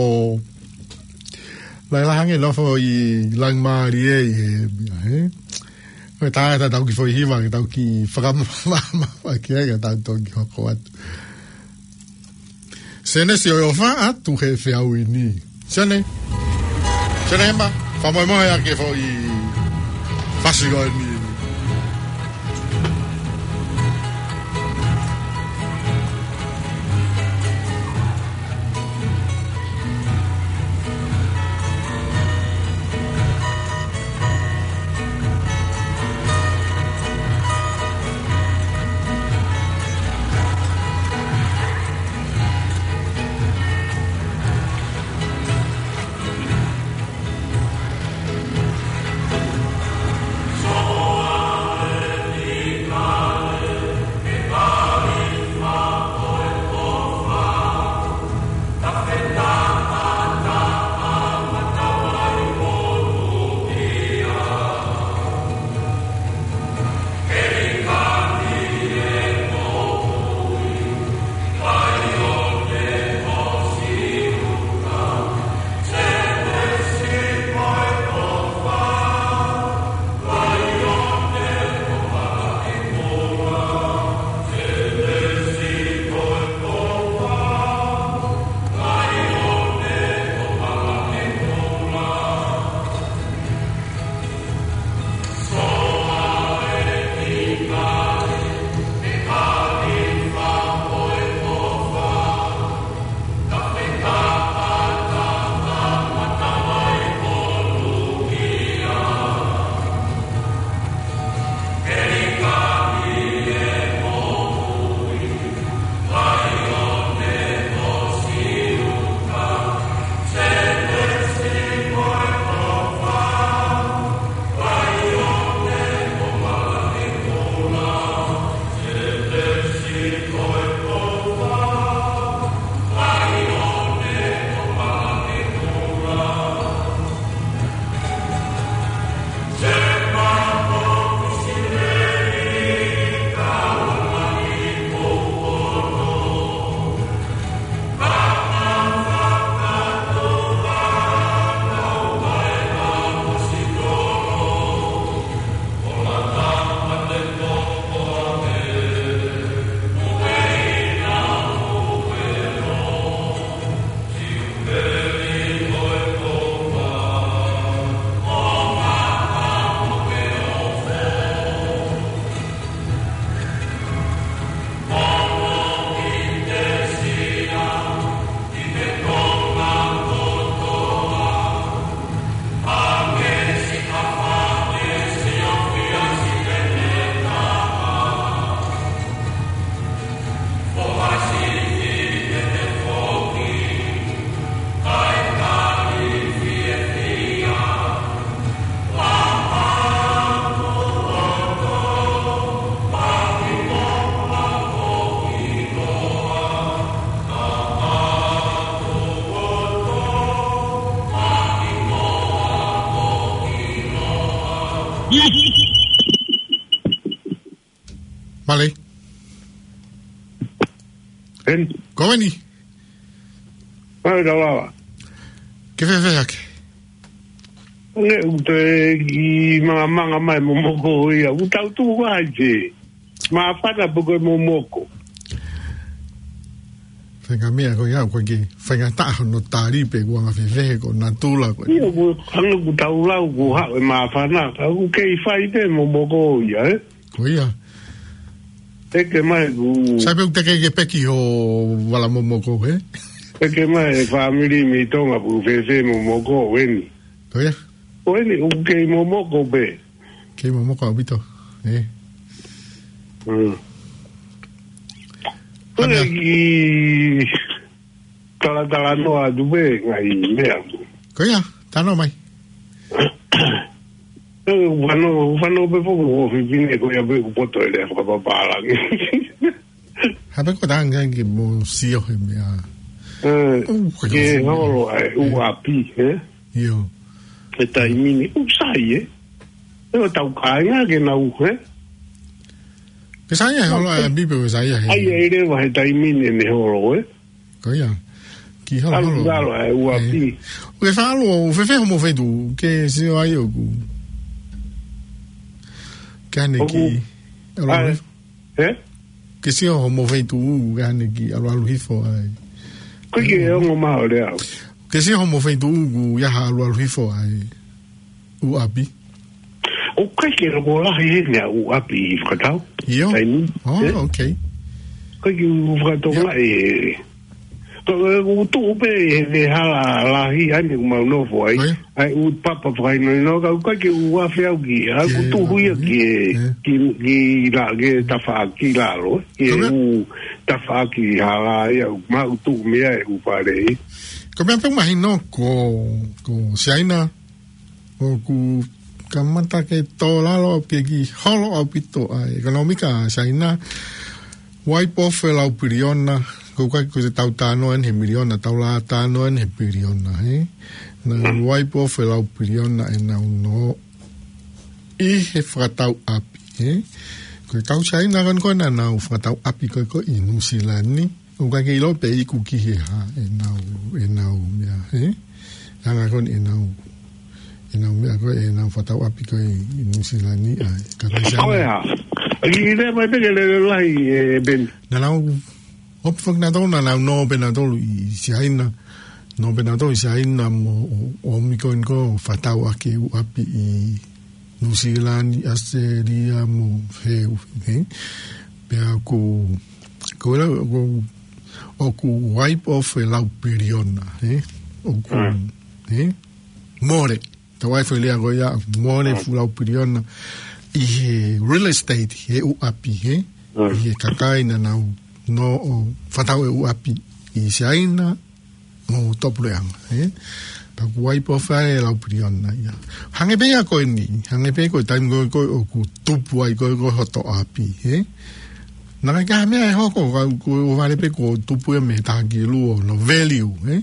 lahi lahi ange nofo ʻi langimālie ē, ē? Ko e tā ʻetau kiʻi foʻi hiva, ke tau kiʻi fakamāmā, ke ai ka tau toki hoko atu. Sene, siʻi ʻofa atu he feʻauhi ni. Sene. Sene Hema, fakamolemole ʻa e foʻi fasi ko eni. Mālō. Eni. Ko eni. Mālō, Tauala. Ke fēfē hake? Nē, ʻoku te ki manga manga mai momoko ia. ʻOku tau tuʻu ai te. Māfana pē ko e momoko. Faingamālie ko ia, ko e ki faingataʻa hono tali pē kuo anga fēfē ko natula ko. Ia, ʻoku hanga ʻoku tau lau ko haʻu e māfana. Ka ʻoku kei fai pē momoko ia, ē? Ko ia. Teke mai ku. Sai pē ʻoku teke ke peki ho vala momoko, ē? Teke mai e fāmili mei Tonga ʻoku fēfē momoko eni. Ko ia. Ko eni ʻoku kei momoko pē. Kei momoko ʻaupito, ē? Mm. Ko e Hana. Ki talatalanoa atu pē ngaahi meʻa. Ko ia, talanoa mai. Ē, ʻoku fano, ʻoku fano pē foki ʻo fifine ko ia pē ʻoku poto e lea fakapapālangi. Hape ko tanga ki mo sio he meʻa. Ē, ʻoku ke ke sio. Holo ai, ʻū ʻapi, ē? ʻIo. He taimi ni, ʻoku sai, ē? ʻOku tau kāinga ke nau, ē? Ke sai ʻa e holo ʻa e ʻapi pe ʻoku sai ʻa he. Ai, ai leva he taimi ni ne holo, ē? Ko ia. Ki holo, Alu holo. Lalo ʻa e ʻū ʻapi. Ē. ʻOku ke faʻa ʻalu ʻo fēfē homo feituʻu, ke sio ai ʻoku. Ke ane ʻOku. Ki. ʻAlu ai. Alu. Ē? Ke sio homo feituʻu, ke ane ki. ʻAlu ʻalu hifo ai. Ko ke ongo maʻu lea. Ke sio homo feituʻu, ʻoku ʻi ai ha ʻalu ʻalu hifo ai. ʻŪ ʻapi. ʻOku ʻikai ke loko lahi heni ʻa e ʻū ʻapi ʻi fakatau. ʻIo. Taimi, Oh, ē? Okay. ʻIkai ke u fakatonga ʻIo. ʻE. Ko e ʻū tuʻu pē he, he hala lahi ʻa eni ʻoku mau nofo ai. ʻIo. ʻA e ʻū papa fakahinohino ka ʻoku ʻikai ke u afe au ki. ʻA e ʻū Ke tuʻu ia ke, ʻIo. Ke, ke la, ke tafaʻaki lalo. Ke Ko e meʻa ʻū tafaʻaki hala ia ʻoku mau tuʻu mei ai ʻū fale. Ko e meʻa pē mahino ko, ko Siaina. ʻOku kamata ke tō lalo ʻaupito ki holo ʻaupito ʻa e ʻekonōmika ʻa Siaina. Wipe off e lau piliona, ko e ʻikai ko e tau talanoa eni he miliona, tau lava talanoa eni he piliona, ē? Naʻa nau wipe off e lau piliona ʻenau nō ʻi he fakatau ʻapi, ē? Ko e kau Siaina ko eni ko ē naʻa nau fakatau ʻapi ko ē ko ē ʻi Nuʻusila ni. ʻOku ʻikai ke ʻilo pe iku ki he hā ʻenau, ʻenau meʻa, ē? Hanga ko eni ʻenau, ʻenau meʻa ko ē, ʻenau fakatau ʻapi ko ē ʻi Nuʻusila ni, ʻa e, ka kai Ko e Siaina. Hā? ʻI lea mai pē ke lele lahi, ē, Ben. Naʻa nau, ʻoku fak naʻa tau, naʻa nau nō pē naʻa tau ʻi Siaina. Nō pē naʻa tau ʻi Siaina mo ʻo, ʻo miko eni ko ē fakatau ʻaki ʻū ʻapi ʻi Nuʻusila ni, ʻAositelēlia mo he, ē? Pea ʻoku, ko e lau, ʻoku, ʻoku wipe off e lau piliona, ē? ʻOku, Mm. ē? Mole. Tau ai fai lea ko ia, mole Mm. fuʻu lau piliona ʻi he real estate, he ʻū ʻapi, ē? Mm. ʻI he kakai naʻa nau nō ʻo fakatau e ʻū ʻapi ʻi Siaina, mo Tuʻapuleʻanga, ē? Pea ʻoku wipe off ai e lau piliona ia. Hangē pē ia ko eni, hangē pē ko e taimi ko ē ko ē ʻoku tupu ai ko ē ko ē hoto ʻapi, ē? Naʻe ʻikai ke ha meʻa ʻe hoko, ka ko e ʻohovale pē kuo tupu ia mei he taha kilu ʻo hono value, ē?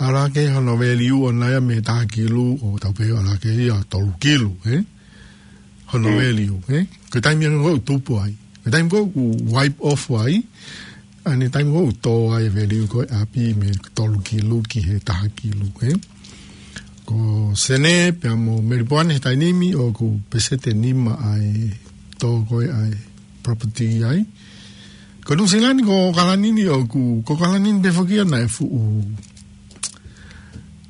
ʻAlu hake hono value ʻoʻona ia mei he taha kilu ʻo tau pehē ʻalu hake ia tolu kilu, ē? Hono Mm. value, ē? Ko e taimi ia ko ē ʻoku tupu ai. Ko e taimi ko ē ʻoku wipe off ai, ʻa eni taimi ko ē ʻoku tō ai e value ko ē ʻapi mei he tolu kilu ki he taha kilu, ē? Ko Senē pea mo Melipoane he taimi ni ʻoku peseti ʻe nima ʻa e tō ko ē ʻa e property ai. Ko Nuʻusila ni ko ʻAokalani ni ʻoku, ko ʻAokalani ni pē foki ia naʻe fuʻu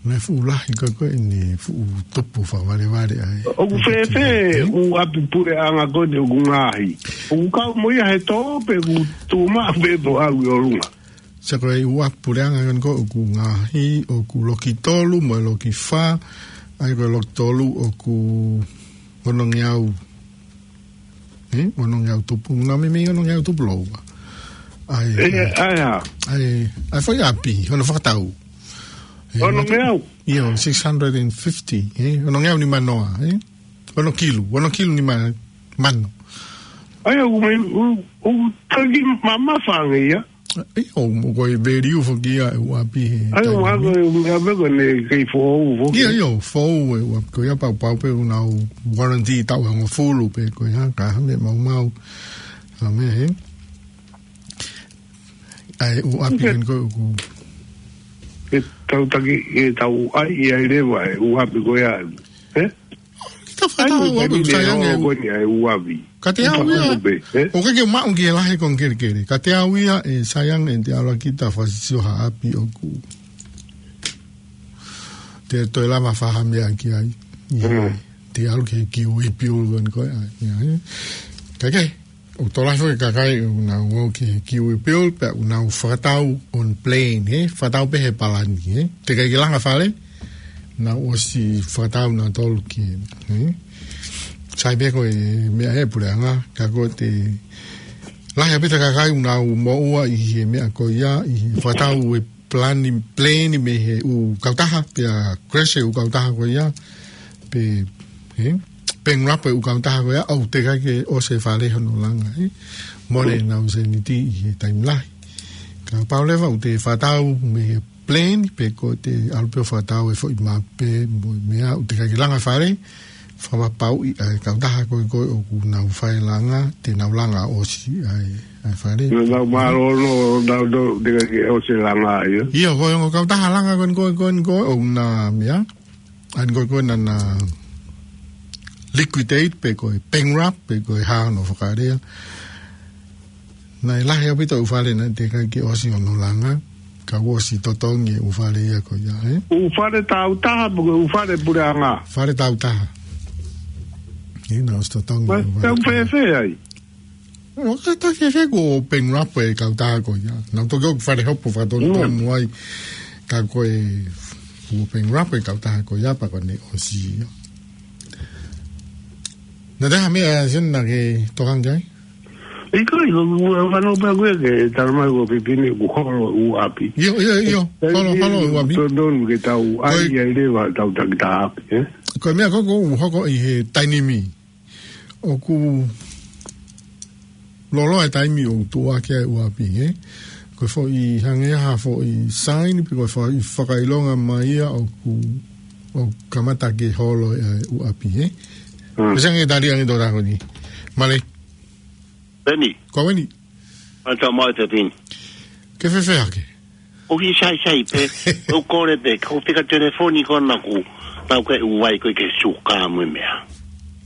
Naʻe fuʻu lahi ko ē ko ē ʻene fuʻu tupu fakavalevale ai. ʻOku fēfē ʻū ʻapi puleʻanga ko eni ʻoku ngaohi? ʻOku kau mo ia he tō pe ʻoku tuʻu maʻu pē ʻo aʻu ʻi ʻolunga? Sai ko e ʻū ʻapi puleʻanga ko eni ko ē ʻoku ngaohi, ʻoku loki tolu mo e loki fā, ʻa ia ko e loki tolu ʻoku ono ngeau. Ē, ono ngeau tupu, naʻe meimei ono ngeau tupu lōua. ʻAi, ʻE, ʻai, ʻai, ʻa. ʻAi, ʻai fai ʻapi, hono fakatau. Ē, Ono ngeau? ʻIo, six hundred and fifty, ē, ono ngeau nima noa, ē. Ono kilu, ono kilu nima mano. ʻAi, ʻoku mai, ʻoku, ʻoku taki mamafa ange ia. ʻIo, mo ko e value foki ia ʻa e ʻuʻapi he Ai, taimi ʻoku hako ni. E ʻuʻapi ko ʻene kei foʻou foki. ʻIo, ʻio, foʻou e ʻuʻapi ko ia pau pau pē ʻoku nau warranty taʻu hongofulu pē ko ia, ka ha meʻa maumau. Ha meʻa, he? ʻA e ʻuʻapi Ok. Ko eni ko ē ʻoku Ke tau taki, ke tau ʻai ai leva e ʻuʻapi ko ia. He? Kita Ai, fata mo ʻuʻapi, taimi sai ange. Ko eni ʻa e ʻuʻapi. Ka te au ia. Pē, he? ʻOku ke maʻu ki he lahi ko ē kelekele. Ka te au ia ʻe sai ange ʻe te ala kita fasisio ha ʻapi ʻoku. Te toe lava faha meʻa ki ai. Ia. Mm. Te alu ke kiu i piu ko eni ko ia. Ia, he? Ka ke. ʻOku tokolahi foki e kakai ʻoku nau ō ki he kiu i piu, pea ʻoku nau fakatau on plane, he? Fakatau pē he palani, he? Teʻeki ke langa fale, nau ʻosi fakatau nautolu ki he, he? Sai pē ko e meʻa he puleʻanga, ka ko e lahi ʻaupito e kakai ʻoku nau moʻua ʻi he meʻa ko ia, ʻi he fakatau e plane, plane mei he ʻū kautaha, pea crash e ʻū kautaha ko ia, pe, he? Bankrupt e ʻū kautaha ko ia, ʻoku teʻeki ke ʻosi e fale hono langa, he? Mole ʻenau sēniti ʻi he taimi lahi. Kapau leva ʻoku te fakatau mei he plane, pe ko e te alu pē ʻo fakatau e foʻi mape, mo e meʻa, ʻoku teʻeki ke langa fale, fakapapauʻi ʻa e kautaha ko ē ko ē ʻoku nau fai langa, te nau langa ʻosi ʻa e, ʻa e fale. Nau mālōlō, nau tō, teʻeki ke ʻosi e langa ia. ʻIo, ko e ongo kautaha langa ko eni ko ē, ko eni ko ē, ʻoku na meʻa. ʻA eni ko ē ko ē naʻa na liquidate pe ko e bankrupt, pe ko e hā hono fakalea. Naʻe lahi ʻaupito e ʻū fale naʻe teʻeki ke ʻosi hono langa, ka kuo ʻosi totongi e ʻū fale ia ko ia, he? ʻŪ fale tautaha, pe ko e ʻū fale puleʻanga? Fale tautaha. He, naʻe ʻosi totongi e ʻū fale. Tau fēfē ai? ʻO ka ta fēfē kuo bankrupt e kautaha ko ia. Nau toki ʻoku fale hopo fakatonutonu ai. Ka ko e kuo bankrupt e kautaha ko ia pea ko ʻene ʻosi ia. Naʻe ʻi ai ha meʻa Sione naʻa ke tokanga ki ai? ʻIkai, ko e, ko e, ko e fanongo pē ko ē ke tala mai ko e pipini ʻoku holo ʻū ʻapi. ʻIo, ʻio, ʻio. Holo, holo ʻū ʻapi. Totonu ke tau ʻai ai leva tau takitaha ʻapi, he? Ko e meʻa ko ē ʻoku hoko ʻi he taimi ni. ʻOku loloa e taimi ʻoku tuʻu hake ai e ʻū ʻapi, he? Ko e foʻi hangē ha foʻi saini pe ko e foʻi fakaʻilonga mai ia ʻoku, ʻoku kamata ke holo e ʻū ʻapi, he? Mm. Ko e sanga e tali ange tōtā ko eni. Male. Peni. Ko eni. Ata mai te pin. Ke fēfē hake? ʻOku sai sai pē, ʻoku kole pē, ko e fika telefoni ko ena ʻoku, tau ke ʻuai ko e ke suka mo e meʻa.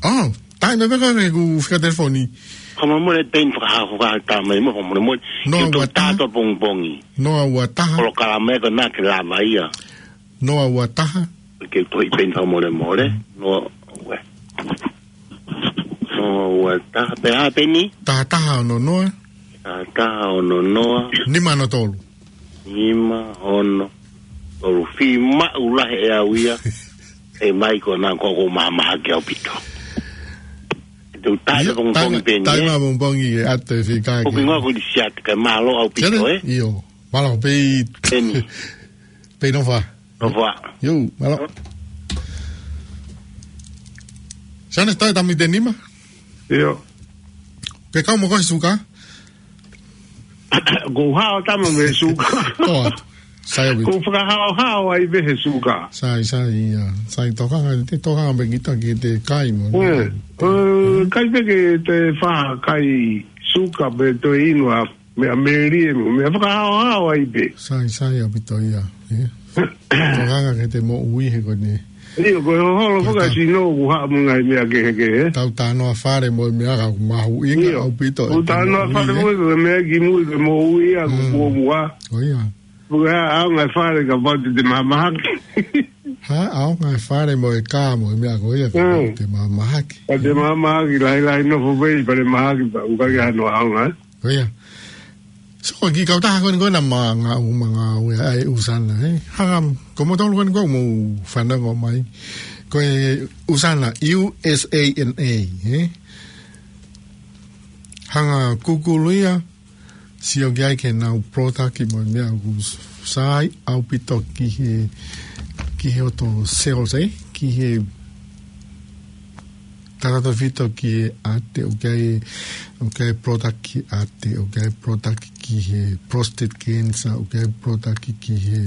Oh, tai me peka me ku fika telefoni. Ko mo mo le peni fakaha fakaha tā mai mo, ko mo mo. No, ua taha. Tato pongipongi. No, ua taha. Kolo kala mai ko na ke lava ia. No, ua taha. Ke toi peni fakamolemole. No, ua. No, ua taha. Pe ha peni? Taha taha ono noa. Taha taha ono noa. Nima ono tolu. Nima ono tolu. Fiemaʻu lahi ʻe au ia. ʻE mai ko na ko ko mahamahaki ʻaupito. Te u tai ʻIo, pongipongi tai, peni, tai ē? Mahamahaki e ate fika ʻOku ke. Ngoa ko di siat ke mālō ʻaupito, Sione? Ē? ʻIo. Mālō, pei. Peni. Pei nofo. Nofo. ʻIo, mālō. Sione, tai tami te nima? ʻIo. Ke kau mo ko he suka? Ko hao tama me suka. Ko atu. Sai ʻaupito. Ko fakahaohao ai pē he suka. Sai, sai, ia. Sai tokanga, te tokanga pē kita ki te kai mo. Ē, ē, kai pē ke te faha kai suka pe toe inu ʻa meʻa melie mo, meʻa fakahaohao ai pē. Sai, sai ʻaupito ia, ē. Tokanga ke te moʻui he ko eni. ʻIo, ko e hoholo faka sino ku haʻamu ngai meʻa kehekehe. Tau tā noa fale mo e meʻa ka ʻoku mahuʻinga ʻaupito. Ku tā noa fale mo e meʻa ki mui ke moʻui ʻa ku kuo mua. ʻO ia. Ko e ʻaonga e fale ka pau te te mahamahaki. Ha, ʻaonga e fale mo e kā mo e meʻa ko ia ka pau te mahamahaki. Ka te mahamahaki, lahilahi nofo pē ʻi falemahaki pea ʻoku ʻikai ke hano ʻaonga, ē? Ko ia. So, ki he kautaha ko eni ko ena manga u, manga u ia ʻa e ʻUsana, ē? Hanga, ko motolu ko eni ko mo fanongo mai. Ko e ʻUsana, U S A N A, ē? Hanga Google ia, sio ki ai ki heʻenau product mo e meʻa ʻoku sai ʻaupito ki he, ki he ʻoto sales, ē? Ki he tautautefito ki he ʻate, ʻoku ʻi ai, ʻoku ʻi ai product ki he ʻate, ʻoku ʻi ai product ki he prostate cancer, ʻoku ʻi ai product ki he,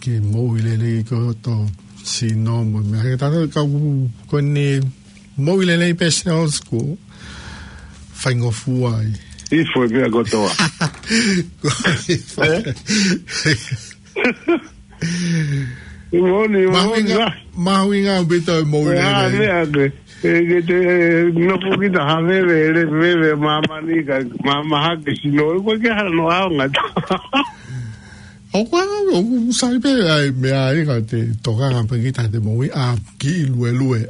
ki he moʻui lelei ko ē ʻo e sino mo e meʻa. He tautautefito ka ʻoku, ko ʻene moʻui lelei pē e cells ʻoku faingofua ai. Ifo e meʻa kotoa. Ko ifo. Eh? Moni, moni, mahuʻinga, mahuʻinga ʻaupito e moʻui lelei. Meʻa ke, e, ke te, e, nofo kita ha veve, le veve, māmani ka, mā, mahaki sino, ko ke hano aonga. ʻOku, ʻoku sai pē ʻa e meʻa ia ka te tokanga pē kita he moʻui ʻa e kiʻi luelue.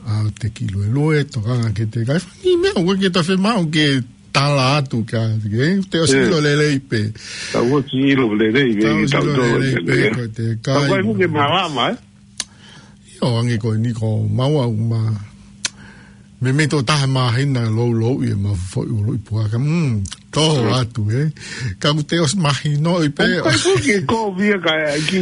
ʻA e kiʻi luelue, tokanga ke te kai fani meʻa, ʻoku ke ta fe mau ke tala atu ka, ke, te ʻosi ʻilo lelei pē. Tau ʻosi ʻilo lelei pē, tau ʻosi ʻilo lelei pē, ko te kai. Tau kai fuke malama, eh? ʻIo, ange ko eni ko maua uma. Meimei tō taha māhina lou lou ia ma foʻi ului puaka. Mm, tō atu, eh? Ka ʻoku te ʻosi mahino i pē. ʻOku kai fuke ko via ka ki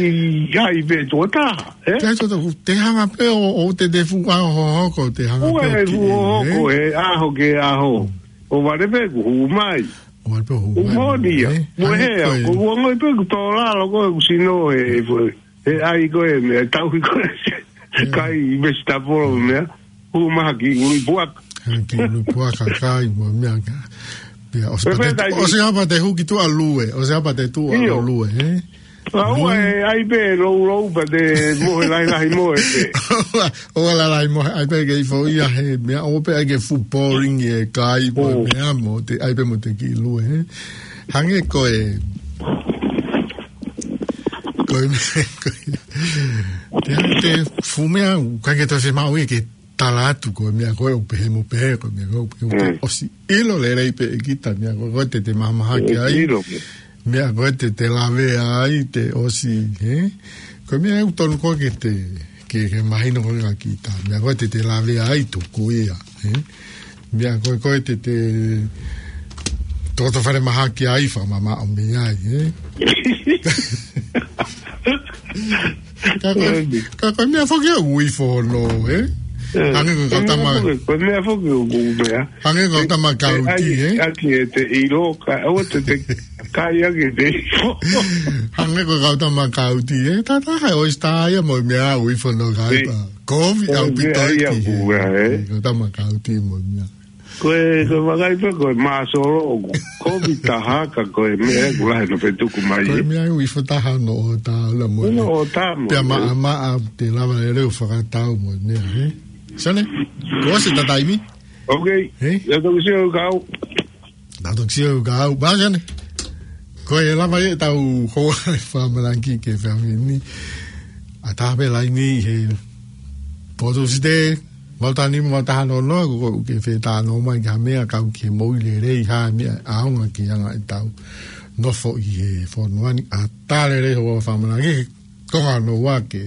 ai pē tō taha, eh? Kai tō taha, te hanga pē ʻo, ʻo te te fuka ho, ho, ko te hanga pē ʻo ki, fu ho, ho, eh? Ko e aho ke aho. ʻO vale pē ʻoku hū mai. ʻO vale pē ʻoku hū mai. ʻOku honi ia. Eh? Mo ange he, ko e ko ua ngoi pē ʻoku tō lalo ko ʻoku sino e, e, e ai ko e meʻa, tau i ko e. Kai i mesi tapolo meʻa. Hū maha ki ului puaka. Hanga ki ului puaka kai mo e meʻa ka. Pea ʻosi pē pate, ʻosi hapa te hū ki tuʻa lue, ʻosi hapa te tuʻa lue, eh? Ka ua e ai pē lou lou pea te mohe lahi lahi mohe pē. ʻO la lahi mohe ai pē ke ifo ia he meʻa ʻo pē ai ke fu boring e kai mo e meʻa mo te ai pē mo te kiʻi lue, eh? Hangē ko e, ko e, ko e, te, te fu meʻa, ka ke tau se mau i ke tala atu ko e meʻa ko e ʻoku pehē mo pehē ko e meʻa ko e ʻoku pehē mo pehē. Mm. ʻOsi ʻilo lelei pē ʻe kita meʻa ko e ko e te te mahamahaki ai. ʻIlo pē. Meʻa ko e te te lavea ai te ʻosi, he? Ko e meʻa ʻoku tonu ko e ke te, ke, ke mahino ko e ka kita. Meʻa ko e te te lavea ai tuku ia, he? Meʻa ko e ko e te te toto fale mahaki ai fakamamaʻo mei ai, he? Ka ko, ka ko e meʻa foki ʻoku ifo hono, eh? Eh, hangē ko e kau tama. Ko e meʻa foki ʻoku meʻa. Hangē ko e kau tama kauti, eh? Aki e te ʻilo, ka, ʻo te te kai aki e te ifo. Hangē ko e kau tama kauti, eh? Tata hai ʻosi tā ia mo e meʻa ʻoku ifo hono kai pa. Kovi ʻaupito ia ki he. Kau tama kauti mo e meʻa. Ko e, ko e vakai pē, ko e māsolo ʻoku. Kovi taha ka ko e meʻa ʻoku lahi no fetuku mai. Ko e meʻa ʻoku ifo taha no o tā la mo. No o tā mo. Pea maʻamaʻa te lava lelei ʻo fakatau mo e meʻa, he? Sane? Ko se ta taimi? Ok. He? Ia toki sio kau. Na toki sio kau. Ba sane. Ko e lava e tau hoa e fakamalaki ke fami ni. ʻA tā pē laini he potu site. Mau tani mau taha noa noa, ko, ko ke fetano mai ka meʻa kau ke moʻui lelei ha meʻa ʻaonga ki anga e tau nofo ʻi he fonua ni ʻa tā lelei hoa fakamalaki. Ko ngā noa ke